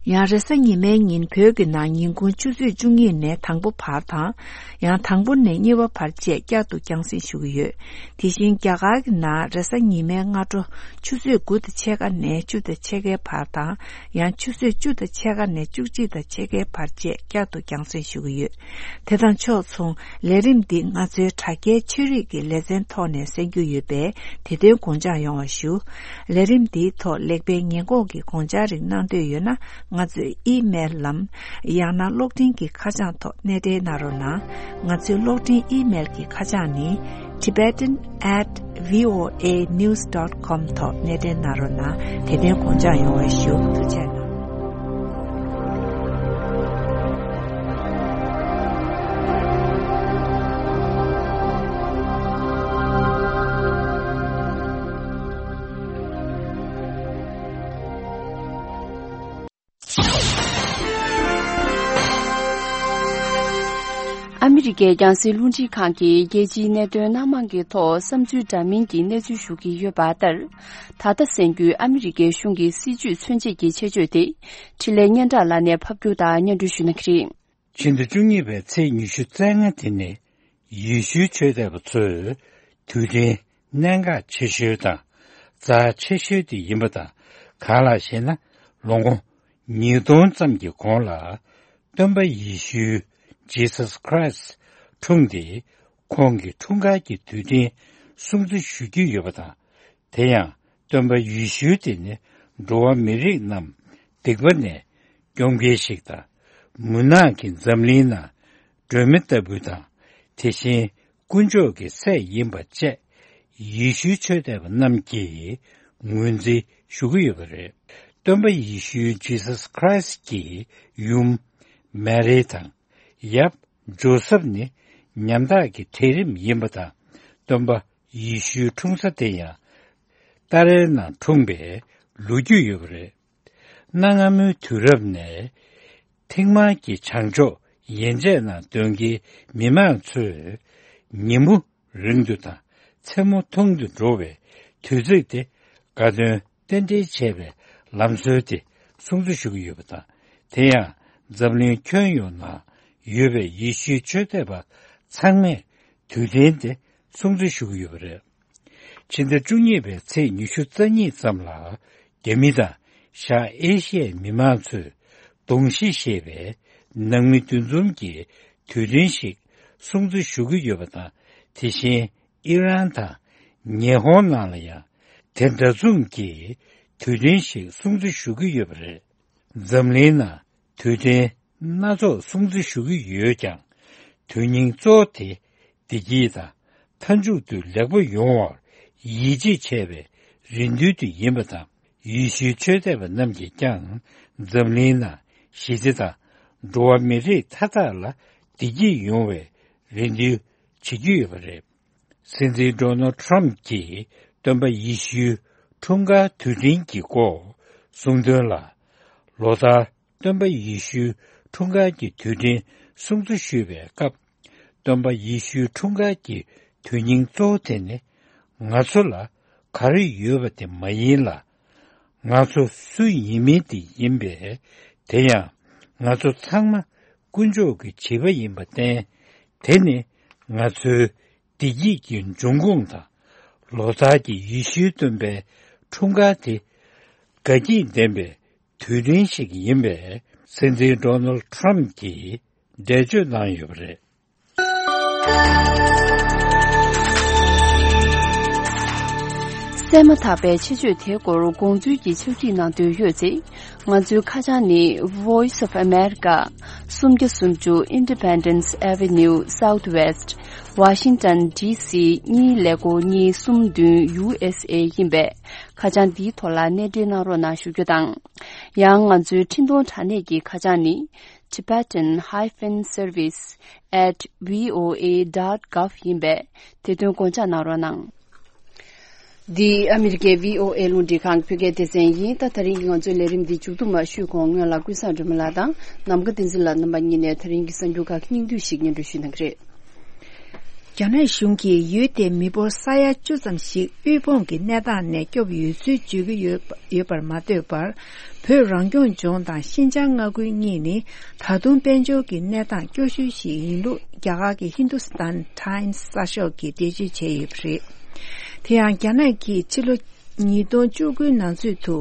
ཡང་རེས་གཟའ་ཉི་མའི་ཉིན་བོད་ཀྱི་ནང་ཉིན་གུང་ཆུ་ཚོད་བཅུ་གཉིས་ནས་དང་པོ་བར་དང་། ཡང་དང་པོ་ནས་གཉིས་པ་བར་བཅས་བསྐྱར་དུ་རྒྱང་སྲིང་ཞུ་གི་ཡོད། དེ་བཞིན་རྒྱ་གར་གྱི་ནང་རེས་གཟའ་ཉི་མའི་སྔ་དྲོ་ཆུ་ཚོད་དགུ་དང་ཕྱེད་ཀ་ནས་བཅུ་དང་ཕྱེད་ཀའི་བར་དང་། ཡང་ཆུ་ཚོད་བཅུ་དང་ཕྱེད་ཀ་ནས་བཅུ་གཅིག་དང་ཕྱེད་ཀའི་བར་བཅས་བསྐྱར་དུ་རྒྱང་སྲིང་ཞུ་གི་ཡོད། དེ་དང་ཕྱོགས་མཚུངས་ལས་རིམ་འདི་ང་ཚོའི་དྲ་རྒྱའི་ཆོས་རིག་གི་ལེ་ཚན་ཐོག་ནས་གསན་རྒྱུ་ཡོད་པས། དེ་དོན་དགོངས་འཇགས་ཡོང་བ་ཞུ། ལས་རིམ་འདིའི་ཐོག་ལེགས་སྤེལ་ཉེས་འགོག་གི་དགོངས་འཆར་རིགས་གནང་འདོད་ཡོད་ན། ང་ཚོའི་ཨི་མེལ་ལམ། ཡང་ན་གློག་འཕྲིན་གྱི་ཁ་བྱང་ཐོག་གནས་འབྲེལ་གནང་རོགས་གནང་། ང་ཚོའི་གློག་འཕྲིན་ཨི་མེལ་གྱི་ཁ་བྱང་ནི། tibetan at voanews dot com ཐོག་གནས་འབྲེལ་གནང་རོགས་གནང་། དེ་དོན་དགོངས་འཇགས་ཡོང་བ་ཞུ། ཐུགས་རྗེ་གནང་། ཨ་མི་རི་ཀའི་རྒྱང་སྲིང་རླུང་འཕྲིན་ཁང་གིས་རྒྱལ་སྤྱིའི་གནད་དོན་སྣ་མང་གི་ཐོག་བསམ་ཚུལ་འདྲ་མིན་གྱི་གནས་ཚུལ་ཞུ་གི་ཡོད་པ་ལྟར། ད་ལྟ་གསན་རྒྱུའི་ཨ་མི་རི་ཀའི་གཞུང་གི་སྲིད་བྱུས་མཚོན་བྱེད་ཀྱི་ཆེད་བརྗོད་དེ། འཕྲིན་ལས་སྙན་གྲགས་ལགས་ནས་ཕབ་སྒྱུར་དང་སྙན་སྒྲོན་ཞུ་གནང་གི་རེད། ཕྱི་ཟླ་བཅུ་གཉིས་པའི་ཚེས་ཉི་ཤུ་རྩ་ལྔ་དེ་ནི། ཡེ་ཤུའི་ཆོས་དད་པ་ཚོའི་དུས་དྲན་གནད་འགག་ཆེ་ཤོས་དང་རྩ་ཆེ་ཤོས་དེ་ཡིན་པ་དང་། གང་ལགས་ཤེ་ན། ལོ་ངོ་ཉིས་སྟོང་ཙམ་གྱི་གོང་ལ། སྟོན་པ་ཡེ་ཤུ། Jesus Christ འཁྲུངས་ཏེ། ཁོང་གི་འཁྲུངས་སྐར་གྱི་དུས་དྲན་སྲུང་བརྩི་ཞུ་རྒྱུ་ཡོད་པ་དང་། དེ་ཡང་སྟོན་པ་ཡེ་ཤུ་དེ་ནི་འགྲོ་བ་མི་རིགས་རྣམས་སྡིག་པ་ནས་སྐྱོབ་མཁན་ཞིག་དང་། མུན་ནག་གི་འཛམ་གླིང་ནང་སྒྲོན་མེ་ལྟ་བུ་དང་། དེ་བཞིན་དཀོན་མཆོག་གི་སྲས་ཡིན་པ་བཅས་ཡེ་ཤུའི་ཆོས་དད་པ་རྣམས་ཀྱིས་ངོས་འཛིན་ཞུ་གི་ཡོད་པ་རེད། སྟོན་པ་ཡེ་ཤུ། Jesus Christ གྱི་ཡུམ་མེ་རི་དང་། ཡབ་ཇོ་སབ་ནི་ཉམ་ཐག་གི་གྲལ་རིམ་ཡིན་པ་དང་། སྟོན་པ་ཡེ་ཤུའི་འཁྲུངས་ས་དེ་ཡང་ཏཱ་རའི་ནང་འཁྲུངས་པའི་ལོ་རྒྱུས་ཡོད་པ་རེད། གནའ་སྔ་མོའི་དུས་རབས་ནས་ཐིག་དམར་གྱི་བྱང་ཕྱོགས་ཡན་ཆད་ནང་སྡོད་མཁན་མི་མང་ཚོས་ཉིན་མོ་རིང་དུ་དང་མཚན་མོ་ཐུང་དུ་འགྲོ་བའི་དུས་ཚིགས་དེ་དགའ་སྟོན་རྟེན་འབྲེལ་བྱས་པའི་ལམ་སྲོལ་དེ་སྲུང་བརྩི་ཞུ་གི་ཡོད་པ་དང་། དེ་ཡང་འཛམ་གླིང་ཁྱོན་ཡོངས་ནང་ཡོད་པའི་ཡེ་ཤུའི་ཆོས་དད་པ་ཚང་མས་དུས་དྲན་དེ་སྲུང་བརྩི་ཞུ་གི་ཡོད་པ་རེད། ཕྱི་ཟླ་བཅུ་གཉིས་པའི་ཚེས་ཉི་ཤུ་རྩ་གཉིས་ཙམ་ལ། རྒྱ་མི་དང་ཤར་ཨེ་ཤི་ཡའི་མི་མང་ཚོས་གདུང་ཤིང་བཞེས་པའི་ནང་མི་འདུ་འཛོམས་ཀྱི་དུས་དྲན་ཞིག་སྲུང་བརྩི་ཞུ་གི་ཡོད་པ་དང་། དེ་བཞིན་ཨི་རན་དང་ཉི་ཧོང་ནང་ལ་ཡང་དེ་འདྲ་མཚུངས་ཀྱི་དུས་དྲན་ཞིག་སྲུང་བརྩི་ཞུ་གི་ཡོད་པ་རེད། འཛམ་གླིང་ནང་དུས་དྲན་སྣ་ཚོགས་སྲུང་བརྩི་ཞུ་གི་ཡོད་ཀྱང་། དོན་སྙིང་གཙོ་བོ་དེ་བདེ་སྐྱིད་དང་མཐའ་མཇུག་ཏུ་ལེགས་པོ་ཡོང་བར་ཡིད་ཆེས་བྱས་པའི་རེ་འདུན་དེ་ཡིན་པ་དང་། ཡེ་ཤུའི་ཆོས་དད་པ་རྣམས་ཀྱིས་ཀྱང་འཛམ་གླིང་ནང་ཞི་བདེ་དང་འགྲོ་བ་མི་རིགས་མཐའ་དག་ལ་བདེ་སྐྱིད་ཡོང་བའི་རེ་འདུན་བྱེད་ཀྱི་ཡོད་པ་རེད། སྲིད་འཛིན་ཌོ་ནལ་ཊམ་གྱིས་སྟོན་པ་ཡེ་ཤུའི་འཁྲུངས་སྐར་དུས་དྲན་གྱི་སྐོར་གསུངས་དོན་ལ། ལོ་ལྟར་སྟོན་པ་ཡེ་ཤུའི་འཁྲུངས་སྐར་གྱི་དུས་དྲན་སྲུང་བརྩི་ཞུས་པའི་སྐབས། སྟོན་པ་ཡེ་ཤུའི་འཁྲུངས་སྐར་གྱི་དོན་སྙིང་གཙོ་བོ་དེ་ནི། ང་ཚོ་ལ་ག་རེ་ཡོད་པ་དེ་མ་ཡིན་ལ། ང་ཚོ་སུ་ཡིན་མིན་དེ་ཡིན་པས། དེ་ཡང་ང་ཚོ་ཚང་མ་དཀོན་མཆོག་གི་བྱིས་པ་ཡིན་པར་བརྟེན། དེ་ནི་ང་ཚོའི་བདེ་སྐྱིད་ཀྱི་འབྱུང་ཁུངས་དང་ ལོ་ལྟར་གྱི་ཡེ་ཤུའི་སྟོན་པའི་འཁྲུངས་སྐར་དེ་དགའ་སྐྱིད་ལྡན་པའི་དུས་དྲན་ཞིག་ཡིན་པའི་སྲིད་འཛིན་ཌོ་ནལ་ཊམ་གྱིས་འགྲེལ་བརྗོད་གནང་ཡོད་པ་རེད། གསན་མ་ཐག་པའི་ཆེད་བརྗོད་དེའི་སྐོར་དགོངས་ཚུལ་གྱི་ཕྱག་བྲིས་གནང་འདོད་ཡོད་ཚེ། ང་ཚོའི་ཁ་བྱང་ནི། Voice of America། སུམ་བརྒྱ་སུམ་ཅུ་Independence Avenue Southwest། Washington D C གཉིས་ཀླད་ཀོར་གཉིས་གསུམ་བདུན་U S A ཡིན་པས། ཁ་བྱང་འདིའི་ཐོག་ལ་གནས་འབྲེལ་གནང་རོགས་གནང་ཞུ་རྒྱུ་དང་། ཡང་ང་ཚོའི་འཕྲིན་གཏོང་དྲ་གནས་ཀྱི་ཁ་བྱང་ནི། Tibetan hyphen service at V O A dot gov ཡིན་པས། དེ་དོན་དགོངས་འཇགས་གནང་རོགས་གནང་། འདི་ཨ་མི་རི་ཀའི་V O A རླུང་འཕྲིན་ཁང་གི་བོད་སྐད་སྡེ་ཚན་ཡིན། ད་དེ་རིང་གི་ང་ཚོའི་ལས་རིམ་འདི་མཇུག་བསྡོམས་ཞུས་གོང་སྔོན་ལ་ཀུན་བཟང་སྒྲོལ་མ་ལགས་དང་ནམ་མཁའ་བསྟན་འཛིན་ལགས་རྣམ་པ་གཉིས་ནས་དེ་རིང་གི་གསར་འགྱུར་ཁག་སྙིང་བསྡུས་ཤིག་སྙན་སྒྲོན་ཞུ་གནང་གི་རེད། རྒྱ་ནག་གཞུང་གིས་ཡུལ་དེའི་མི་འབོར་ས་ཡ་བཅུ་ཙམ་ཞིག་དབུལ་ཕོངས་ཀྱི་གནས་སྟངས་ནས་སྐྱོབ་ཡོད་ཚུལ་བརྗོད་ཀྱི་ཡོད་པ་ཡོད་པར་མ་ལྟོས་པར། བོད་རང་སྐྱོང་ལྗོངས་དང་ཤིན་ཅང་མངའ་ཁུལ་གཉིས་ནི་ད་དུང་དཔལ་འབྱོར་གྱི་གནས་སྟངས་སྐྱོ་ཤོས་ཤིག་ཡིན་ལུགས་རྒྱ་གར་གྱི་Hindustan Times གསར་ཤོག་གིས་འགྲེལ་བརྗོད་བྱས་ཡོད་པ་རེད། དེ་ཡང་རྒྱ་ནག་གིས་ཕྱི་ལོ་ཉིས་སྟོང་བཅུ་དགུའི་ནང་ཚུད་དུ་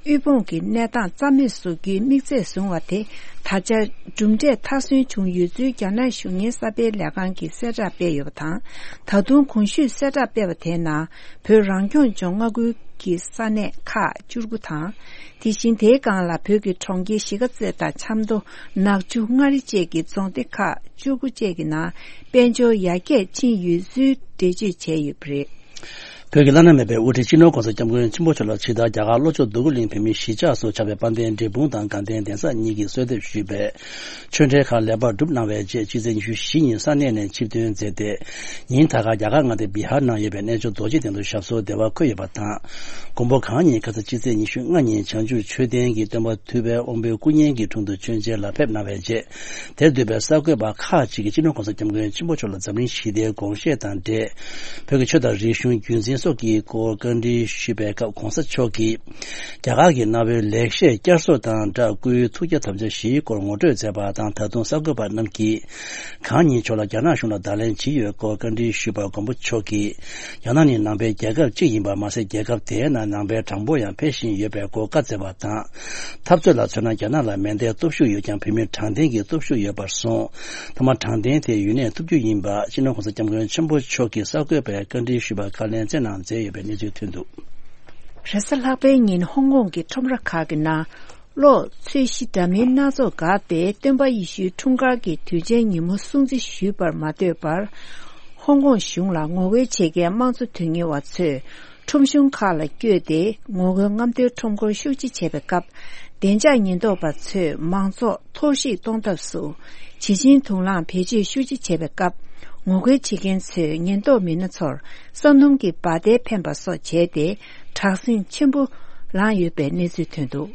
དབུལ་ཕོངས་ཀྱི་གནས་སྟངས་རྩ་མེད་བཟོ་རྒྱུའི་དམིགས་ཚད་བཟུང་བ་དེ་ད་ཆ་གྲུབ་འབྲས་མཐར་སོན་བྱུང་ཡོད་ཚུལ་རྒྱ་ནག་གཞུང་གཉེར་གསར་སྤེལ་ལས་ཁང་གིས་གསལ་བསྒྲགས་སྤེལ་ཡོད་པ་དང་། ད་དུང་གོང་ཞུས་གསལ་བསྒྲགས་སྤེལ་བ་དེའི་ནང་བོད་རང་སྐྱོང་ལྗོངས་མངའ་ཁུལ་གྱི་ས་གནས་ཁག་བཅུ་དགུ་དང་། དེ་བཞིན་དེའི་སྒང་ལ་བོད་ཀྱི་གྲོང་ཁྱེར་གཞིས་ཀ་རྩེ་དང་ཆབ་མདོ། ནག་ཆུ། མངའ་རིས་བཅས་ཀྱི་རྫོང་སྡེ་ཁག་བཅུ་དགུ་བཅས་ཀྱི་ནང་དཔལ་འབྱོར་ཡར་རྒྱས་ཕྱིན་ཡོད་ཚུལ་འགྲེལ་བརྗོད་བྱས་ཡོད་པ་རེད། བོད་ཀྱི་བླ་ན་མེད་པའི་དབུ་ཁྲིད་སྤྱི་ནོར་༸གོང་ས་༸སྐྱབས་མགོན་ཆེན་པོ་མཆོག་ལ་ཕྱི་ཟླ་རྒྱ་གར་ལྷོ་ཕྱོགས་འདོད་རྒུ་གླིང་བོད་མིའི་གཞིས་ཆགས་སུ་ཆགས་པའི་དཔལ་ལྡན་འབྲས་སྤུངས་དང་དགའ་ལྡན་གདན་ས་གཉིས་ཀྱིས་གསོལ་འདེབས་ཞུས་པའི་ཆོས་འབྲེལ་ཁག་ལེགས་པར་གྲུབ་གནང་བའི་རྗེས་ཕྱི་ཚེས་ཉི་ཤུ་བཞི་ཉིན་ས་གནས་ནས་ཆིབས་ཐོན་མཛད་དེ། ཉིན་ད་ག་རྒྱ་གར་མངའ་སྡེ་བི་ཧར་ནང་ཡོད་པའི་གནས་མཆོག་རྡོ་རྗེ་གདན་དུ་ཞབས་སོར་བདེ་བར་འཁོད་ཡོད་པ་དང་། མགོན་པོ་གང་ཉིད་ཁ་ས་ཕྱི་ཚེས་ཉི་ཤུ་ལྔ་ཉིན་བྱང་ཆུབ་མཆོད་རྟེན་གྱི་སྟོན་པ་ཐུབ་པའི་དབང་པོའི་སྐུ་བརྙན་གྱི་དྲུང་དུ་མཆོད་མཇལ་ལ་ཕེབས་གནང་བའི་རྗེས། དེར་འདུས་པའི་གསར་འགོད་པ་ཁག་ཅིག་གིས་སྤྱི་ནོར་༸གོང་ས་༸སྐྱབས་མགོན་ཆེན་པོ་མཆོག་ལ་འཛམ་གླིང་ཞི་བདེའི་དགོངས་བཞེད་དང་འབྲེལ། བོད་ཀྱི་ཆོས་དང་རིག་གཞུང་རྒྱུན་འཛིན་སོགས་ཀྱི་སྐོར་བཀའ་འདྲི་ཞུས་པའི་སྐབས་༸གོང་ས་མཆོག་གིས། རྒྱ་གར་གྱི་གནའ་བོའི་ལེགས་བཤད་བསྐྱར་གསོ་དང་སྦྲགས་སྐུའི་ཐུགས་བསྐྱེད་དམ་བཅའ་བཞིའི་སྐོར་ངོ་སྤྲོད་མཛད་པ་དང་། ད་དུང་གསར་འགོད་པ་རྣམས་ཀྱིས་གང་ཉིད་མཆོག་ལ་རྒྱ་ནག་གཞུང་ལ་བརྡ་ལན་ཇི་ཡོད་སྐོར་བཀའ་འདྲི་ཞུས་པར་མགོན་པོ་མཆོག་གིས། རྒྱ་ནག་ནི་ནང་པའི་རྒྱལ་ཁབ་ཅིག་ཡིན་པ་མ་ཟད། རྒྱལ་ཁབ་དེའི་ནང་ནང་པའི་གྲངས་འབོར་ཡང་འཕེལ་བཞིན་ཡོད་པའི་སྐོར་བཀའ་སྩལ་བ་དང་། འཐབ་རྩོད་ལ་མཚོན་ན་རྒྱ་ནག་ལ་མེ་མདའི་སྟོབས་ཤུགས་ཡོད་ཀྱང་བོད་མིར་དྲང་བདེན་གྱི་སྟོབས་ཤུགས་ཡོད་པར་གསུངས། མཐའ་མ་དྲང་བདེན་དེ་ཡུན་གནས་ཐུབ་རྒྱུ་ཡིན་པ་སྤྱི་ནོར་༸གོང་ས་༸སྐྱབས་མགོན་ཆེན་པོ་མཆོག་གིས་གསར་འགོད་པའི་བཀའ་འདྲི་ཞུས་པར་བཀའ་ལན་སྩལ་གནང་མཛད་ཡོད་པའི་གནས་ཚུལ་ཐོན་འདུག་རེས་གཟའ་ལྷག་པའི་ཉིན་ཧོང་ཀོང་གི་ཁྲོམ་ར་ཁག་གི་ནང་གློག་ཚོས་གཞི་འདྲ་མིན་སྣ་ཚོགས་བཀག་སྟེ་སྟོན་པ་ཡེ་ཤུའི་འཁྲུངས་སྐར་གྱི་དུས་ཆེན་ཉིན་མོ་སྲུང་བརྩི་ཞུས་པར་མ་ལྟོས་པར། ཧོང་ཀོང་གཞུང་ལ་ངོ་རྒོལ་བྱེད་མཁན་དམངས་གཙོ་དོན་གཉེར་བ་ཚོས་ཁྲོམ་གཞུང་ཁག་ལ་བསྐྱོད་དེ་ངོ་རྒོལ་རྔམ་སྟོན་ཁྲོམ་སྐོར་ཤུགས་ཆེ་བྱས་པའི་སྐབས། བདེ་འཇགས་ཉེན་རྟོག་པ་ཚོས་མང་ཚོགས་ཐོར་བཤིག་གཏོང་ཐབས་སུ། བྱེ་ཆེན་དུག་རླངས་བེད་སྤྱོད་ཤུགས་ཆེ་བྱས་པའི་སྐབས། ངོ་རྒོལ་བྱེད་མཁན་ཚོས་ཉེན་རྟོག་མི་སྣ་ཚོར་ས་སྣུམ་གྱི་འབར་མདེལ་འཕེན་པ་སོགས་བྱས་ཏེ། དྲག་ཟིང་ཆེན་པོ་ལངས་ཡོད་པའི་གནས་ཚུལ་ཐོན་འདུག་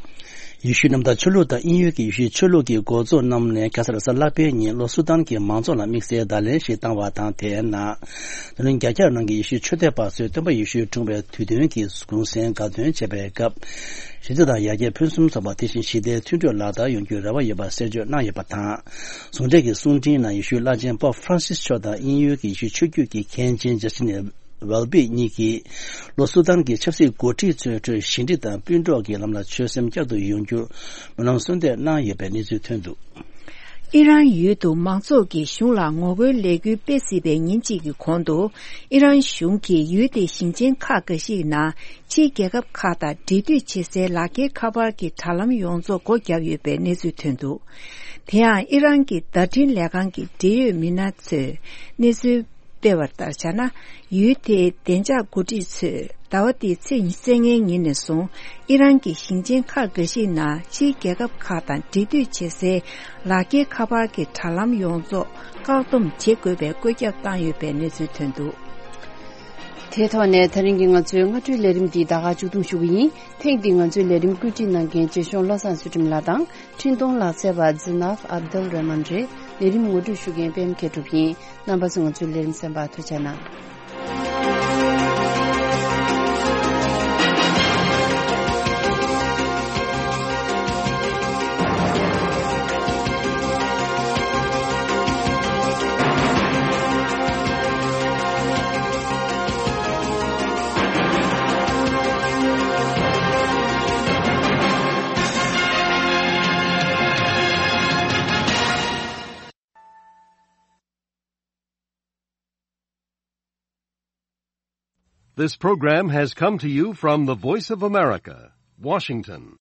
ཡེ་ཤུའི་གནམ་བདག་ཆོས་ལུགས་དང་དབྱིན་ཡུལ་གྱི་ཡེ་ཤུའི་ཆོས་ལུགས་ཀྱི་འགོ་གཙོ་རྣམས་ནས་ཁ་སང་རེས་གཟའ་ལྷག་པའི་ཉིན་ལྷོ་སུ་དཱན་གྱི་མང་ཚོགས་ལ་དམིགས་བསལ་བརྡ་ལན་ཞིག་བཏང་བ་དང་། དེའི་ནང་། འཛམ་གླིང་རྒྱ་ཁྱབ་ནང་གི་ཡེ་ཤུའི་ཆོས་དད་པ་ཚོས་སྟོན་པ་ཡེ་ཤུའི་འཁྲུངས་པའི་དུས་སྟོན་གྱི་གུང་སེང་དགའ་སྟོན་བྱེད་པའི་སྐབས། ཞི་བདེ་དང་ཡར་རྒྱས་ཕུན་སུམ་ཚོགས་པ། དེ་བཞིན་ཞི་བདེའི་མཐུན་གྲོས་ལག་བསྟར་ཡོང་རྒྱུའི་རེ་བ་ཡོད་པ་གསལ་བརྗོད་གནང་ཡོད་པ་དང་། ཟུང་འབྲེལ་གྱི་གསུང་འཕྲིན་ནང་ཡེ་ཤུའི་བླ་ཆེན་པོབ་ཧྥ་རན་སིས་མཆོག་དང་དབྱིན་ཡུལ་གྱི་ཡེ་ཤུའི་ཆོས་བརྒྱུད་ཀྱི་མཁན་ཆེན་ཇ་སི་ཊིན་ཝེལ་བི་གཉིས་ཀྱིས། ལྷོ་སུ་དཱན་གྱི་ཆབ་སྲིད་འགོ་ཁྲིད་ཚོའི་ཁྲོད་ཞི་འགྲིག་དང་སྤུན་གྲོགས་ཀྱི་ལམ་ལ་ཆོད་སེམས་བསྐྱར་དུ་ཡོང་རྒྱུར་སྨོན་ལམ་གསོལ་འདེབས་གནང་ཡོད་པའི་གནས་ཚུལ་ཐོན་འདུག་ཨི་རན་ཡུལ་དུ་མང་ཚོགས་ཀྱིས་གཞུང་ལ་ངོ་རྒོལ་ལས་འགུལ་སྤེལ་སྲིད་པའི་ཉིན་གཅིག་གི་གོང་དུ། ཨི་རན་གཞུང་གིས་ཡུལ་དེའི་ཞིང་ཆེན་ཁག་འགའ་ཞིག་ནང་ཕྱིའི་རྒྱལ་ཁབ་ཁག་དང་འབྲེལ་མཐུད་བྱེད་སའི་ལག་འཁྱེར་ཁ་པར་གྱི་དྲ་ལམ་ཡོངས་རྫོགས་སྒོ་བརྒྱབ་ཡོད་པའི་གནས་ཚུལ་ཐོན་འདུག་དེ་ཡང་ཨི་རན་གྱི་བརྡ་འཕྲིན་ལས་ཁང་གི་འབྲེལ་ཡོད་མི་སྣ་ཚོས་གནས་ཚུལ་སྤེལ་བ་ལྟར་བྱས་ན། ཡུལ་དེའི་བདེ་འཇགས་འགོ་ཁྲིད་ཚོས་ཟླ་བ་འདིའི་ཚེས་ཉི་ཤུ་རྩ་ལྔའི་ཉིན་ནས་བཟུང་ཨི་རན་གྱི་ཞིང་ཆེན་ཁག་འགའ་ཞིག་ནང་ཕྱིའི་རྒྱལ་ཁབ་ཁག་དང་འབྲེལ་མཐུད་བྱེད་སའི་ལག་འཁྱེར་ཁ་པར་གྱི་དྲ་ལམ་ཡོངས་རྫོགས་བཀག་སྡོམ་བྱེད་དགོས་པའི་བཀོད་ཁྱབ་བཏང་ཡོད་པའི་གནས་ཚུལ་ཐོན་འདུག་དེའི་ཐོག་ནས་དེ་རིང་གི་ང་ཚོའི་སྔ་དྲོའི་ལས་རིམ་འདི་ད་ག་མཇུག་བསྡོམས་ཞུ་གི་ཡིན། ཐེངས་འདིའི་ང་ཚོའི་ལས་རིམ་བཀོད་སྒྲིག་གནང་མཁན་རྗེ་གཞུང་བློ་བཟང་ཚུལ་ཁྲིམས་ལགས་དང་། འཕྲིན་གཏོང་ལག་རྩལ་བ་ཛི་ནཱབ་ཨབ་དུལ་རེ་མན་རེད། ལས་རིམ་ངོ་སྤྲོད་ཞུ་མཁན་པད་མ་མཁས་གྲུབ་ཡིན། རྣམ་པ་ཚོ་ང་ཚོའི་ལས་རིམ་གསན་པར་ཐུགས་རྗེ་གནང་། This program has come to you from the Voice of America, Washington.